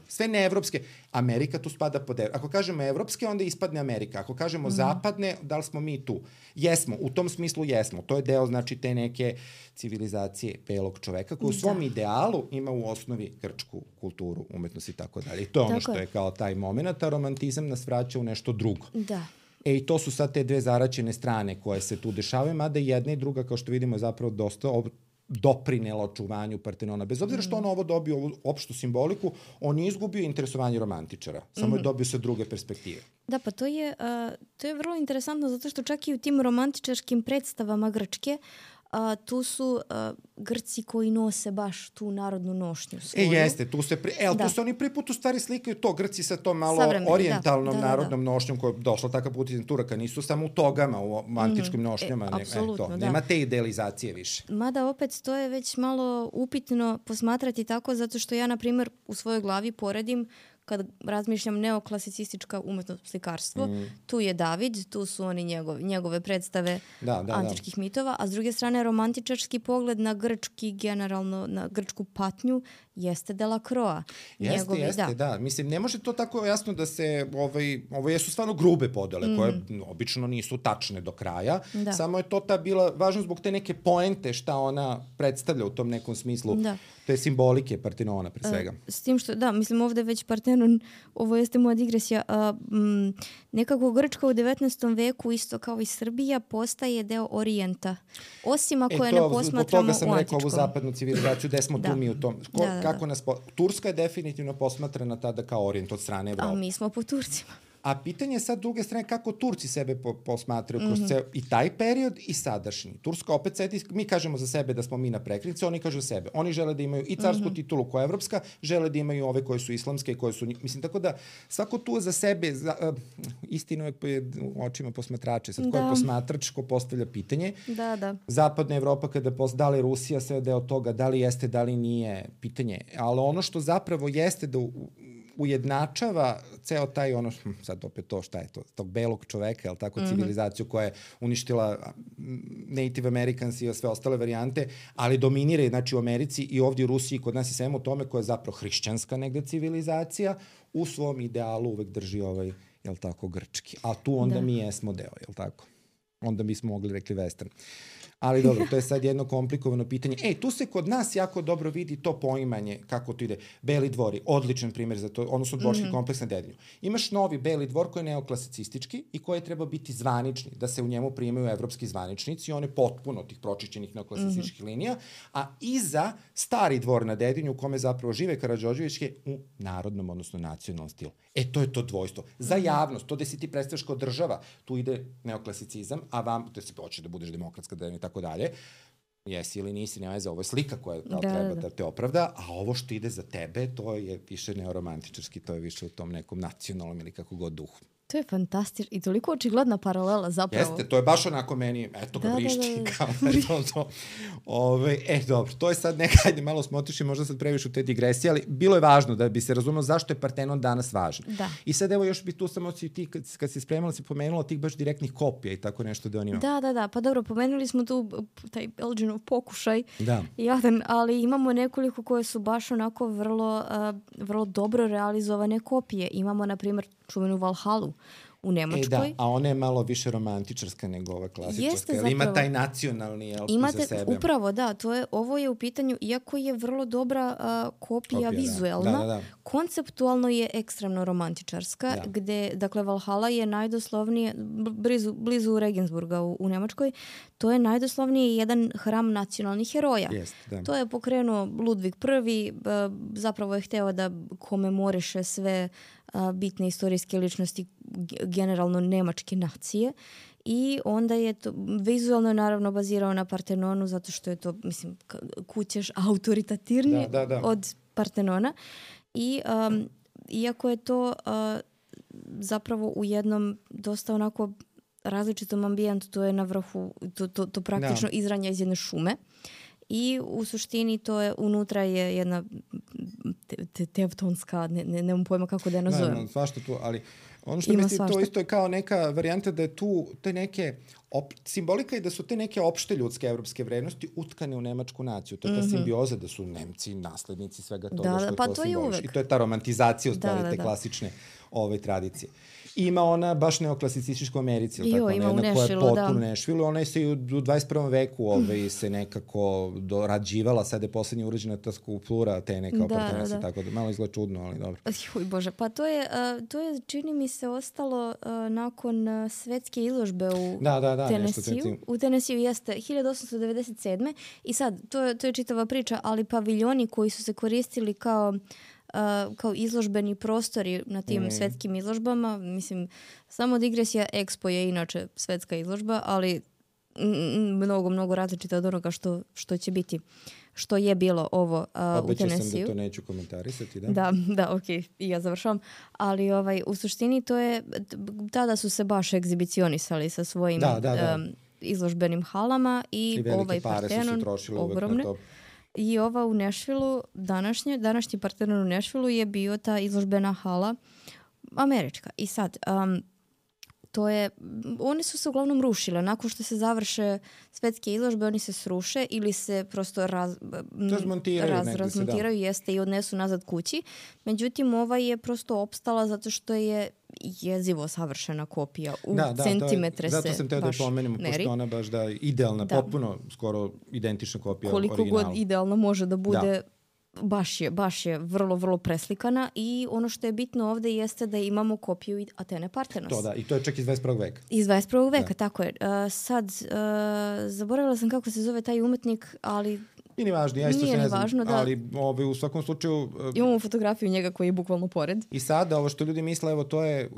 sve neevropske. Amerika tu spada pod evropske. Ako kažemo evropske, onda ispadne Amerika. Ako kažemo zapadne, da li smo mi tu? Jesmo, u tom smislu jesmo. To je deo, znači, te neke civilizacije belog čoveka koji u svom idealu ima u osnovi grčku kulturu, umetnost i tako dalje. I to je ono što je kao taj moment, a romantizam nas vraća u nešto drugo. Da. I to su sad te dve zaraćene strane koje se tu dešavaju, mada jedna i druga, kao što vidimo, je zapravo dosta doprinelo očuvanju Partenona. Bez obzira što on ovo dobio, ovu opštu simboliku, on je izgubio interesovanje romantičara. Samo je dobio sa druge perspektive. Da, pa to je vrlo interesantno zato što čak i u tim romantičarskim predstavama Grčke tu su Grci koji nose baš tu narodnu nošnju svoju. Jeste, tu se oni prvi put u stvari slikaju to, Grci sa tom malo orijentalnom narodnom nošnjom koja je došla takav put iz Turaka, nisu samo u togama, u antičkim nošnjama. Apsolutno, nema te idealizacije više. Mada opet to je već malo upitno posmatrati tako, zato što ja, na primjer, u svojoj glavi poredim kad razmišljam neoklasicistička umetnost, slikarstvo, tu je David, tu su oni njegove predstave antičkih mitova, a s druge strane romantičarski pogled na grčki, generalno na grčku patnju, jeste Delacroix. Jeste. Mislim, ne može to tako jasno da se, ovo jesu stvarno grube podele, koje obično nisu tačne do kraja, samo je to bila važno zbog te neke poente šta ona predstavlja u tom nekom smislu. To je simbolike Partenona, pre svega. S tim što, mislim, ovde već Partenon, ovo jeste moja digresija, nekako Grčka u 19. veku, isto kao i Srbija, postaje deo Orijenta. Osim ako je ne posmatramo u antičkom. Zbog toga sam rekao ovu zapadnu civilizaciju, gde smo tu mi u tom. Turska je definitivno posmatrana tada kao Orijent od strane Evrope. A mi smo po Turcima. A pitanje je sad druge strane kako Turci sebe posmatraju kroz ceo i taj period i sadašnji. Turska opet mi kažemo za sebe da smo mi na prekretnici, oni kažu sebe. Oni žele da imaju i carsku titulu koja je evropska, žele da imaju ove koje su islamske i koje su, mislim, tako da svako tu za sebe, istino je u očima posmatrače. Sad ko je posmatrač, ko postavlja pitanje. Zapadna Evropa, da li Rusija sve deo toga, da li jeste, da li nije, pitanje. Ali ono što zapravo jeste da ujednačava ceo taj sad opet to šta je to, tog belog čoveka, jel tako, civilizaciju koja je uništila Native Americans i sve ostale varijante, ali dominira, znači, u Americi i ovdje u Rusiji, kod nas i svemu tome, koja je zapravo hrišćanska negde civilizacija, u svom idealu uvek drži jel tako, grčki. A tu onda mi jesmo deo, jel tako? Onda bismo mogli rekli western. Ali dobro, to je sad jedno komplikovano pitanje. Tu se kod nas jako dobro vidi to poimanje, kako to ide. Beli dvori, odličan primjer za to, odnosno dvorski kompleks na Dedinju. Imaš novi Beli dvor koji je neoklasicistički i koji treba biti zvanični, da se u njemu primaju evropski zvaničnici, on je potpuno tih pročišćenih neoklasicističkih linija, a iza stari dvor na Dedinju u kome zapravo žive Karađorđević je u narodnom, odnosno nacionalnom stilu. To je to dvojstvo. Za javnost, to da si ti predstavljaš kao država, tu ide neoklasicizam, a vam, da si hoćeš da budeš demokratska i tako dalje, jesi ili nisi, nema veze, ovo je slika koja treba da te opravda, a ovo što ide za tebe, to je više neoromantičarski, to je više u tom nekom nacionalnom ili kako god duhu. To je fantastično i toliko očigledna paralela zapravo. Jeste, to je baš onako meni, eto ga vrišti. Dobro, to je sad ajde malo smo otišli, možda sad previše u te digresije, ali bilo je važno da bi se razumelo zašto je Partenon danas važan. I sad evo još bi tu samo ti, kad si spremala, si pomenula tih baš direktnih kopija i tako nešto da on ima. Da, pa dobro, pomenuli smo tu taj Elginov pokušaj, jadan, ali imamo nekoliko koje su baš onako vrlo dobro realizovane kopije. Imamo, na primjer, čuvenu Valhalu u Nemačkoj. Da, a ona je malo više romantičarska nego ova klasičarska. Jeste, ima taj nacionalni za sebe. Upravo, da. Ovo je u pitanju, iako je vrlo dobra kopija vizuelna, da. Konceptualno je ekstremno romantičarska, gde, dakle, Valhala je najdoslovnije, blizu Regensburga u Nemačkoj, to je najdoslovnije jedan hram nacionalnih heroja. To je pokrenuo Ludvig I, zapravo je hteo da komemoriše sve bitne istorijske ličnosti generalno nemačke nacije i onda je to vizualno naravno bazirao na Partenonu zato što je to, mislim, kućeš autoritativnije od Partenona i iako je to zapravo u jednom dosta onako različitom ambijentu, to je na vrhu, to praktično izranja iz jedne šume. I u suštini to je, unutra je jedna tevtonska, nemam pojma kako da je nazovem. Ne, svašta tu, ali ono što mislim, to isto je kao neka varijanta da je tu te neke, simbolika je da su te neke opšte ljudske evropske vrednosti utkane u nemačku naciju. To je ta simbioza da su Nemci naslednici svega toga što je to simboliš. I to je ta romantizacija u stvari te klasične tradicije. Ima ona baš neoklasicističku Americi, ima u Nešvilu, koja je potpuno Nešvilu. Ona je se i u 21. veku se nekako dorađivala, sada je poslednje urađena ta skulptura Atene kao Partenona, tako da malo izgleda čudno, ali dobro. Juj Bože, pa to je čini mi se ostalo nakon svetske izložbe u Tenesiju. U Tenesiju jeste 1897. I sad, to je čitava priča, ali paviljoni koji su se koristili kao izložbeni prostori na tim svetskim izložbama. Mislim, samo digresija, Expo je inače svetska izložba, ali mnogo različita od onoga što će biti. Što je bilo ovo u Tenesiju. Obećao sam da to neću komentarisati, da? Da, okej, i ja završavam. Ali u suštini to je, tada su se baš egzibicionisali sa svojim izložbenim halama i ovaj Partenon ogromne. I ova u Nešvilu, današnji Partenon u Nešvilu je bio ta izložbena hala američka. I sad, one su se uglavnom rušile. Nakon što se završe svetske izložbe, oni se sruše ili se prosto razmontiraju, jeste, i odnesu nazad kući. Međutim, ova je prosto opstala zato što je jezivo savršena kopija. U centimetre se baš meri. Zato sam teo da pomenem, pošto ona baš idealna, potpuno skoro identična kopija originala. Koliko god idealno može da bude, baš je vrlo, vrlo preslikana i ono što je bitno ovde jeste da imamo kopiju Atene Partenos. I to je čak iz 21. veka. Iz 21. veka, tako je. Sad, zaboravila sam kako se zove taj umetnik, ali I nije važno, ja isto se ne znam, ali u svakom slučaju... Imamo fotografiju njega koji je bukvalno pored. I sada, ovo što ljudi misle, evo, to je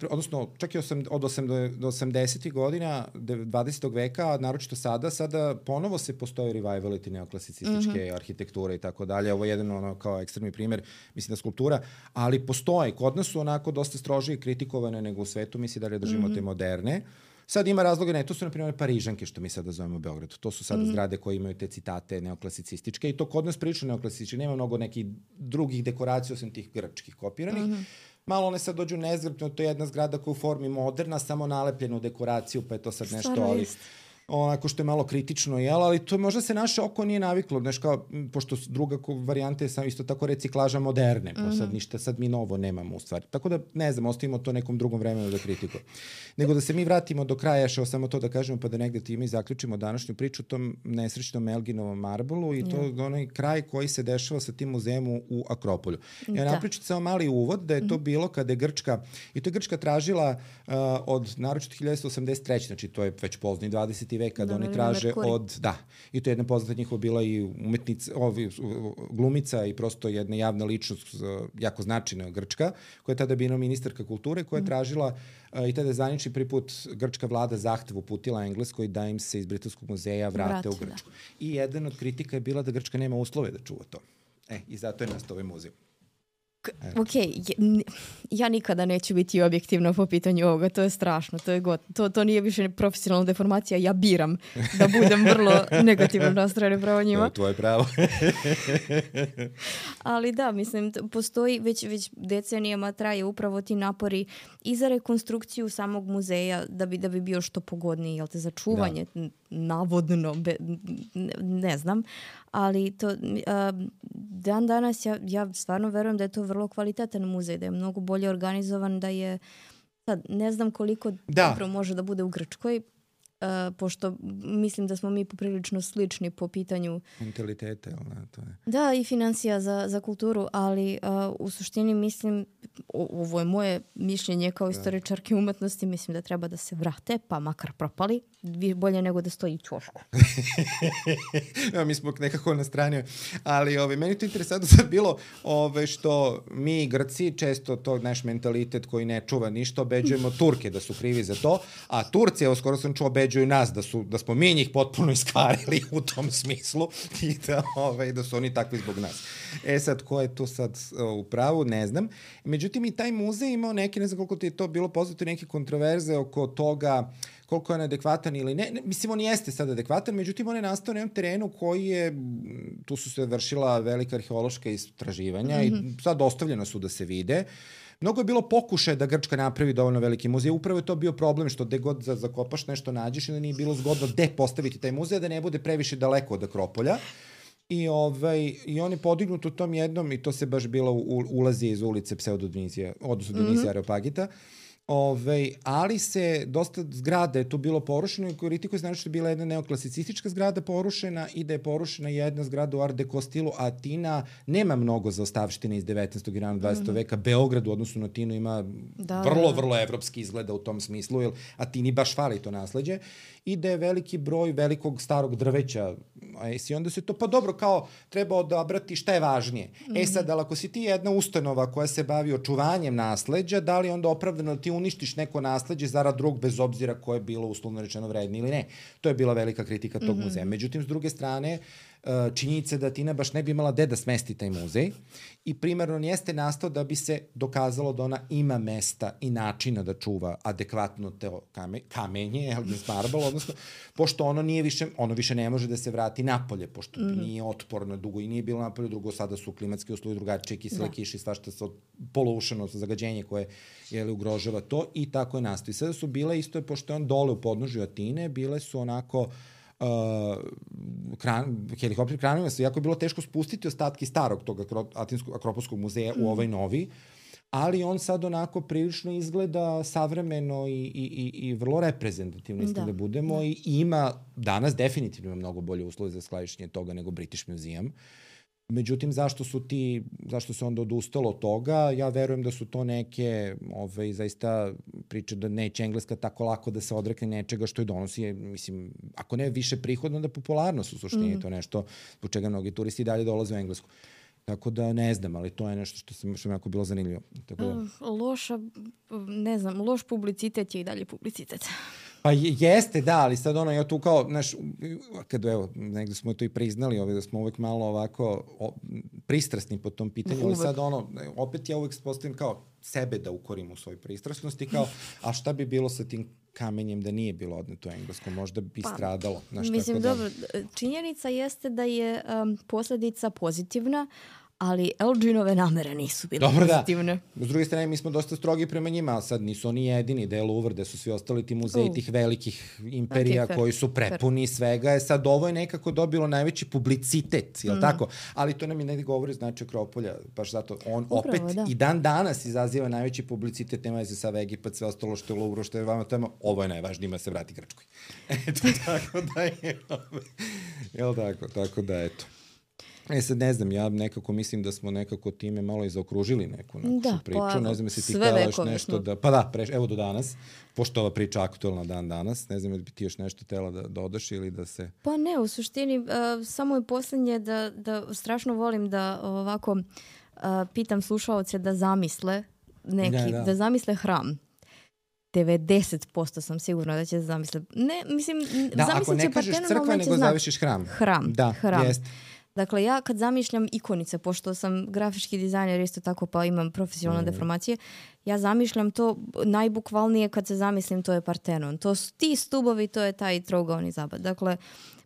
odnosno čak i od 80. godina 20. veka, naročito sada ponovo se postoje revivaliti neoklasicističke arhitekture i tako dalje. Ovo je jedan kao ekstremni primer, mislim da skulptura, ali postoje. Kod nas su onako dosta strožije kritikovane nego u svetu, mi se dalje držimo te moderne. Sad ima razloga, to su na primjer Parižanke, što mi sada zovemo u Beogradu. To su sada zgrade koje imaju te citate neoklasicističke i to kod nas prilično neoklasističke. Nema mnogo nekih drugih dekoracija osim tih grčkih kopiranih. Malo one sad dođu nezgrapno, to je jedna zgrada koja je u formi moderna, samo nalepljenu dekoraciju, pa je to sad nešto, ali onako što je malo kritično, ali to možda se naše oko nije naviklo, pošto druga varijanta je sam isto tako reciklaža moderne, pa sad ništa sad mi novo nemamo u stvari. Tako da, ne znam, ostavimo to nekom drugom vremenu da kritikujemo. Nego da se mi vratimo do kraja, samo to da kažemo, pa da negde time i zaključimo današnju priču o tom nesrećnom Elginovom marbolu i to onaj kraj koji se dešava sa tim muzejem u Akropolju. Ja napričam samo mali uvod da je to bilo kada je Grčka, i to je Grčka tražila od naročito 1983, znači to je već pozni 20. vek kada oni traže i to je jedna poznata njihova bila i umetnica, glumica i prosto jedna javna ličnost jako značajna Grčka, koja je tada bila ministarka kulture, koja je tražila i tada je zvanični prvi put grčka vlada zahtev uputila Engleskoj da im se iz Britanskog muzeja vrate u Grčku. I jedan od kritika je bila da Grčka nema uslove da čuva to. I zato je nastao ovaj muzej. Ja nikada neću biti objektivna po pitanju ovoga, to je strašno, to nije više profesionalna deformacija, ja biram da budem vrlo negativno nastrojena prema njima. To je tvoje pravo. Ali da, mislim, postoji, već decenijama traje upravo ti napori i za rekonstrukciju samog muzeja da bi bio što pogodniji, jel te, za čuvanje, navodno, ne znam, ali to dan danas ja stvarno verujem da je to vrlo kvalitetan muzej, da je mnogo bolje organizovan, da je, sad, ne znam koliko dobro može da bude u Grčkoj, pošto mislim da smo mi poprilično slični po pitanju mentaliteta, to je. Da, i financija za kulturu, ali u suštini mislim, ovo je moje mišljenje kao istoričarke umetnosti, mislim da treba da se vrate, pa makar propali, bolje nego da stoji u ćošku. Mi smo nekako na strani, ali meni to interesantno sad bilo što mi Grci često to naš mentalitet koji ne čuva ništa, obeđujemo Turke da su krivi za to, a Turci, evo skoro sam čuo, obeđuju nas da smo mi njih potpuno iskvarili u tom smislu i da su oni takvi zbog nas. Sad, ko je tu sad u pravu, ne znam. Međutim, i taj muzej imao neke, ne znam koliko ti je to bilo poznato, neke kontroverze oko toga koliko je on adekvatan ili ne. Mislim, on jeste sad adekvatan, međutim, on je nastao na jednom terenu koji je, tu su se vršila velika arheološka istraživanja i sad ostavljena su da se vide. Mnogo je bilo pokušaja da Grčka napravi dovoljno veliki muzej. Upravo je to bio problem što gde god zakopaš nešto nađeš i da nije bilo zgodno gde postaviti taj muzej, da ne bude previše daleko od Akropolja. I on je podignut u tom jednom, i to se baš bilo ulazi iz ulice Pseudodionizija, odnosno Dionizija Areopagita. Ali se dosta zgrada je tu bilo porušeno i kritikuje znači što je bila jedna neoklasicistička zgrada porušena i da je porušena jedna zgrada u Art Deco stilu. Atina nema mnogo zaostavštine iz 19. i rano 20. veka. Beograd u odnosu na Atinu ima vrlo evropski izgleda u tom smislu, jer Atini baš fali to nasleđe. I da je veliki broj velikog starog drveća. I onda se to, pa dobro, kao treba odabrati šta je važnije. Sad, ali ako si ti jedna ustanova koja se bavi očuvanjem nasleđa, da li onda opravdano da ti uništiš neko nasleđe zarad drugog, bez obzira koje je bilo uslovno rečeno vredno ili ne. To je bila velika kritika tog muzeja. Međutim, s druge strane, činjenica da Atina baš ne bi imala gde da smesti taj muzej i primarno on jeste nastao da bi se dokazalo da ona ima mesta i načina da čuva adekvatno to kamenje, Elgin Marble, odnosno, pošto ono više ne može da se vrati napolje, pošto nije otporno dugo i nije bilo napolje, drugo sada su klimatski uslovi drugačije, kisele kiše, svašta sa polušeno zagađenje koje ugrožava to i tako je nastao. I sada su bile isto, pošto je on dole u podnožju Atine, bile su onako helikopter kranovima su, jako je bilo teško spustiti ostatke starog tog Akropolskog muzeja u ovaj novi, ali on sad onako prilično izgleda savremeno i vrlo reprezentativno, da budemo, i ima danas definitivno mnogo bolje uslove za skladištenje toga nego British Museum. Međutim, zašto se onda odustalo od toga? Ja verujem da su to neke zaista priče da neće Engleska tako lako da se odrekne nečega što je donosi, mislim, ako ne više prihodno, da popularnost u suštini, to nešto zbog čega mnogi turisti dalje dolaze u Englesku. Tako da ne znam, ali to je nešto što mi jako bilo zanimljivo. Tako da... loš publicitet je i dalje publicitet. Pa jeste, da, ali sad ja tu kao, kada negde smo to i priznali, da smo uvek malo ovako pristrasni po tom pitanju, ali sad opet ja uvek postavim kao sebe da ukorim u svojoj pristrasnosti, kao, a šta bi bilo sa tim kamenjem da nije bilo odneto Englesko, možda bi stradalo. Mislim, dobro, činjenica jeste da je posledica pozitivna, ali Elginove namere nisu bile pozitivne. Da. S druge strane, mi smo dosta strogi prema njima, a sad nisu oni jedini, da je Louvre, da su svi ostali ti muzeji tih velikih imperija koji su prepuni svega. Sad ovo je nekako dobilo najveći publicitet, jel tako? Ali to nam i ne govori znači Akropolja, baš zato on opet i dan danas izaziva najveći publicitet, nema se sad Egipat, sve ostalo što je Louvre, što je vama tema, ovo je najvažnije, ima se vrati Grčkoj. Eto, tako da je, jel tako da eto. Sad ne znam, ja nekako mislim da smo nekako time malo i zaokružili neku priču. Ne znam, si ti htjela još nešto da... Pa da, evo do danas, pošto ova priča aktualna dan danas, ne znam da bi ti još nešto htjela da dodaš ili da se... Pa ne, u suštini, samo je posljednje da strašno volim da ovako pitam slušaoce da zamisle da zamisle hram. 90% sam sigurna da će zamisle. Ne, mislim, ako ne kažeš crkva, nego zavišiš hram. Hram. Jest. Dakle, ja kad zamišljam ikonice, pošto sam grafički dizajner isto tako pa imam profesionalne deformacije, ja zamišljam to najbukvalnije kad se zamislim, to je Partenon. To su ti stubovi, to je taj trougaoni zabad. Dakle,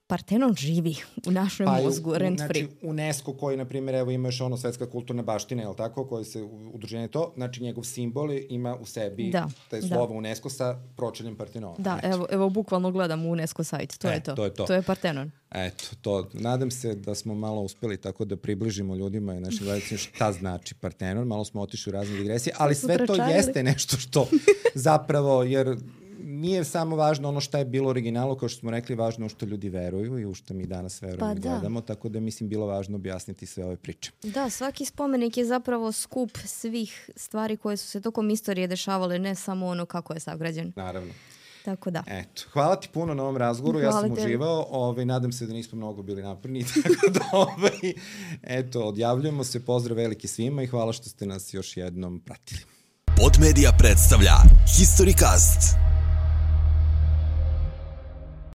Partenon živi u našem mozgu, rent free. Znači, UNESCO koji, na primjer, evo imaš ono svetska kulturna baština, je li tako, koji se udruženje to, znači njegov simbol ima u sebi taj slovo UNESCO sa pročeljem Partenona. Da, evo bukvalno gledam u UNESCO sajt, to je to. To je Partenon. Eto, to. Nadam se da smo malo uspeli tako da približimo ljudima i našim gledacima šta znači Partenon. Malo smo otišli u razne digresije, ali sve to jeste nešto što zapravo, jer nije samo važno ono šta je bilo originalu, kao što smo rekli, važno u što ljudi veruju i u što mi danas verujemo i gledamo, tako da mislim bilo važno objasniti sve ove priče. Da, svaki spomenik je zapravo skup svih stvari koje su se tokom istorije dešavale, ne samo ono kako je sagrađen. Naravno. Tako da. Eto, hvala ti puno na ovom razgovoru, ja sam uživao, nadam se da nismo mnogo bili naporni, tako da eto, odjavljujemo se, pozdrav veliki svima i hvala što ste nas još jednom pratili. Podmedia predstavlja Historycast.